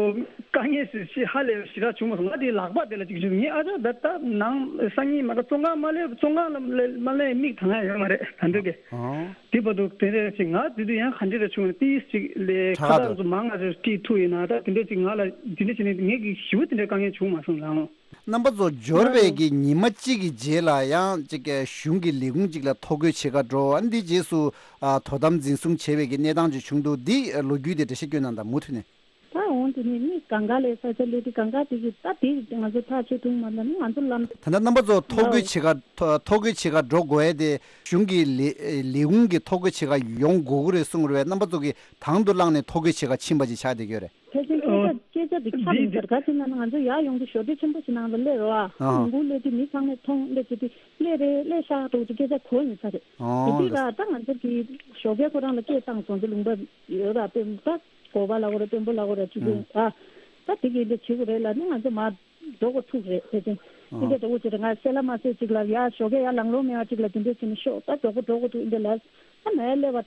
དཀའ་ངལ་ཞིག་ཞིག་ཧ་ལས་ཞེ་དྲག་བྱུང་མ་སོང་། ང་དེ་ལག་པ་དེ་ལ་ཅིག་བྱུང་ངས། ཨ་ཅག་ད་ལྟ་ནང་སང་ཉིན་མ་ག་བཙོན་ཁང་མ་སླེབས་བཙོན་ཁང་ལ་མ་སླེབས་མིག་ཐང་ཡ་ཡོད་མ་རེད་ད་འདོད་གི་ཨོ། དེ་བར་དུ་དེ་འདྲ་ཞིག་ང་དེ་དུས་ཡང་ག་འདྲ་རེ་བྱུང་ན་ཏིས་ཅིག་ལས་ཁ་ཁྲག་ཁ་ཚོ་མང་ང་ཚོ་ཏིས་ཐུག་ཡིན་ན་ད་དེ་འདྲ་ཅིག་ང་ལ་དེ་འདྲ་བྱས་ནས་ངས་ཀྱི་ཞི་བོ་དེ་འདྲ་དཀའ་ངལ་བྱུང་མ་སོང་ལགས། རྣམ་པ་ཚོ་འབྱོར་བའི་གི་ཉི་མ་གཅིག་གི་རྗེས་ལ་ཡང་ཅིག་གཞུང་གི་ལས་ཁུངས་ཅིག་ལ་ཐོ་འགོད་བྱེད་ག་འགྲོ། ཨ་འདི་རྗེས་སུ་ཨ་དོ་དམ་འཛིན་བཟུང་བྱས་པའི་གི་གནས་སྟངས་ཅིག་བྱུང་འདུག་འདི་ལོ་རྒྱུས་དེ་འགྲེལ་བཤད་སྐྱོན་གནང་དང་མུ་མཐུད་ནས། ད་འོང་དེ་ནས་མི་གང་ག་ལས་ས་ཆ་ལས་དེ་གང་ག་དེ་གི་ད་དེ་ང་ཚོ་ཐག་ཆོད་ཐུབ་མ་ད་ནི་ང་ཚོ་ལམ། ད་ལྟ་རྣམ་པ་ཚོ་ཐོ་འགོད་བྱེད་ག་ཐོ་ཐོ་འགོད་བྱེད་ག་འགྲོ་དགོས་ཡས་དེ་གཞུང་གི་ལས་ལས་ཁུངས་ཀྱི་ཐོ་འགོད་བྱེད་ག་ཡོང་དགོས་ཀྱི་རེད་གསུངས་རེད་པས། རྣམ་པ་ཚོ་གིས་དང་དུ་བླངས་ནས་ཐོ་འགོད་བྱེད་ག་ཕྱིན་པ་ཅིག་ཆགས་བསྡད་ཀྱི་ཡོད་རེད། ཕལ་ཆེར་སྐད་ཆ་སྐད་ཆ་དེ་ཁྱབ་མི་ཟེར་ག་ཅིག་ན་ང་ཚོ་ཡར་ཡོང་དུས་ཞོགས་ཇ་ཆེན་པོ་ཞིག་ནང་ལ་སླེབས་རོགས་ཨ། ཨ། ལུང་ཁུག་སླེབས་དུས་མི་ཚང་མས་མཐོང་སླེབས་བྱེད་དུས་སླེབས་རེད་སླེབས་ཤག་འགྲོ་དུས་སྐད་ཆ་གོ་ཡིན་ས་རེད། ཨོ། དེ་དུས་ལ་ད་ང་ཚོ་གི་ཞོགས་ཇ་ཁོ་རང་ལ་སྐད་བཏང་སོང་ཚེ་ལུང་པ་ཡོད་ར་དཔོན་ད་གོ་བ་ལ་གོ་ར་དཔོན་པོ་ལ་གོ་ར་ཅིག་ཡིན་ཨ། ད་དེ་གི་འདི་བྱེད་དགོས་རེད་ལ་ནི་ང་ཚོ་མར་འགྲོ་དགོས་ཐུག་རེད་དེ་ཅིང་། ཨ། ཨིན་ཇི་འགྲོ་དགོས་ཅིག་རེད་ང་གསལ་ལ་མ་གསལ་ཅིག་ལ་ཡ་ཞོགས་ཇ་ཡ་ལང་ལོང་མེད་པ་ཅིག་ལ་དེ་འདྲས་བྱས་ནས་ཤོག་ད་འགྲོ་དགོས་འགྲོ་དགོས་ཐུག་ཨིན་ཇི་ལ་སྟེ། ད་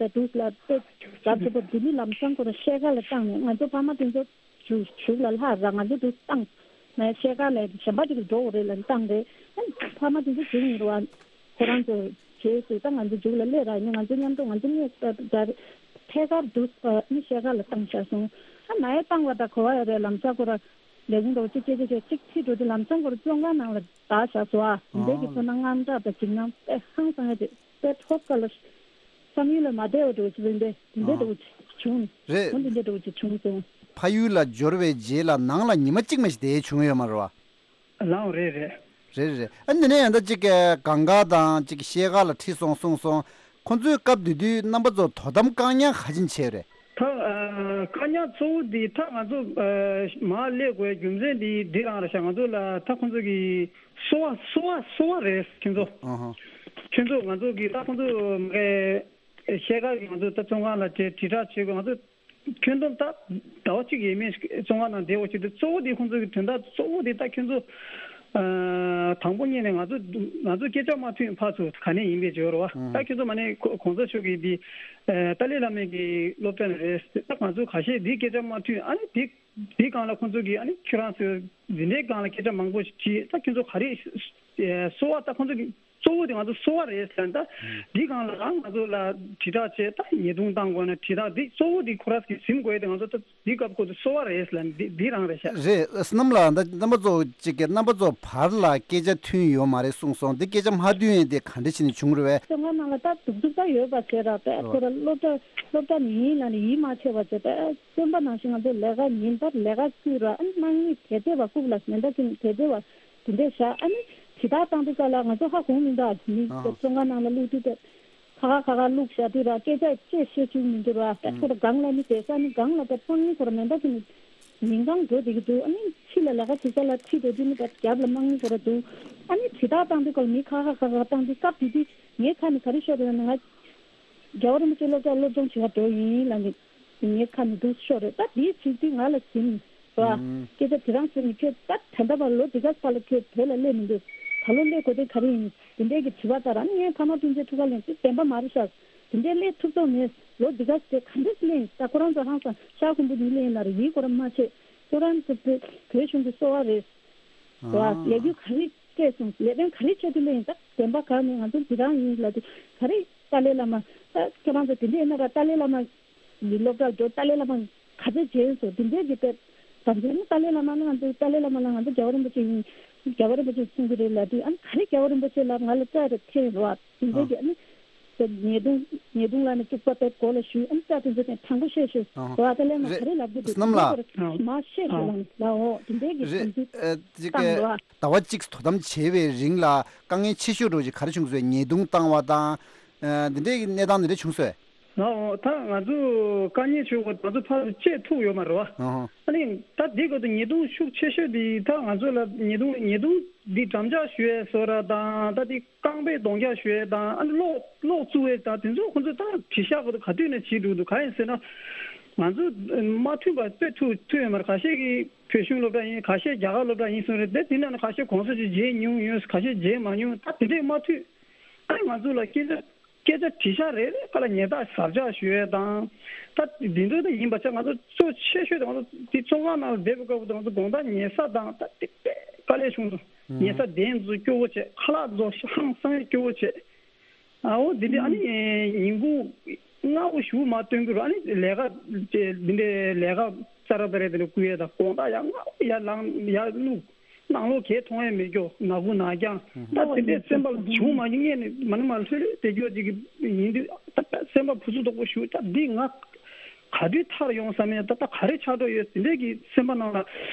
ཚོད་པ་འདི་ནི་ལམ་སང་ཁོ་ར་ཤེལ་ཁ་ལ་བཏང་ནས་ང་ཚོ་ཕ་མ་དེ་ཚོ་གཞུག་གཞུག་ལ་ལྷག་ར་ང་ཚོ་འདུག་བཏང་། ང་ཤེལ་ཁ་ལ་གཞན་པ་ཅིག་ལ་འགྲོ་དགོས་རེད་ལ་བཏང་རེད། ཨ་ཕ་མ་དེ་ཚོ་གཞུག་ཡིན་རུ་བ། ཁོ་རང་ཚོ་རྗེས་སུ་ད་ང་ཚོ་མཇུག་ལ་སླེབས་ར་ཡིན་ང་ཚོ་མཉམ་དུ་ང་ཚོ་གཉིས་ད་ད་ཐད་ཀར་འདུག་ཨ་ནི་ཤེལ་ཁ་ལ་བཏང་བཞག་སོང་། ཨ་ང་ཡ་བཏང་བ་ད་གོ་བ་ཡ་རེད་ལམ་སང་ཁོ་ར་ལས་ཁུངས་འགྲོ་ཅིག་ཅེ་ཅེ་ཅེ་ཅིག་ཕྱི་འགྲོ་དུས་ལམ་སང་ཁོ་ར་བཙོན་ཁང་ནང་ལ་བདའ་བཞག་སོང་ཨ། འདས་ཀྱི་ཚོར་སྣང་དངངས་སྐྲག་དང་འཇིགས་སྣང་དཔེ་ཧང་སང་ཡ་དེ། དཔེ་ཐོབ་ཀ་ལ། བསམ་ཡུལ་ལ་མ་བདེ་བ་འགྲོ་ཅི་བས་འདི་འདི་འདྲ་འགྲོ་ཅི་བྱུང་། རེད། འོ་འདི་འདྲ་འགྲོ་ཅི་བྱུང་སོང་། ཕ་ཡུལ་ལ་འབྱོར་བའི་རྗེས་ལ་ནང་ལ་ཉི་མ་གཅིག་མ་ཞིག་བསྡད་བྱུང་ཡོད་མ་རེད་བ། ལའང་རེད་རེད། རེད་རེད། ཨ་ནི་ནས་ཡང་ད་ཅིག་གི་གངས་དཀར་དང་ཅིག་ཤེལ་དཀར་ལ་ཁྲིད་སོང་གསུངས་སོང་། ཁོ་ཚོའི་སྐབས་དེ་དུས་རྣམ་པ་ཚོ་དོ་དམ་བཀག་ཉར་ག་ཅིན་བྱས་རེད། ད་ཨ་བཀག་ཉར་གཙོ་བོ་འདི་ད་ང་ཚོ་ཨ་མར་སླེབས་དགོས་རྒྱུ་མཚན་འདི་འདི་རང་རེད་ཤག་ང་ཚོ་ལ་ད་ཁོ་ཚོ་གི་སོ་བ་སོ་བ་སོ་བ་རེད་ཁྱོད་ཚོ། ཨ་ཧ། ཁྱོད་ཚོ་ང་ཚོ་གི་ད་ཁོ་ཚོ་མ་གི་ཤེལ་དཀར་གྱི་ང་ཚོ་ད་བཙོན་ཁང་ལ་དྲིལ་དྲིལ་བསྒྲགས་བྱེད་དགོས། ང་ཚོ་ཁྱོན་བསྡོམས་ད་ཟླ་བ་གཅིག་ཡས་མས་བཙོན་ཁང་ནང་བསྡད་དགོས་ཀྱི་འདུག་གཙོ་བོ་དེ་ཁོང་ཚོ་གི་དོན་དག་གཙོ་བོ་དེ་ད་ཁྱོད་ཚོ་ཨ་དང་པོ་ཉིད་ནས་ང་ཚོ་ང་ཚོ་སྐད་ཆ་མ་ཐོན་ཕར་ཚུར་ག་ནས་ཡིན་པའི་འབྱོར་བ་ཨང་ད་ཁྱོད་ཚོ་མ་ནས་གོ་གོང་ས་མཆོག་གི་འདི་ཨ་ཏཱ་ལའི་བླ་མའི་གི་སློབ་གྲྭ་ནས་རེད། ད་ང་ཚོ་ཁ་ཤས་འདི་སྐད་ཆ་མ་ཐོན་ཨ་ནི་འདི་འདི་སྒང་ལ་ཁོང་ཚོ་གི་ཨ་ནི་ཁྱོད་རང་ཚོ་འདི་འདྲའི་སྒང་ལ་སྐད་ཆ་མང་པོ་ཞིག་དྲིས། ད་ཁྱོད་ཚོ་ག་རེ་གསོལ་བ་ད་ཁོང་ཚོ་གི་གཙོ་བོ་དེ་ང་ཚོ་གསོལ་བ་རེད་ཟེར་ན། ད་འདི་སྒང་ལ་རང་ང་ཚོ་ལ་དྲིལ་བསྒྲགས་བྱས་ད་ཉེས་རྡུང་བཏང་དགོས་ན་དྲིལ་བསྒྲགས་འདི་གཙོ་བོ་འདི་ཁོ་རང་གིས་ཟིན་དགོས་དེ་ང་ཚོ་ད་འདི་སྐབས་ཁོ་ཚོ་གསོལ་བ་རེད་ཟེར་ན་འདི་འདི་རང་རེད་ཤག་རེད། བསོད་ནམས་ལགས་ད་རྣམ་པ་ཚོ་གཅིག་གི་རྣམ་པ་ཚོ་བར་ལ་སྐད་ཆ་མཐུན་ཡོད་མ་རེད་གསུངས་སོང་། འདི་སྐད་ཆ་མ་མཐུན་ཡས་དེ་ག་འདྲ་བྱས་ནས་བྱུང་རེད་བས། བཙོན་ཁང་ནང་ལ་ད་སྡུག་སྡུག་ད་ཡོད་པ་བྱས་ར་བས་ཁོ་ར་སློབ་གྲྭ་སློབ་གྲྭ་ནས་ཡིན་ལ་ནས་ཡིད་མ་ཆེས་པ་བྱས་བས་བཙོན་པ་ནང་བཞིན་ང་ཚོ་ལས་ཀ་ཉིན་ལྟར་ལས་ཀ་བསྐུལ་ར་ཨ་ནི་དམག་མི་དེ་ཚོ་བ་བཀུག་ལ་མེ་མདའ་གིས་དེ་ཚོ་བ། དེ་འདྲས་བཞག་ཨ་ནི་དྲིལ་བསྒྲགས་བཏང་དུས་སྐབས་ལ་ང་ཚོ་ཧ་གོ་མི་འདུག་མི་ཨ་ཧ། བཙོན་ཁང་ནང་ལ་བླུགས་དུས་དེ་ཁ་ཁ་ཁ་ཁ་བླུགས་བཞག་དུས་ར་སྐད་ཆ་ཅིག་བཤད་རྒྱུ་མི་འདུག་ར་ཨ་ཁོ་ར་སྒང་ལ་ནི་བསྡད་ས་ནི་སྒང་ལ་དེ་དམག་མི་ཁོ་ར་མེ་མདའ་གིས་ནི་ཉིན་གང་འགྲོ་བསྡད་ཀྱི་འདུག་ཨ་ནི་ཕྱི་ལ་ལས་ཀ་བྱེད་ས་ལ་ཁྲིད་འགྲོ་དུས་ནི་དེ་རྒྱབ་ལ་དམག་མི་ཁོ་ར་འདུག་ཨ་ནི་དྲིལ་བསྒྲགས་བཏང་དུས་སྐབས་མི་ཁ་ཁ་ཁ་ཁ་བཏང་དུས་སྐབས་དེ་དུས་ངའི་ཁ་ནས་ག་རེ་ཤོར་འདུག་ན་ང་རྒྱལ་བ་རིན་པོ་ཆེ་སློབ་གྲྭ་སློབ་སྦྱོང་བྱེད་ག་འགྲོ་ཡིན་ལབ་ནས། ངའི་ཁ་ནས་འདུག་ཤོར་རེད། ད་དེའི་ཚིག་དེ་ང་ལ་ཟིན་ར། ཨང་། སྐད་ཆ་དེ་རང་ཟེར་ནས་ཁྱོད་ད་ད་ལྟ་བར་ལོ་འདི་ག་ཙམ་ལ་ཁྱོད་བོད་ལ་སླེབས་མི་འདུག་ད་ལོ་སླེབས་དགོས་དོན་ག་རེ་ཡིན། དེ་འདྲས་ཀྱི་དྲི་བ་ལྟར་ཨ་ནི་ངའི་ཕ་མ་སྤུན་མཆེད་ཐུག་ག་ལེན་ཚེ་བདེན་པ་མ་རེད་ཤག་དེ་འདྲས་སླེབས་ཐུབ་ཐུབ་མེད། ལོ་འདི་ག་ཙམ་ག་འདྲས་སླེབས་ཡིན། ད་ཁོ་རང་ཚོ་ཧང་སང་ཤག་ཁུམ་བུ་ནི་སླེབས་ཡིན་ལ་རེ་ཡིད་ཁོ་རང་མ་ཆེས། ཁྱོད་རང་ཚོ་བོད་གཞུང་གི་གསོ་བ་རེད། ཨང་། ལས་འགུལ་ག་རེ་སྤྲད་སོང་། ལས་དོན་ག་རེ་བྱས་ཏེ་སླེབས་ཡིན། ད་བདེན་པ་ག་ནས་ང་ཚོ་འདི་རང་ཡིན་ལབ་དུས་ག་རེ་ཏཱ་ལའི་བླ་མ་ད་ཁྱོད་རང་ཚོ་དེ་འདྲས་ཡིན་ན་ར་ཏཱ་ལའི་བླ་མ། མི་སློབ་གྲྭར་འགྲོ་ཏཱ་ལའི་བླ་མ་ག་ཚོད་མཇལ་སོང་། དེ་འདྲའི་གི་དེབ་དམ་ཚིག་ནི་ཏཱ་ལའི་བླ་མ་ནི་ང་ཚོ་ཏཱ་ལའི་བླ་མ་ལ་ང་ཚོ་རྒྱལ་བ་རིན་པོ་ཆེ་ཡིན། རྒྱལ་བ་རིན་པོ་ཆེ་གསུང་གི་རེད་ལབ་དུས་ཨ་ནི་ག་རེ་རྒྱལ་བ་རིན་པོ་ཆེ་ལ་ང་ལ་སྐྲག་རེ་ཐེབས་རོགས་དེ་འདྲའི་གི་ཨ་ནི་ ཉེས་རྡུང་ཉེས་རྡུང་ལ་ནི་བཅུག་པ་དེ་གོ་ལ་ཞུས། ཨ་ནི་ད་དེ་ཚོ་དེ་དྲང་པོ་བཤད་ཤེས། ཨ་ཧོ། བ་དེ་ལས་མ་རེད། ག་རེ་ལབ་རྒྱུ་འདུག་སྣམ་ལ། མ་བཤད་ཤེས་ལ་ལའོ་དེ་འདྲའི་གི་རེད། དམ་ཚིག་ཨ་ཅིག་བཏང་གི་རེད། ཟླ་བ་གཅིག་དོ་དམ་བྱས་པའི་རིང་ལ་དཀའ་ངལ་ཆེ་ཤོས་འགྲོ་ཅིག་ག་རེ་བྱུང་སོང་། ཉེས་རྡུང་བཏང་བ་དང་། ཨ་འདི་འདྲའི་གི་གནས་སྟངས་འདི་འདྲ་བྱུང་སོང་། ལའོ་ད་ང་ཚོ་དཀའ་ངལ་ཆེ་བ་ང་ཚོ་ཕར་ཚུར་བཅད་ཐུབ་ཡོད་མ་རེད་བ། ཨ་ཧོ། ཨ་ནི་ད་འདི་ག་དུ་ཉེས་རྡུང་ཤུགས་ཆེ་ཤོས་འདི་ད་ང་ཚོ་ལ་ཉེས་རྡུང་ཉེས་རྡུང་འདི་འགྲམ་ལྕག་གཞུ་ཡས་བཟོ་ར་དང་ད་འདི་རྐང་པའི་རྡོག་རྒྱག་གཞུ་ཡས་དང་ཨ་ནི་གློག་གློག་བཙུགས་ཡས་དང་དེ་ཚོ་ཁོ་ཚོ་ད་དྲི་ཤག་ག་དུ་ག་དུས་ནས་བྱེད་འགྲོ་འདུག་ག་ཡིན་ཟེར་ན། ང་ཚོ་མ་མཐུན་པ་དཔེ་ཐུག་ཐུག་ཡོད་མ་རེད། ཁ་ཤས་ཀྱིས་བོད་གཞུང་སློབ་གྲྭ་ཡིན། ཁ་ཤས་རྒྱ་གར་སློབ་གྲྭ་ཡིན་གསུངས་རེད་དེ། དེ་ནང་ནས་ཁ་ཤས་གོང་ས་ཅིག་མཇལ་མྱོང་ཡོད། ཁ་ཤས་མཇལ་མ་མྱོང་། ད་དེ་འདྲས་མ་མཐུན། ཨ་ནི་ང་ཚོ་ལ་སྐད་ཆ་སྐད་ཆ་དྲི་ཤག་རེ་རེ་ཁ་ལ་ཉེས་རྡུང་ཟབ་རྒྱག་ཞུ་ཡས་དང་། ད་འདི་འདྲ་ད་ཡིན་པ་ཆ་ང་ཚོ་གཙོ་ཆེ་ཤོས་དེ་ང་ཚོ་དེ་བཙོན་ཁང་ནང་ལ་བསྡད་པའི་སྐབས་དེ་ང་ཚོ་དགོང་དག་ཉལ་ས་དང་ད་དེ་དཔེ་དཀའ་ལས་བྱུང་སོང་། ཉལ་ས་གདན་ཚོ་སྐྱོ་བོ་བྱས། ཁ་ལག་ཚོ་ཧང་སང་སྐྱོ་བོ་བྱས། ཨ་འོ་འདི་འདྲ་ཨ་ནི་ཉིན་གུང་སྔ་པོ་ཞུ་མ་སྟོན་གི་རུ་ཨ་ནི་ལས་ཀ་འདི་འདྲའི་ལས་ཀ་ཙ་ར་ཙ་ར་དེ་འདྲ་བསྐུལ་ཡས་དང་དགོང་དག་ཡར་སྔ་པོ་ཡར་ལངས་ཡར་བླུགས། ནང་ལོགས་གས་མཐོང་ཡས་མེད་རྒྱུ་ནག་ཁུང་ནག་རྐྱང་། ད་དེ་འདྲའི་སེམས་པ་ལ་བྱུང་མ་ཡིན་ངས་ནི་མ་ནི་མ་ལྷོད་ལྷོད་བསྡད་རྒྱུ་ཅིག་ཡིན་དུས་ད་སེམས་པ་ཕུ་སུ་དོག་པོ་ཞུ། ད་འདི་ང་ག་དུས་ཐར་ཡོང་བསམ་ཡས། ད་ད་ག་རེ་ཆགས་འགྲོ་ཡོད་དེ་འདྲའི་གི་སེམས་པ་ནང་ལ་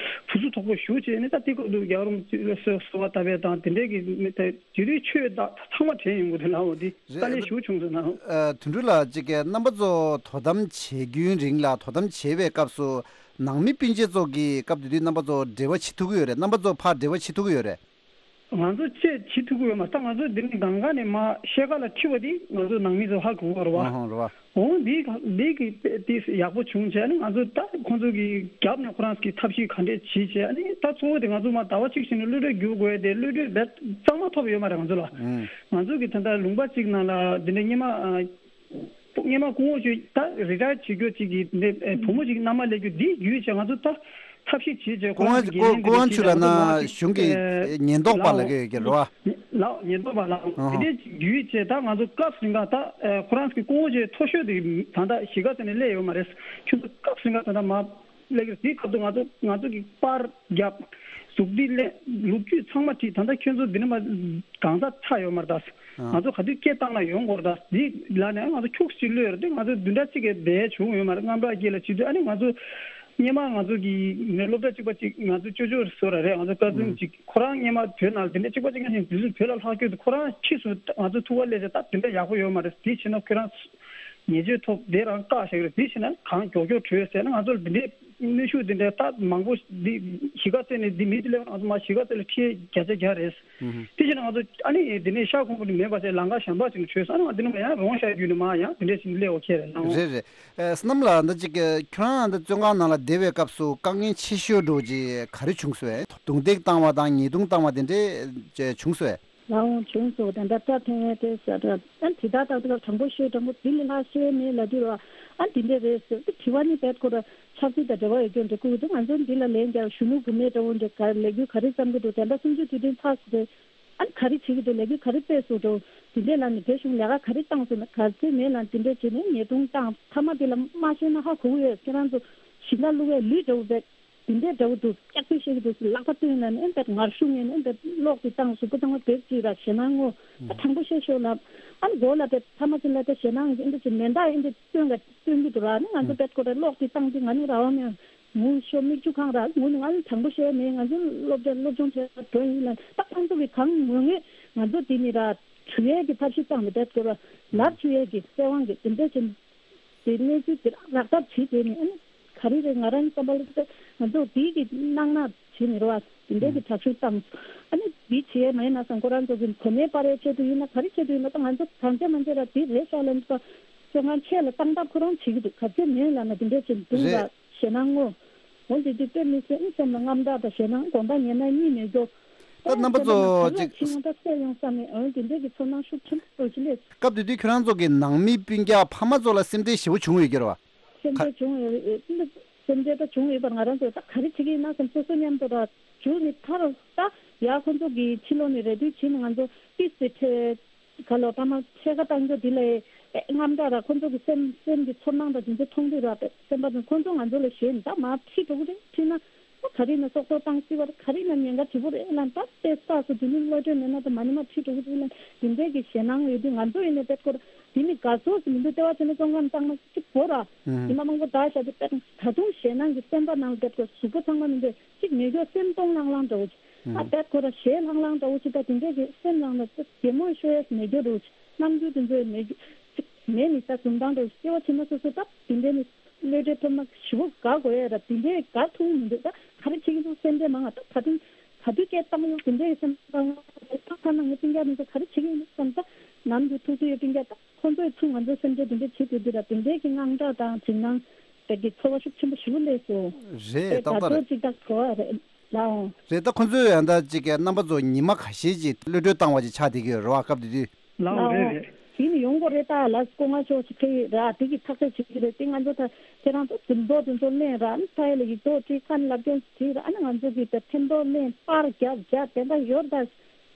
ཕུ་སུ་དོག་པོ་ཞུ་བྱས་ནས། ད་དེ་སྐབས་དུ་རྒྱལ་བ་རིན་པོ་ཆེ་ལ་གསོལ་གསོལ་བ་བཏབ་པས་དང་དེ་འདྲའི་གི་མི་ད་དེ་དུས་ཆོས་ད་ཚང་མ་དྲན་ཡོང་གི་འདུག་ལའོ། འདི་དཀའ་ལས་ཞུ་བྱུང་ཟེར་ན། ཨ་དོན་གྲུབ་ལགས་ཅིག་གིས་རྣམ་པ་ཚོ་དོ་དམ་བྱེད་རྒྱུའི་རིང་ལ་དོ་དམ་བྱེད་པའི་སྐབས་སུ་ནང་མི་སྤུན་མཆེད་ཚོ་གི་སྐབས་དེ་དུས་རྣམ་པ་ཚོ་འབྲེལ་བ་བྱེད་ཐུབ་ཀྱི་ཡོད་རེད། རྣམ་པ་ཚོ་ཕར་འབྲེལ་བ་བྱེད་ཐུབ་ཀྱི་ཡོད་རེད། ང་ཚོ་ཅེས་བྱེད་ཐུབ་ཀྱི་ཡོད་མ་རེད། ད་ང་ཚོ་འདི་ནས་གང་ག་ནས་མ་ཤེལ་ཁ་ལ་ཁྲིད་པ་འདི་ང་ཚོ་ནང་མི་ཚོ་ཧ་གོ་གི་རེད་བ། ཨ་ཧོ་རེད་བ། འོ་འདི་འདི་གི་དེ་ཡག་པོ་བྱུང་བྱས་ནས་ང་ཚོ་ད་ཁོང་ཚོ་གི་རྒྱབ་ནས་ཁོ་རང་གི་ཐབས་ཤེས་ག་འདྲས་བྱེད་བྱས། ཨ་ནི་ད་གཙོ་བོ་དེ་ང་ཚོ་མ་ཟླ་བ་གཅིག་བཞིན་གློད་གྲོལ་བསྒྱུར་དགོས་དེ་གློད་གྲོལ་རྦད་གཙང་མ་ཐོབ་ཡོད་མ་རེད་ང་ཚོ་ལ། ཨང་། ང་ཚོ་གི་ད་ལྟ་ལུང་པ་གཅིག་ནང་ལ་འདི་འདྲ་སྔོན་མ་ཨ། སྔོན་མ་སྐུ་ངོ་ཆུ་ད་རི་ཊ་ཡར་བྱེད་རྒྱུ་གཅིག་གི་འདི་ཨེ་བུ་མོ་གཅིག་མནའ་མ་སླེབས་རྒྱུ་འདི་བརྒྱུད་བྱས་ང་ཚོ་ད་ཐབས་ཤེས་བྱེད་བྱས་ཁོ་སྐུ་རང་ངོ་གི་སྐུ་འགན་སྐུ་ལེན་ངོ་ཆུ་ལ་ན་གཞུང་གི་ཨེ་ཉེན་རྟོག་པ་ལ་གི་ཡོད་ཀྱི་རེད་བ། ལའོ་ཉེན་རྟོག་པ་ལའོ། ཨ་ཧ། དེ་འདྲའི་བརྒྱུད་བྱས་ད་ང་ཚོ་སྐབས་རིང་ག་ད་ཨེ་ཁོ་རང་གི་སྐུ་ངོ་ཆུ་མཐོ་ཤོས་དེ་ད་ལྟ་གཞིས་ཀ་རྩེ་ནས་སླེབས་ཡོད་མ་རེད། ཁྱོད་ཚོ་སྐབས་རིང་ག་ད་ལྟ་མ་སླེབས་ཀྱི་རེད། དེའི་སྐབས་དུ་ང་ཚོ་ང་ཚོ་གི་པར་རྒྱབ། གཟུགས་འདི་ལས་ལོ་རྒྱུས་ཚང་མ་བྲིས། ད་ལྟ་ཁྱོད་ཚོ་འདི་ནས་མ་གང་ཟག་ཆགས་ཡོད་མ་རེད་ད། ཨ། ང་ཚོ་ག་དུས་སྐད་བཏང་ན་ཡོང་དགོས་རེད་ད། འདི་ལ་ནས་ང་ཚོ་ཁྱུག་ཅིག་གློད་རེད་དེ་ང་ཚོ་བདུན་ཕྲག་གཅིག་གི་བསྡད་བྱུང་ཡོད་མ་རེད། རྔམ་སྐྲག་སྐྱེས་ལ་བྱེད་དུས་ཨ་ནི་ང་ཚོ་སྔོན་མ་ང་ཚོ་གི་ནས་སློབ་གྲྭ་གཅིག་པ་གཅིག་ང་ཚོ་ཅོ་ཅོ་བཟོ་ར་རེད། ང་ཚོ་ཀ་ཛིན་ཨུམ་གཅིག་ཁོ་རང་སྔོན་མ་བོད་ནང་ལ་དེ་འདྲ་གཅིག་པ་གཅིག་ང་བཞིན་དུས་ཚོད་བོད་ལ་ལྷག་སྐྱོད་དུ་ཁོ་རང་ཕྱིས་སུ་ང་ཚོ་ཐུག་པ་སླེབས་ཚེ་ད་དེ་འདྲ་ཡག་པོ་ཡོད་མ་རེད། དེ་བྱས་ན་ཁོ་རང་ཉེས་ཆད་ཐོབ་དེ་རང་བཀག་བཞག་རེད། དེ་བྱས་ན་གང་མགྱོགས་མགྱོགས་བྲོས་ཟེར་ན་ང་ཚོ་ལ་འདི་འདྲའི་གནོན་ཤུགས་འདི་འདྲའི་ད་མང་པོ་འདི་གཞིས་ཀ་རྩེ་ནས་འདི་མི་འདི་སླེབས་ན་ང་ཚོ་མ་གཞིས་ཀ་རྩེ་ལ་ཁྲལ་བརྒྱ་ཆ་བརྒྱ་རེད། ཨུ་ཧུ། དེ་བྱས་ན་ང་ཚོ་ཨ་ནི་འདི་ནས་ཤར་ཁུམ་བུ་ནས་མེད་པ་བྱས་ལམ་ཁ་གཞན་པ་ཅིག་ནས་བྲོས་སོང་། ཨ་ནི་ང་འདི་ནས་མ་ཡང་རོང་ཤར་བརྒྱུད་ནས་མ་ཡང་འདི་འདྲའི་ཞིག་སླེབས་འོ་ཁྱེད་རེད་ལང་འོ། རེད་རེད། ཨེ་སྣམ་ལགས་འདི་གཅིག་གི་ཁྱོད་རང་འདི་བཙོན་ཁང་ནང་ལ་བསྡད་པའི་སྐབས་སུ་དཀའ་ངལ་ཆེ་ཤོས་འགྲོ་གི་ག་རེ་བྱུང་སོང་། རྡུང་རྡེག་བཏང་བ་དང་ཉེས་རྡུང་བཏང་བ་དེ་འདྲས་བྱུང་སོང་། ལའང་བྱུང་སོང་། ད་ལྟ་སྐྲ་འཐེན་ཡས་དེ་ཟ་འདྲ་ཨ་དེ་དག་ཏག་ཏག་དྲང་པོ་ཤོད། དྲང་པོ་དེ་ལས་ལྷག་ཤེས་མེད་ལབ་དུས་ར་ཨ་དེ་འདྲས་རེད་ཟེར་དེ་དྲི་བ་ནི་བེད་ཁོ་ར་ཆབ་སྲིད་དང་འབྲེལ་བ་ཡོད་རྒྱུ་འདྲ་བསྐུར་གི་འདུག་ང་ཚོ་འདི་ལ་ལན་རྒྱག་གཞོན་ནུ་བུད་མེད་འདྲ་བོ་འདྲ་ག་ལས་འགུལ་ག་རེ་བརྩམས་གི་འདུག་ད་ལྟ་གསུམ་བཅུ་དུས་དྲན་ཚར་སོང་རེད། ཨ་ག་རེ་བྱེད་ཀྱི་འདུག་ལས་འགུལ་ག་རེ་སྤེལ་སོང་འདྲ་བོ་དེ་འདྲས་ལ་ནི་རྒྱ་གཞུང་ལས་ཀ་ག་རེ་བཏང་སོང་ན་ག་ཚོད་མེད་ལ་དེ་འདྲས་བྱས་ནས་ཉེས་རྡུང་བཏང་། མཐའ་མ་དེ་ལ་མ་ཤེས་ན་ཧ་གོ་གི་ཡོད། ཁྱེད་རང་ཚོ་ཞིང་ཁ་བླུག་ཡས་ལུད་འདྲ་བོ་བེད། དེ་འདྲའི་འདྲ་བོ་འདུག་སྐྱག་པས་བཤད་ཀྱི་འདུག་ལག་པ་བཏོན་ན་ནི་ཨེ་འདྲ་ངར་ཤུགས་ངན་ཨེ་འདྲ་གློག་དེ་བཏང་གཟུགས་པོ་ཚང་མ་བེབས་ཅིག་ར་ཞེད་སྣང་ངོ་། ཨ་དྲང་པོ་བཤད་ཤོག་ལབ། ཨ་ནི་མགོ་ལ་དེ་ཐ་མ་ཚོ་ལ་དེ་ཞེད་སྣང་ཨེ་འདྲ་ཅིག་མེ་མདའ་ཨེ་འདྲ་བཏོན་ག་བཏོན་གྱི་འདུག་ར། ནི་ང་ཚོ་བེད་ཀོ་ར་གློག་དེ་བཏང་དུས་ང་ནི་ར་བ་མེད། ངུ་ཤོག་མིག་ཆུ་གང་ར་ངུ་ནི་ང་ནི་དྲང་པོ་བཤད་མེད། ང་ཚོ་སློབ་གྲྭ་སློབ་སྦྱོང་བྱས་པ་དོན་ཡིན་ལ་ད་ཁོང་ཚོ་གི་གང་ངོ་ངེས་ང་ཚོ་དེ་ནི་ར་གྲུ་ཡས་ཀྱི་ཐབས་ཤེས་བཏང་ནས་བེད་ཀོ་ར་ལབ་ཆུ་ཡས་ཀྱི་བཙན་དབང་གི་དེ་འདྲ་ཅིག་དེ་གནས་ཚུལ་དེ་རག་ཐབས་བྱེད་དེ་ནི་ཨ་ནི་ག་རེ་རེད། ང་རང་བསམ་པ་ལ་ང་ཚོ་དེའི་གི་གནང་ན་བྱེད་མི་རོགས་ཨ་དེ་འདྲའི་གི་དྲག་ཤུགས་བཏང་ཨ་ནི་དེ་བྱེད་མ་ཡིན་ན་སང་ཁོ་རང་ཚོ་གི་གོ་གནས་སྤར་ཡའི་ཆེད་དུ་ཡིན་ན་ག་རེ་ཆེད་དུ་ཡིན་ན་ད་ང་ཚོ་གང་བྱས་མ་བྱས་ར་དེ་རེད་ཤག་ལ་ནི་ད་བཙོན་ཁང་ཆེད་ལ་བཏང་ཐབས་ཁོ་རང་བྱེད་ཀྱི་འདུག་ག་ཚོད་མེད་ལ་ན་དེ་འདྲའི་ཆེད་འདུག་ར་རེད། ཞེད་སྣང་ངོ་། འོན་ཏེ་དེ་དཔེ་མི་སྲིད་ཨ་སེམས་ལ་རྔམ་སྐྲག་དང་ཞེད་སྣང་དགོངས་དག་ཉེས་ན་གཉིས་མེད་རྒྱུ། ད་རྣམ་པ་ཚོ་ཅིག་ཕྱི་ཡོང་ད་སད་ཡོང་བསམ་མེད་འོན་དེ་འདྲའི་གི་ཚོར་སྣང་ཤུགས་ཆེན་པོ་ཅི་ལས། སྐབས་དེ་དུས་ཁྱོད་རང་ཚོ་གི་ནང་མི་སྤུན་ཀྱག་ཕ་མ་ཚོ་ལ་སེམས་ཁྲལ་ཞེ་པོ་བྱུང་ཡོད་ཀྱི་རེད་བ། སེམས་ཁྲལ་བྱུང་ཡོད་རེད། སེམས་ཁྲལ་ད་བྱུང་ཡོད་པར་ང་རང་ཚོ་ད་ག་རེ་བྱེད་ཀྱི་ཡིན་ན་བསམ་སོ་སོ་མཉམ་དུ་ར་བྱུང་ནི་ཐར་ད་ཡ་ཁོ་ཚོ་གི་ཕྱི་ལོགས་ནས་རེ་ལྟོས་བྱེད་ནི་ང་ཚོ་ཏིས་ཏེ་ཁྲེ་ག་ལོ་ཕ་མ་ཕྱེད་ཀ་བཏང་རྒྱུ་དེ་ལས་རྔམ་སྐྲག་ར་ཁོ་ཚོ་གི་སེམས་སེམས་ཀྱི་ཚོར་སྣང་དང་དེ་ཚོ་མཐོང་དུས་ར་སེམས་པ་དང་ཁོ་ཚོ་ང་ཚོ་ལ་ཞེད་ད་མ་ཁྲིད་འགྲོ་གི་རེད་ཁྲིད་ན། ག་རེ་ན་སྲོག་ཐོག་བཏང་སྲིད་པར་ག་རེ་ན་ཉེན་ཁ་ཆེ་པོ་རེད་ལབ། ད་ལྟའི་ས་སུ་དེ་ནི་བློ་གྲོས་མེད་ན་ད་མ་ཉི་མ་ཁྲིད་འགྲོ་གི་རེད་ལབ། དེ་འདྲའི་གི་ཞེད་སྣང་ཡོད་དུས་ང་ཚོ་ཡིན་ནའི་དཔེ་སྐོར་དེ་ནི་དགའ་ཚོགས་སུ་མི་འདུག་ལྟེ་བ་བྱས་ནས་བཙོན་ཁང་བཏང་ན་གཅིག་བོ་ར། ཉི་མ་མང་པོ་ད་བཞག་དུས་དཔེ་ད་དུང་ཞེད་སྣང་གི་སེམས་པ་ནང་དཔེ་སྐོར་གཟུགས་པོ་ཚང་མ་མི་འདུག་གཅིག་མེད་སྐྱོ་སེམས་སྟོང་ལྷང་ལྷང་འདྲ་བོ་ཅིག་ཨ་དཔེ་ཁོ་ར་ཞེད་ལྷང་ལྷང་འདྲ་བོ་ཅིག་ད་དེ་འདྲས་ཀྱི་སེམས་ནང་ལ་ཅིག་གད་མོ་ཤོར་ཡས་མེད་རྒྱུ་རུ་ཅིག་རྣམ་འགྱུར་དེ་ཚོ་མེད་རྒྱུ་ཅིག་མེད་ནི་ད་འཛུམ་མདངས་འདྲ་བོ་ཅིག་སྐྱེ་བ་ཕྱི་མ་སོ་སོ་ད་དེ་འདྲས་ནི་གློད་གྲོལ་ཐོབ་ན་ཞེ་པོ་དགའ་དགོས་ཡས་ར་དེ་འདྲས་དགའ་ཐུབ་མི་འདུག་ད་ག་རེ་བྱེད་ཀྱི་འདུག་སེམས་ཁྲལ་མང་ང་ད་ད་དུང་ག་དུས་སྐད་བཏང་ཡོང་དེ་འདྲས་སེམས་ཁྲལ་མང་ང་ད་ཐ་ན་ངའི་སྤུན་ཀྱག་དེ་ཚོ་ག་རེ་བྱེད་ཀྱི་ཡིན་འདུག་བསམ་ད་ནམ་རྒྱུན་ཐུག་ཚོད་ཡོད་སྤུན་ཀྱག་ད། ཁོང་ཚོས་ཚུར་ང་ཚོའི་སེམས་ཁྲལ་དེ་འདྲ་བྱེད་དུས་འདི་ལ་དེ་འདྲའི་གི་དངངས་སྐྲག་དང་འཇིགས་སྣང་དེ་གི་ཚོར་བ་ཤུགས་ཆེན་པོ་ཞིག་སླེབས་སོང་། རེད། དེ་ད་ལྟ་ཚོ་ཅིག་ད་གོ་བ་རེད་ལའོ། རེད། ད་ཁོང་ཚོས་ཡང་ད་ཅིག་གི་རྣམ་པ་ཚོ་ཉི་མ་ཁ་ཤས་ཅིག་གློད་གྲོལ་བཏང་བ་ཅིག་ཆགས་བསྡད་ཀྱི་ཡོད་རེད་བ་སྐབས་དེ་དུས། ལའོ་རེད་རེད། དེ་ནི་ཡོང་གི་རེད་ད་ལ་སྐུ་ངོ་མཆོག་ཅིག་ཕེབས་ཡོད་ར་དེ་གི་ཐག་གཅོད་བྱེད་ཀྱི་རེད་དེ་ང་ཚོ་ད་ཁྱེད་རང་ཚོ་འཛུམ་མདོག་དེ་ཚོ་ལེན་ར་ཨ་ནི་ཕ་ཡུལ་ལ་ཡིག་ཐོག་བྲིས་ཁ་ནས་ལབ་སྐྱོན་བྲིས་ར་ཨ་ནི་ང་ཚོ་གི་ད་ཐེམ་ཐོག་ལེན་པར་རྒྱབ་རྒྱབ་དེ་འདྲ་ཡོད་ར་ད།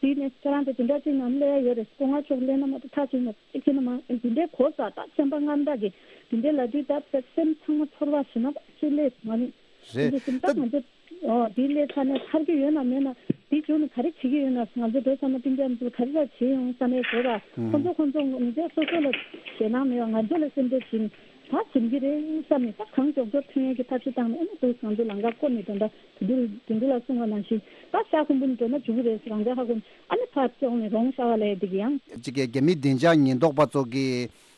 དེ་ནས་ཁྱེད་རང་དེ་དེ་འདྲ་ཅིག་ནང་སླེབས་ཡ་ཡོད་རེད། སྐུ་ངོ་མཆོག་སླེབས་ན་མ་གཏོགས་ཐག་ཆོད་ན་ཅིག་ཁྱེད་ནི་མ་འདི་འདྲའི་གོ་ས་ད་སེམས་པ་དངངས་སྐྲག་གི་འདི་འདྲའི་ལ་དུས་ད་སེམས་ཚང་མ་ཚོར་བ་ཞེ་ན་ཅིག་སླེབས་ང་ནི་རེད། འདི་སེམས་ད་ད་ང་ཚོ་ཨོ་འདི་སླེབས་ཚར་ནས་ཐར་གི་ཡོད་ན་མེད་ན་འདི་བྱུང་ནས་ག་རེ་བྱེད་ཀྱི་ཡོད་ན་ང་ཚོ་འགྲོ་ཚར་ན་སྤུན་ཀྱག་ཚོ་ག་རེ་ལ་བྱེད་ཡོང་བསམ་ཡས་བྱས་པ་ཁོ་ཚོ་ཁོ་ཚོ་ང་ཚོ་སོ་སོ་ལ་ཞེད་སྣང་མེད་པ་ང་ཚོ་ལ་སེམས་ཁྲལ་བྱེད་ད་བྱུང་གི་རེད་བསམ་ནས་ད་གང་མགྱོགས་མགྱོགས་ཐོན་ཡས་ཀྱི་ཐབས་ཤེས་བཏང་ནས་ཨ་ནི་འདུག་ང་ཚོ་ལམ་ཁ་བསྐོར་ནས་དོན་དག་དེ་འདྲ་དེ་འདྲ་ལ་གསུངས་པ་ནང་བཞིན་ད་ཤ་ཁུམ་བུ་ནས་འགྲོ་ན་འཇུག་གི་རེད་ཟེར་རང་འཇགས་ཧ་གོ་ནས་ཨ་ནི་ཕར་བཙོང་ནས་རོང་ཤ་བ་ལས་འདི་གི་ཡང་། གཅིག་གི་རྒྱ་མི་བདེ་འཇགས་ཉེན་རྟོག་པ་ཚོ་གི་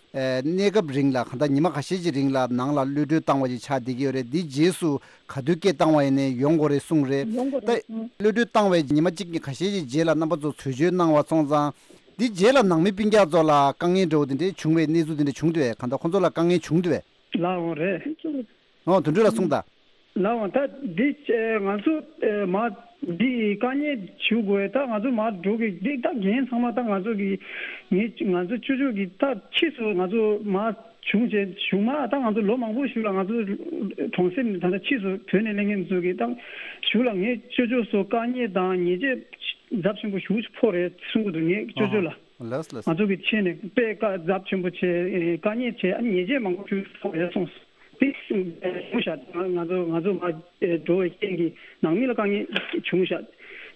ཨ་གནས་སྐབས་རིང་ལ་གང་ལྟར་ཉི་མ་ཁ་ཤས་ཀྱི་རིང་ལ་ནང་ལ་གློད་གྲོལ་བཏང་བ་ཞིག་ཆགས་བསྡད་ཀྱི་ཡོད་རེད། འདིའི་རྗེས་སུ་ག་དུས་སྐད་བཏང་བ་ཡིན་ནའི་ཡོང་དགོས་རེད་གསུངས་རེད། ཡོང་དགོས་ད་རེད་གསུངས། གློད་གྲོལ་བཏང་བའི་ཉི་མ་གཅིག་གཉིས་ཁ་ཤས་ཀྱི་རྗེས་ལ་རྣམ་པ་ཚོ་ཚོས་བྱོལ་གནང་བ་སོང་ཙང་། འདིའི་རྗེས་ལ་ནང་མི་སྤུན་ཀྱག་ཚོ་ལ་དཀའ་ངལ་འདྲ་བོ་དེ་འདྲའི་བྱུང་བའི་གནས་ཚུལ་དེ་འདྲ་བྱུང་འདུག་གས། གང་ལྟར་ཁོང་ཚོ་ལ་དཀའ་ངལ་བྱུང་འདུག་གས། ལགས་འོང་རེད། ཨོ་དོན་གྲུབ་ལགས་གསུངས་དང་། ལགས་འོང་ད་འདི་ང་ཚོ་མ་འདི་དཀའ་ངལ་བྱུང་དགོས་ད་ང་ཚོ་མ་འགྲོ་གི་འདི་ད་འགན་ཚང་མ་ད་ང་ཚོ་གི་ངས་ང་ཚོ་ཅོ་ཅོ་གི་ད་ཕྱིས་སུ་ང་ཚོ་མ་བྱུང་བྱས་བྱུང་མ་ད་ང་ཚོ་ལོ་མང་པོ་ཞིག་ལ་ང་ཚོ་གྲོང་གསེབ་ནས་ད་ལྟ་ཕྱིས་སུ་བོད་ནས་སླེབས་མཁན་ཚོ་གི་ད་ཞུ་ལ་ངས་ཅོ་ཅོ་སོ་དཀའ་ངལ་དང་ཉེས་ཆད་ཚབས་ཆེན་པོ་ཞེ་པོ་ཅིག་ཕོག་རེད་གསུང་གི་འདུག་ངས་ཅོ་ཅོ་ལ། ལགས་ལགས། ང་ཚོ་གི་ཆེད་ནས་དཔེ་དཀའ་ཚབས་ཆེན་པོ་བྱས་དཀའ་ངལ་བྱས་ཉེས་ཆད་མང་པོ་ཞིག་ཕོག་རེད་གསུངས་སོང་། དེ་བྱུང་ཤག་ང་ཚོ་ང་ཚོ་མ་འགྲོ་བའི་རྐྱེན་གྱིས་ནང་མི་ལ་དཀའ་ངལ་བྱུང་ཤག་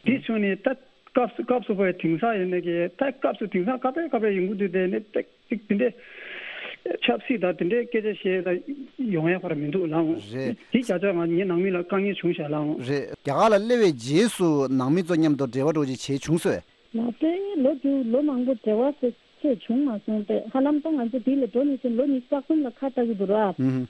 དེ་བྱུང་ནས་ད་སྐབས་སུ་སྐབས་སུ་བབ་པའི་དེང་སང་ཡིན་ནའི་གི་ད་སྐབས་སུ་དེང་སང་སྐབས་རེ་སྐབས་རེ་ཡོང་གི་འདུག་དེ་ནས་ཏིག་ཏིག་དེ་འདྲའི་ཆབ་སྲིད་དང་དེ་འདྲའི་སྐད་ཆ་བཤད་ད་ཡོང་ཡ་ཁོ་ར་མི་འདུག་ལགས་འོང་། རེད། དེ་བྱ་ཆ་ང་ངའི་ནང་མི་ལ་དཀའ་ངལ་བྱུང་ཤག་ལགས་འོང་། རེད། རྒྱ་གར་ལ་སླེབས་པའི་རྗེས་སུ་ནང་མི་ཚོ་མཉམ་དུ་འབྲེལ་བ་འགྲོ་ཅིག་བྱས་བྱུང་སོང་། ང་ཚོས་ལོ་རྒྱུས་ལོ་མང་པོ་འབྲེལ་བ་ཟེར་ཆེ་བྱུང་མ་སོང་སྟེ་ཧ་ལམ་ད་ང་ཚོ་འདི་ལ་འགྲོ་ནས་ཕྱིན་ལོ་ཉི་ཤུ་རྩ་གསུམ་ལ་ཁ་བཏགས་ཀྱི་འདུག་ར།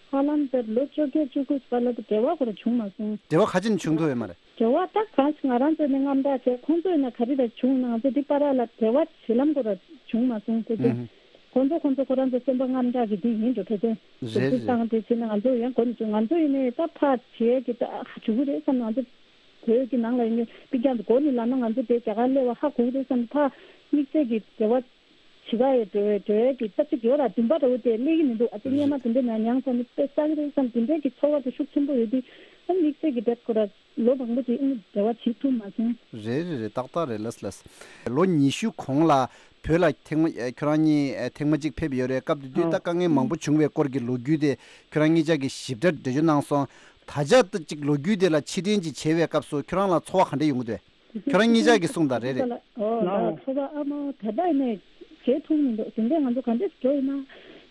ཧ་ལམ་དེར་ལོ་བཅོ་བརྒྱད་བཅུ་དགུ་བར་ལ་ད་འབྲེལ་བ་ཁོ་ར་བྱུང་མ་སོང་། འབྲེལ་བ་ག་ཅིག་བྱུང་ཐུབ་ཡོད་མ་རེད། འབྲེལ་བ་ད་གང་ཞིག་ང་རང་ཚོ་ནས་དངངས་སྐྲག་བྱས་ཁོང་ཚོས་ན་ག་རེ་རེད་བྱུང་ན་ང་ཚོ་འདི་པ་ར་ལ་འབྲེལ་བ་བྱེད་ལམ་ཁོ་ར་བྱུང་མ་སོང་ཟེར་གྱི། ཁོང་ཚོ་ཁོང་ཚོ་ཁོ་རང་ཚོ་སེམས་པ་དངངས་སྐྲག་གི་འདི་ཡིན་འགྲོ་ཕལ་ཆེར། རེད་རེད། བསམ་དེ་བྱས་ན་ང་ཚོ་ཡང་གོ་ནས་བྱུང་ང་ཚོ་ཡིན་ནས་ད་ཕར་བྱེད་ཀྱི་ད་ཧ་བྱུང་གི་རེད་བསམ་ང་ཚོ། བོད་ཀྱི་ནང་ལ་ཡིན་ནའི་པི་ཀྱང་དུ་གོ་ནི་ལ་ན་ང་ཚོ་དེ་རྒྱ་གར་སླེབས་པ་ཧ་གོ་གི་རེད་བསམ་ཕ་དམིགས་བསལ་གྱི་འབྲེལ་བ་བྱེད་ཀ་ཡོད་འགྲོ་བའི་འགྲོ་ཡས་ཀྱི་ས་ཚིགས་ཡོད་ར་འདུན་པ་འདྲ་བོ་དེ་སླེབས་ཀྱི་མི་འདུག་ཨ་ཙི་སྔས་མ་དེ་འདྲ་ན་མྱངས་ས་ནི་དཔེ་ས་གི་རེད་བསམ་དེ་འདྲའི་གི་ཚོར་བ་དེ་ཤུགས་ཆེན་པོ་ཡོད་དུས་ཨ་དམིགས་བསལ་གྱི་དེབ་ཁོ་ར་ལོ་མང་པོ་ཅིག་ཨ་ནི་འབྲེལ་བ་བྱེད་ཐུབ་མ་སོང་། རེད་རེད་རེད། ཏག་ཏག་རེད། ལགས་ལགས། ལོ་ཉི་ཤུ་གོང་ལ་བོད་ལ་ཐེངས་མ་ཁྱོད་རང་གཉིས་ཐེངས་མ་གཅིག་ཕེབས་ཡོད་རེད། སྐབས་དེ་དུས་ད་དཀའ་ངལ་མང་པོ་བྱུང་བའི་སྐོར་གྱི་ལོ་རྒྱུས་དེ་ཁྱོད་རང་གཉིས་ཆ་གིས་ཞིབ་ཕྲ་འགྲེལ་བརྗོད་གནང་སོང་། ད་ཆ་ད་ཅིག་ལོ་རྒྱུས་དེ་ལ་ཕྱིར་དྲན་ཅིག་བྱེད་པའི་སྐབས་སུ་ཁྱོད་རང་ལ་ཚོར་བ་ག་འདྲ་ཡོང་གི་འདུག་ཁྱོད་རང་གཉིས་ཆ་གིས་གསུངས་དང་། རེད་རེད། ཨོ་ལའོ། ལའོ། ཚོར་བ་ཨ་མ་ད་ལྟ་ཡིན་ནས་བྱེད་ཐུབ་མི་འདུག་དེ་འདྲས་ང་ཚོ་ག་འདྲས་འགྲོ་ཡིན་ན།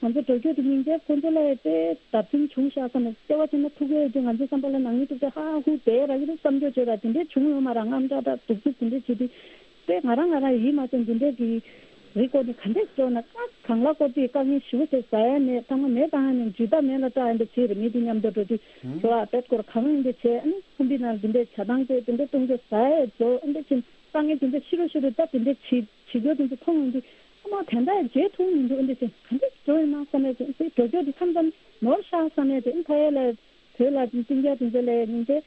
ང་ཚོ་འགྲོ་རྒྱུ་དེ་སྙིང་རྗེ་ཁོང་ཚོ་ལ་དཔེ་བརྡབ་གསིག་བྱུང་ཤག་བསམ་ནས་ལྟེ་བ་བྱས་ན་ཐུག་ཡོད་དུས་ང་ཚོ་བསམ་པ་ལ་ནང་མི་ཐུག་ཚེ་ཧ་ཧུ་བསྡད་ར་གི་རེད་བསམ་རྒྱུ་བྱོས་ར་དེ་འདྲས་བྱུང་ཡོད་མ་ར་དངངས་སྐྲག་དང་སྡུག་རྩུབ་དེ་འདྲས་བྱེད་དུས། དཔེ་ང་རང་ང་རང་ཡིད་མ་ཚིམ་དེ་འདྲས་ཀྱི་རིགས་སྐོར་ནས་ག་འདྲས་འགྲོ་ན་ད་གང་ལ་སྐོར་དུས་དཀའ་ངལ་ཞེ་པོ་ཞིག་ཟ་ཡ་མེད་ཐང་མ་མེད་བཏང་ཡ་མེད་འཇུས་ཐག་མེད་ལ་སྐྲག་ཡ་འདྲ་བྱེད་རེད་མི་དེ་མཉམ་དུ་འགྲོ་དུས་འགྲོ་ཨ་དཔེ་སྐོར་གང་ཡིན་འདྲ་བྱས་ཨ་ནི་ཁུམ་པའི་ནང་དེ་འདྲས་བྱ་སྟངས་དེ་དེ་འདྲས་གཏོང་རྒྱུ་ཟ་ཡ་རྫོགས་ཨ་འདྲས་ཕྱིན་དཀའ་ངལ་དེ་འདྲས་ཤི་རུ་ཤི་རུ་ད་དེ་འདྲས་བྱེད་བྱེད་རྒྱུ་དེ་ཚོ་མཐོང་ཡོང་དུས་ཨ་མ་དེ་འདྲ་ཡ་བརྗེད་ཐུབ་མི་འདུག་ཨ་འདྲས་བྱས་ག་འདྲས་འགྲོ་ཡིན་ན་བསམ་ཡ་དེ་འགྲོ་རྒྱུ་དེ་མཚམས་མཚམས་ནོར་ཤག་བསམ་ཡ་དེ་ཨ་ཕ་ཡ་ལ་བོད་ལ་སྤུན་ཀྱག་དེ་ཚོ་ལ་ཡ་ཉིན་དེ།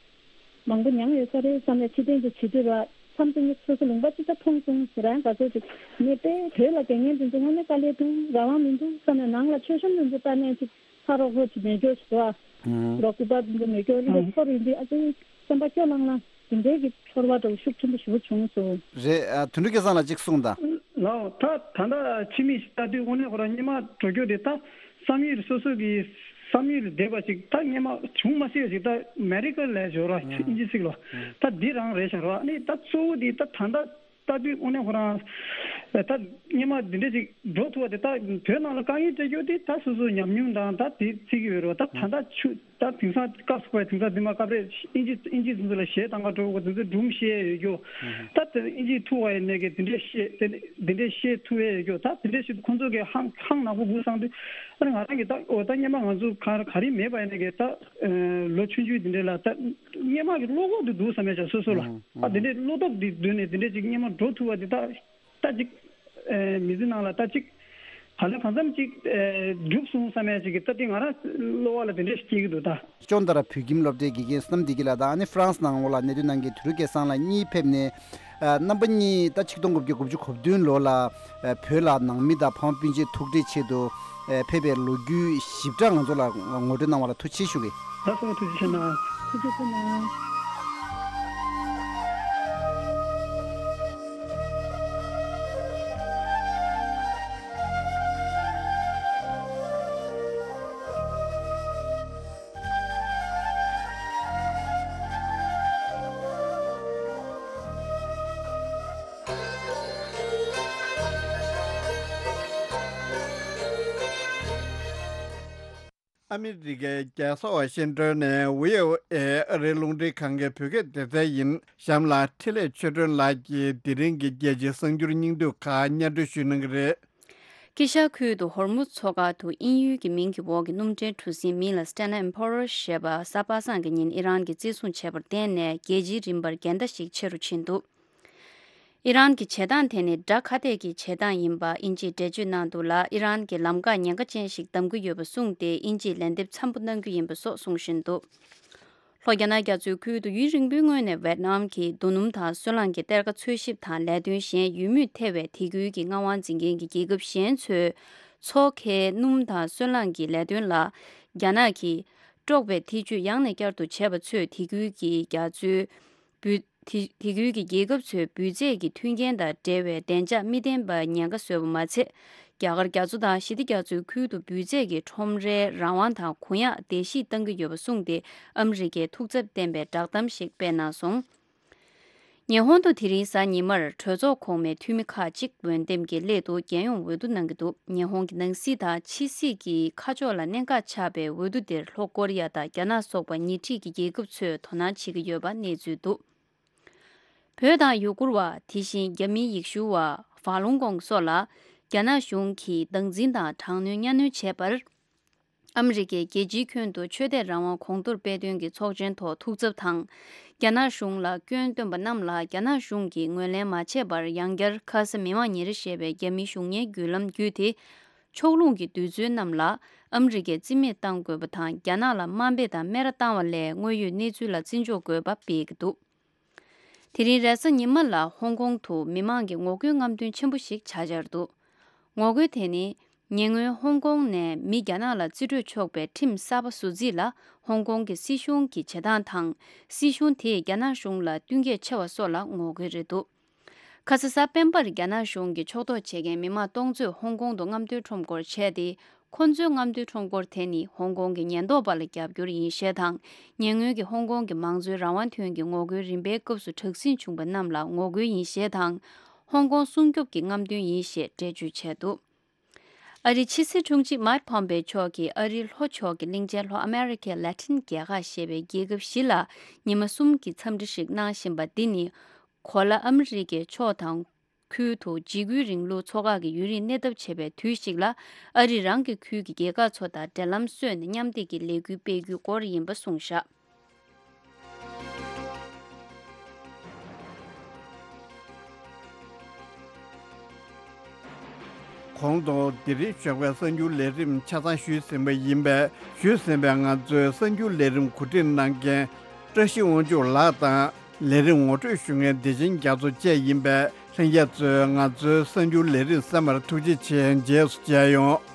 མང་པོ་མྱངས་ཡོད་ས་རེད་བསམ་ནས་ཕྱི་རྟེན་དུ་བྱེད་དུས་ར་མཚམས་སུ་ངས་སོ་སོ་ལུང་པ་གཅིག་ད་མཐོང་སོང་ཟེར་ཡང་ག་ཚོད་ཅིག་ངས་དཔེ་བོད་ལ་དགེ་བསྙེན་དེ་ཚོ་དངོས་གནས་དཀའ་ལས་འདུག་རང་དབང་མི་འདུག་བསམ་ནས་ནང་ལ་མཆོད་གཤོམ་དེ་ཚོ་ལྟ་ནས་ཅིག་ཕ་རོགས་རོགས་ཅིག་མེད་སྐྱོ་ཞིག་འདུག་ཨ། རོགས་སྐུ་པར་དེ་ཚོ་མེད་སྐྱོ་ལི་ལ་ཚོར་ཡིན་དུས་ཨ་ཙི་སེམས་པ་སྐྱོ་ལང་ལང་དེ་འདྲའི་གི་ཚོར་བ་འདྲ་བོ་ཤུགས་ཆེན་པོ་ཞེ་པོ་བྱུང་སོང་། རེད། ཨ་དོན་གྲུབ་སྐལ་བཟང་ལགས་གཅིག་གསུངས་དང་། ལའོ་ད་ད་ལྟ་ཕྱི་མིག་ཅིག་ལྟ་དུས་དངོས་གནས་ཁོ་རང་སྔོན་མ་འགྲོ་རྒྱུ་དེ་ད་བསམ་ཡུལ་སོ་སོ་གི་བསམ་ཡུལ་ལས་འདས་པ་ཅིག་ད་སྔོན་མ་བྱུང་མ་སྲིད་པ་ཅིག་ད་མེ་རི་ཀ་ལ་ཞོར་བ་ཨུམ། ཨིན་ཇི་ཚིག་ལ་ཨུམ། ད་འདི་རང་རེད་ཤག་ར། ཨ་ནི་ད་གཙོ་བོ་འདི་ད་ད་ལྟ་ལྟ་དུས་དངོས་གནས་ཁོ་རང་ད་སྔོན་མ་འདི་འདྲ་ཅིག་འགྲོ་ཐུབ་པ་དེ། ད་བོད་ནང་ལ་དཀའ་ངལ་འཕྲད་རྒྱུ་དེ་ད་སོ་སོའི་ཉམས་མྱོང་དང་ད་དེ་བརྩི་གི་ཡོད་རེད་བ། ད་ད་ལྟ་ཆུ་ད་དེང་སང་སྐབས་སུ་བབས་དེང་སང་འདི་མ་སྐབས་རེ་ཨིན་ཇི་ཨིན་ཇི་ཚོ་ལ་གཞས་བཏང་ག་འགྲོ་དགོས་དེ་ཚོ་སྒྲུང་བཤད་ཡོད་རྒྱུ། ད་དེ་ཨིན་ཇི་ཐུག་པ་ཡིན་ནས་གི་དེ་འདྲས་བཤད་དེ་དེ་འདྲས་བཤད་ཐུབ་ཡས་ཡོད་རྒྱུ། ད་དེ་འདྲས་བཤད་དུས་ཁོང་ཚོ་གི་ཧང་ཧང་ནག་པོ་དགོས་བསམ་དུས། ཨ་ནི་ང་རང་གི་ད་འོ་ད་སྔོན་མ་ང་ཚོ་ག་ག་རེ་མེད་པ་ཡིན་ནས་གི་ད་ལོ་ཆུང་ཆུང་དེ་འདྲས་ལ་ད་སྔོན་མ་གི་བློ་ཁོག་དེ་འདུག་བསམ་ཡས་ཆགས་སོ་སོ་ལ། ཨ་དེ་འདྲས་བློ་ཁོག་དེ་བསྡུས་ནས་དེ་འདྲས་ཅིག་སྔོན་མ་འགྲོ་ཐུབ་པ་དེ་ད། ད་ཅིག་ཨེ་མི་ཚེ་ནང་ལ་ད་ཅིག་ག་ལེ་གང་འཚམ་ཅིག་ཨེ་འགྲུབ་སོང་བསམ་ཡས་ཅིག་གི་ད་དེ་ང་རང་བློ་བ་ལ་དེ་འདྲས་ཤིག་སྐྱེ་གི་འདུག་ད། ཅོན་ཏ་ར་བོད་ཁྱིམ་སློབ་གྲྭའི་དགེ་རྒན་བསོད་ནམས་བདེ་སྐྱིད་ལགས་དང་། ཨ་ནི་ཧྥ་རན་སི་ནང་ལོགས་ལ་གནས་སྡོད་གནང་མཁན་དོན་གྲུབ་སྐལ་བཟང་ལགས་གཉིས་ཕེབས་ནས། ཨ་རྣམ་པ་གཉིས་ད་ཆིག་སྟོང་དགུ་བརྒྱ་དགུ་བཅུ་གོ་བདུན་ལོ་ལ་ཨ་བོད་ལ་ནང་མི་དང་ཕ་མ་སྤུན་མཆེད་ཐུག་འཕྲད་ཆེད་དུ་ཨ་ཕེབས་པའི་ལོ་རྒྱུས་ཞིབ་ཕྲ་ང་ཚོ་ལ་ངོ་སྤྲོད་གནང་བ་ལ་ཐུགས་རྗེ་ཆེ་ཞུ་གི། ལགས་སོ། ཐུགས་རྗེ་ཆེ་གནང་། ཐུགས་རྗེ་ཆེ་གནང་། ཨ་མི་རི་ཀའི་རྒྱལ་ས་ཝ་ཤིང་ཏོན་ནས་ཝི་ཨོ་ཨེ་ཨ་རིའི་རླུང་འཕྲིན་ཁང་གི་བོད་སྐད་སྡེ་ཚན་ཡིན། གཤམ་ལ་འཕྲིན་ལས་ཆོས་སྒྲོན་ལགས་ཀྱིས་དེ་རིང་གི་རྒྱལ་སྤྱིའི་གསར་འགྱུར་སྙིང་བསྡུས་ཁག་སྙན་སྒྲོན་ཞུ་གནང་གི་རེད། དཀྱིལ་ཤར་ཁུལ་དུ་ཧོར་མུ་མཚོ་ཁ་དུ་དབྱིན་ཡུལ་གྱི་མིང་གི་འོག་གི་སྣུམ་འདྲེན་གྲུ་གཟིངས་མིང་ལ་Stena Emperor ཞེས་པ་གཟའ་པ་སངས་ཀྱི་ཉིན་ཨི་རན་གྱིས་བརྩི་སྲུང་བྱས་པར་བརྟེན་ནས་རྒྱལ་སྤྱིའི་རིམ་པར་འགལ་ཟླ་ཞིག་ཆེ་རུ་ཕྱིན་འདུག་ཨི་རན་གྱི་བྱེད་སྟངས་དེ་ནི་དགྲ་ཁ་གཏད་ཀྱི་བྱེད་སྟངས་ཡིན་པ་དབྱིན་ཇིས་འགྲེལ་བརྗོད་གནང་འདུག་ལ། ཨི་རན་གྱིས་ལམ་ཁ་ཉེན་ཁ་ཅན་ཞིག་བདམས་ཀྱི་ཡོད་པ་གསུངས་ཏེ་དབྱིན་ཇིས་ལན་འདེབས་འཚམ་པོ་གནང་རྒྱུ་ཡིན་པ་སོགས་གསུང་བཞིན་འདུག་ལྷོ་རྒྱ་ནག་རྒྱ་མཚོའི་ཁུལ་དུ་ཡུན་རིང་པོའི་སྔོན་ནས་ཝེད་ནམ་གྱིས་རྡོ་སྣུམ་དང་སོལ་རླངས་ཀྱི་གཏེར་ཁ་འཚོལ་ཞིབ་དང་ལས་དོན་གཞན་ཡོད་མུས་ཐེ་བའི་དེ་ཁུལ་གྱི་མངའ་དབང་འཛིན་མཁན་གྱི་རྒྱལ་ཁབ་གཞན་ཚོས་མཚོ་ཁའི་སྣུམ་དང་སོལ་རླངས་ཀྱི་ལས་དོན་ལ་རྒྱ་ནག་གིས་དཀྲོག་པའི་ཐེ་ཇུས་ཡང་ནས་བསྐྱར་དུ་བྱས་པ་ཚོས་དེ་ཁུལ་གྱི་རྒྱ་མཚོའི་འབུད་དེ་དེ་ཁུལ་གྱི་རྒྱལ་ཁབ་ཚོའི་འབུད་རྫས་ཀྱི་མཐུན་རྐྱེན་དང་འབྲེལ་བའི་བདེ་འཇགས་མི་ལྡན་པར་ཉེན་ཁ་བཟོས་པ་མ་ཚད། རྒྱ་གར་རྒྱ་མཚོ་དང་ཞི་བདེ་རྒྱ་མཚོའི་ཁུལ་དུ་འབུད་རྫས་ཀྱི་ཁྲོམ་རའི་རང་དབང་དང་གུ་ཡངས་བརྡལ་བཤིག་བཏང་གི་ཡོད་པ་གསུངས་ཏེ། ཨ་མི་རི་ཀས་ཐུགས་འཚབ་བསྟན་པའི་བསྒྲགས་གཏམ་ཞིག་སྤེལ་གནང་སོང་། ཉི་ཧོང་དུ་དེ་རིང་གཟའ་ཉི་མར་གྲོས་ཚོགས་གོང་མའི་འཐུས་མི་ཁག་ཅིག་འོས་འདེམས་ཀྱི་སླད་དུ་རྒྱལ་ཡོངས་འོས་བསྡུ་གནང་གི་འདུག་ཉི་ཧོང་གི་ནང་སྲིད་དང་ཕྱི་སྲིད་ཀྱི་ཁ་ཕྱོགས་ལ་གནད་འགག་ཆགས་པའི་འོས་བསྡུ་འདིར་ལྷོ་ཀོ་རི་ཡ་དང་རྒྱ་ནག་སོགས་པ་ཉེ་འཁྲིས་ཀྱི་རྒྱལ་ཁབ་ཚོས་དོ་སྣང་བྱེད་ཀྱི་ཡོད་པ་གནས་ཚུལ་འདུག་བོད་དང་ཡུ་གུར་བ། དེ་བཞིན་རྒྱ་མིའི་ཡེ་ཤུ་བ། ཧྥ་ལུང་ཀོང་སོགས་ལ་རྒྱ་ནག་གཞུང་གིས་སྟངས་འཛིན་དང་དྲག་གནོན་གཉའ་གནོན་བྱས་པར། ཨ་མི་རི་ཀའི་རྒྱལ་སྤྱིའི་ཁྱོན་དུ་ཆོས་དད་རང་དབང་གོང་མཐོར་སྤེལ་དོན་གྱི་ཚོགས་ཆེན་ཐོག་ཐུགས་འཚབ་དང་། རྒྱ་ནག་གཞུང་ལ་སྐྱོན་བཏོན་པ་རྣམས་ལ་རྒྱ་ནག་གཞུང་གིས་ངོས་ལེན་མ་བྱས་པར། ཡང་བསྐྱར་ཁ་ས་མི་དམངས་ཉིན་རེ་ཞེས་པའི་རྒྱ་མིའི་གཞུང་གཉེར་བརྒྱུད་ལམ་བརྒྱུད་དེ། ཕྱོགས་ལྷུང་གི་དུས་ཚོད་རྣམས་ལ་ཨ་མི་རི་ཀས་རྩིས་མེད་གཏང་དགོས་པ་དང་། རྒྱ་ནག་ལ་དམའ་འབེབས་དང་སྨད་ར་བཏང་བ་ལས་དངོས་ཡོད་གནས་ཚུལ་ལ་བརྩི་འཇོག་དགོས་པ་སྤེལ་གྱི་འདུག་དེ་རིང་རེས་གཟའ་ཉི་མ་ལ་ཧོང་ཀོང་དུ་མི་མང་གི་ངོ་རྒོལ་རྔམ་སྟོན་ཆེན་པོ་ཞིག་བྱ་འཆར་འདུག་ངོ་རྒོལ་དེ་ནི་ཉེ་སྔོན་ཧོང་ཀོང་ནས་མི་རྒྱ་ནག་ལ་རྩིས་སྤྲོད་ཆོག་པའི་ཁྲིམས་གསར་པ་བཟོ་རྩིས་ལ་ཧོང་ཀོང་གི་སྲིད་གཞུང་གི་བྱེད་སྟངས་དང་། སྲིད་གཞུང་དེས་རྒྱ་ནག་གཞུང་ལ་བསྟུན་མཁས་ཆེ་བ་སོགས་ལ་ངོ་རྒོལ་རེད་འདུག་ཁ་ས་གཟའ་སྤེན་པར་རྒྱ་ནག་གཞུང་གིས་ཕྱོགས་གཏོགས་བྱེད་མཁན་མི་མང་སྟོང་ཚོས་ཧོང་ཀོང་དུ་རྔམ་སྟོན་ཁྲོམ་སྐོར་བྱས་ཏེ། ཁོ་ཚོའི་རྔམ་སྟོན་ཁྲོམ་སྐོར་དེ་ནི་ཧོང་ཀོང་གི་ཉེན་རྟོག་པ་ལ་རྒྱབ་སྐྱོར་ཡིན་ཞེས་དང་། ཉེ་སྔོན་གྱི་ཧོང་ཀོང་གི་མང་གཙོའི་རང་དབང་དོན་གྱི་ངོ་རྒོལ་རིམ་པའི་སྐབས་སུ་དྲག་ཟིང་བྱུང་བ་རྣམས་ལ་ངོ་རྒོལ་ཡིན་ཞེས་དང་། ཧོང་ཀོང་སྲུང་སྐྱོབ་ཀྱི་རྔམ་སྟོན་ཡིན་ཞེས་འགྲེལ་བརྗོད་བྱས་འདུག་ཨ་རིའི་ཕྱི་སྲིད་དྲུང་ཆེ་མཱིག་ཕོམ་པེ་མཆོག་གིས་ཨ་རིའི་ལྷོ་ཕྱོགས་ཀྱི་གླིང་ཆེན་ལྷོ་ཨ་མེ་རི་ཁའི་ལ་ཏིན་རྒྱལ་ཁག་ཞེས་པའི་རྒྱལ་ཁབ་བཞི་ལ་ཉི་མ་གསུམ་གྱི་འཚམས་འདྲི་ཞིག་གནང་བཞིན་པ་འདི་ནི། གོ་ལ་ཨ་མི་རི་ཀའི་ཕྱོགས་དང་ཁུལ་དུ་འཇིགས་སྐུལ་རིང་ལུགས་ཚོ་ཁག་གི་ཡུན་རིང་གནས་ཐབས་བྱེད་པའི་དུས་ཤིག་ལ། ཨ་རིས་རང་གི་ཁུལ་གྱི་རྒྱལ་ཁབ་ཚོ་དང་འབྲེལ་ལམ་བཟོས་ནས་མཉམ་འདེགས་ཀྱི་ལས་འགུལ་སྤེལ་རྒྱུའི་སྐོར་ཡིན་པ་གསུངས་བཞག་གོང་དུ་འདི་རིང་ཞོགས་པའི་གསར་འགྱུར་ལས་རིམ་ཆ་ཚང་ཞུས་ཟིན་པ་ཡིན་པས། ཞུས་ཟིན་པའི་ང་ཚོའི་གསར་འགྱུར་ལས་རིམ་གོ་སྒྲིག་གནང་མཁན་བཀྲ་ཤིས་དབང་ཕྱུག་ལགས་དང་། ལས་རིམ་ངོ་སྤྲོད་ཞུ་མཁན་བདེ་ཆེན་རྒྱ་མཚོ་བཅས་ཡིན་པས། ལྷན་རྒྱས་ཚོས་ང་ཚོའི་གསར་འགྱུར་ལས་རིམ་གསན་པར་ཐུགས་རྗེ་ཆེ། རྗེས་སུ་མཇལ་ཡོང་།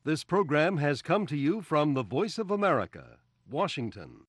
This program has come to you from the Voice of America, Washington.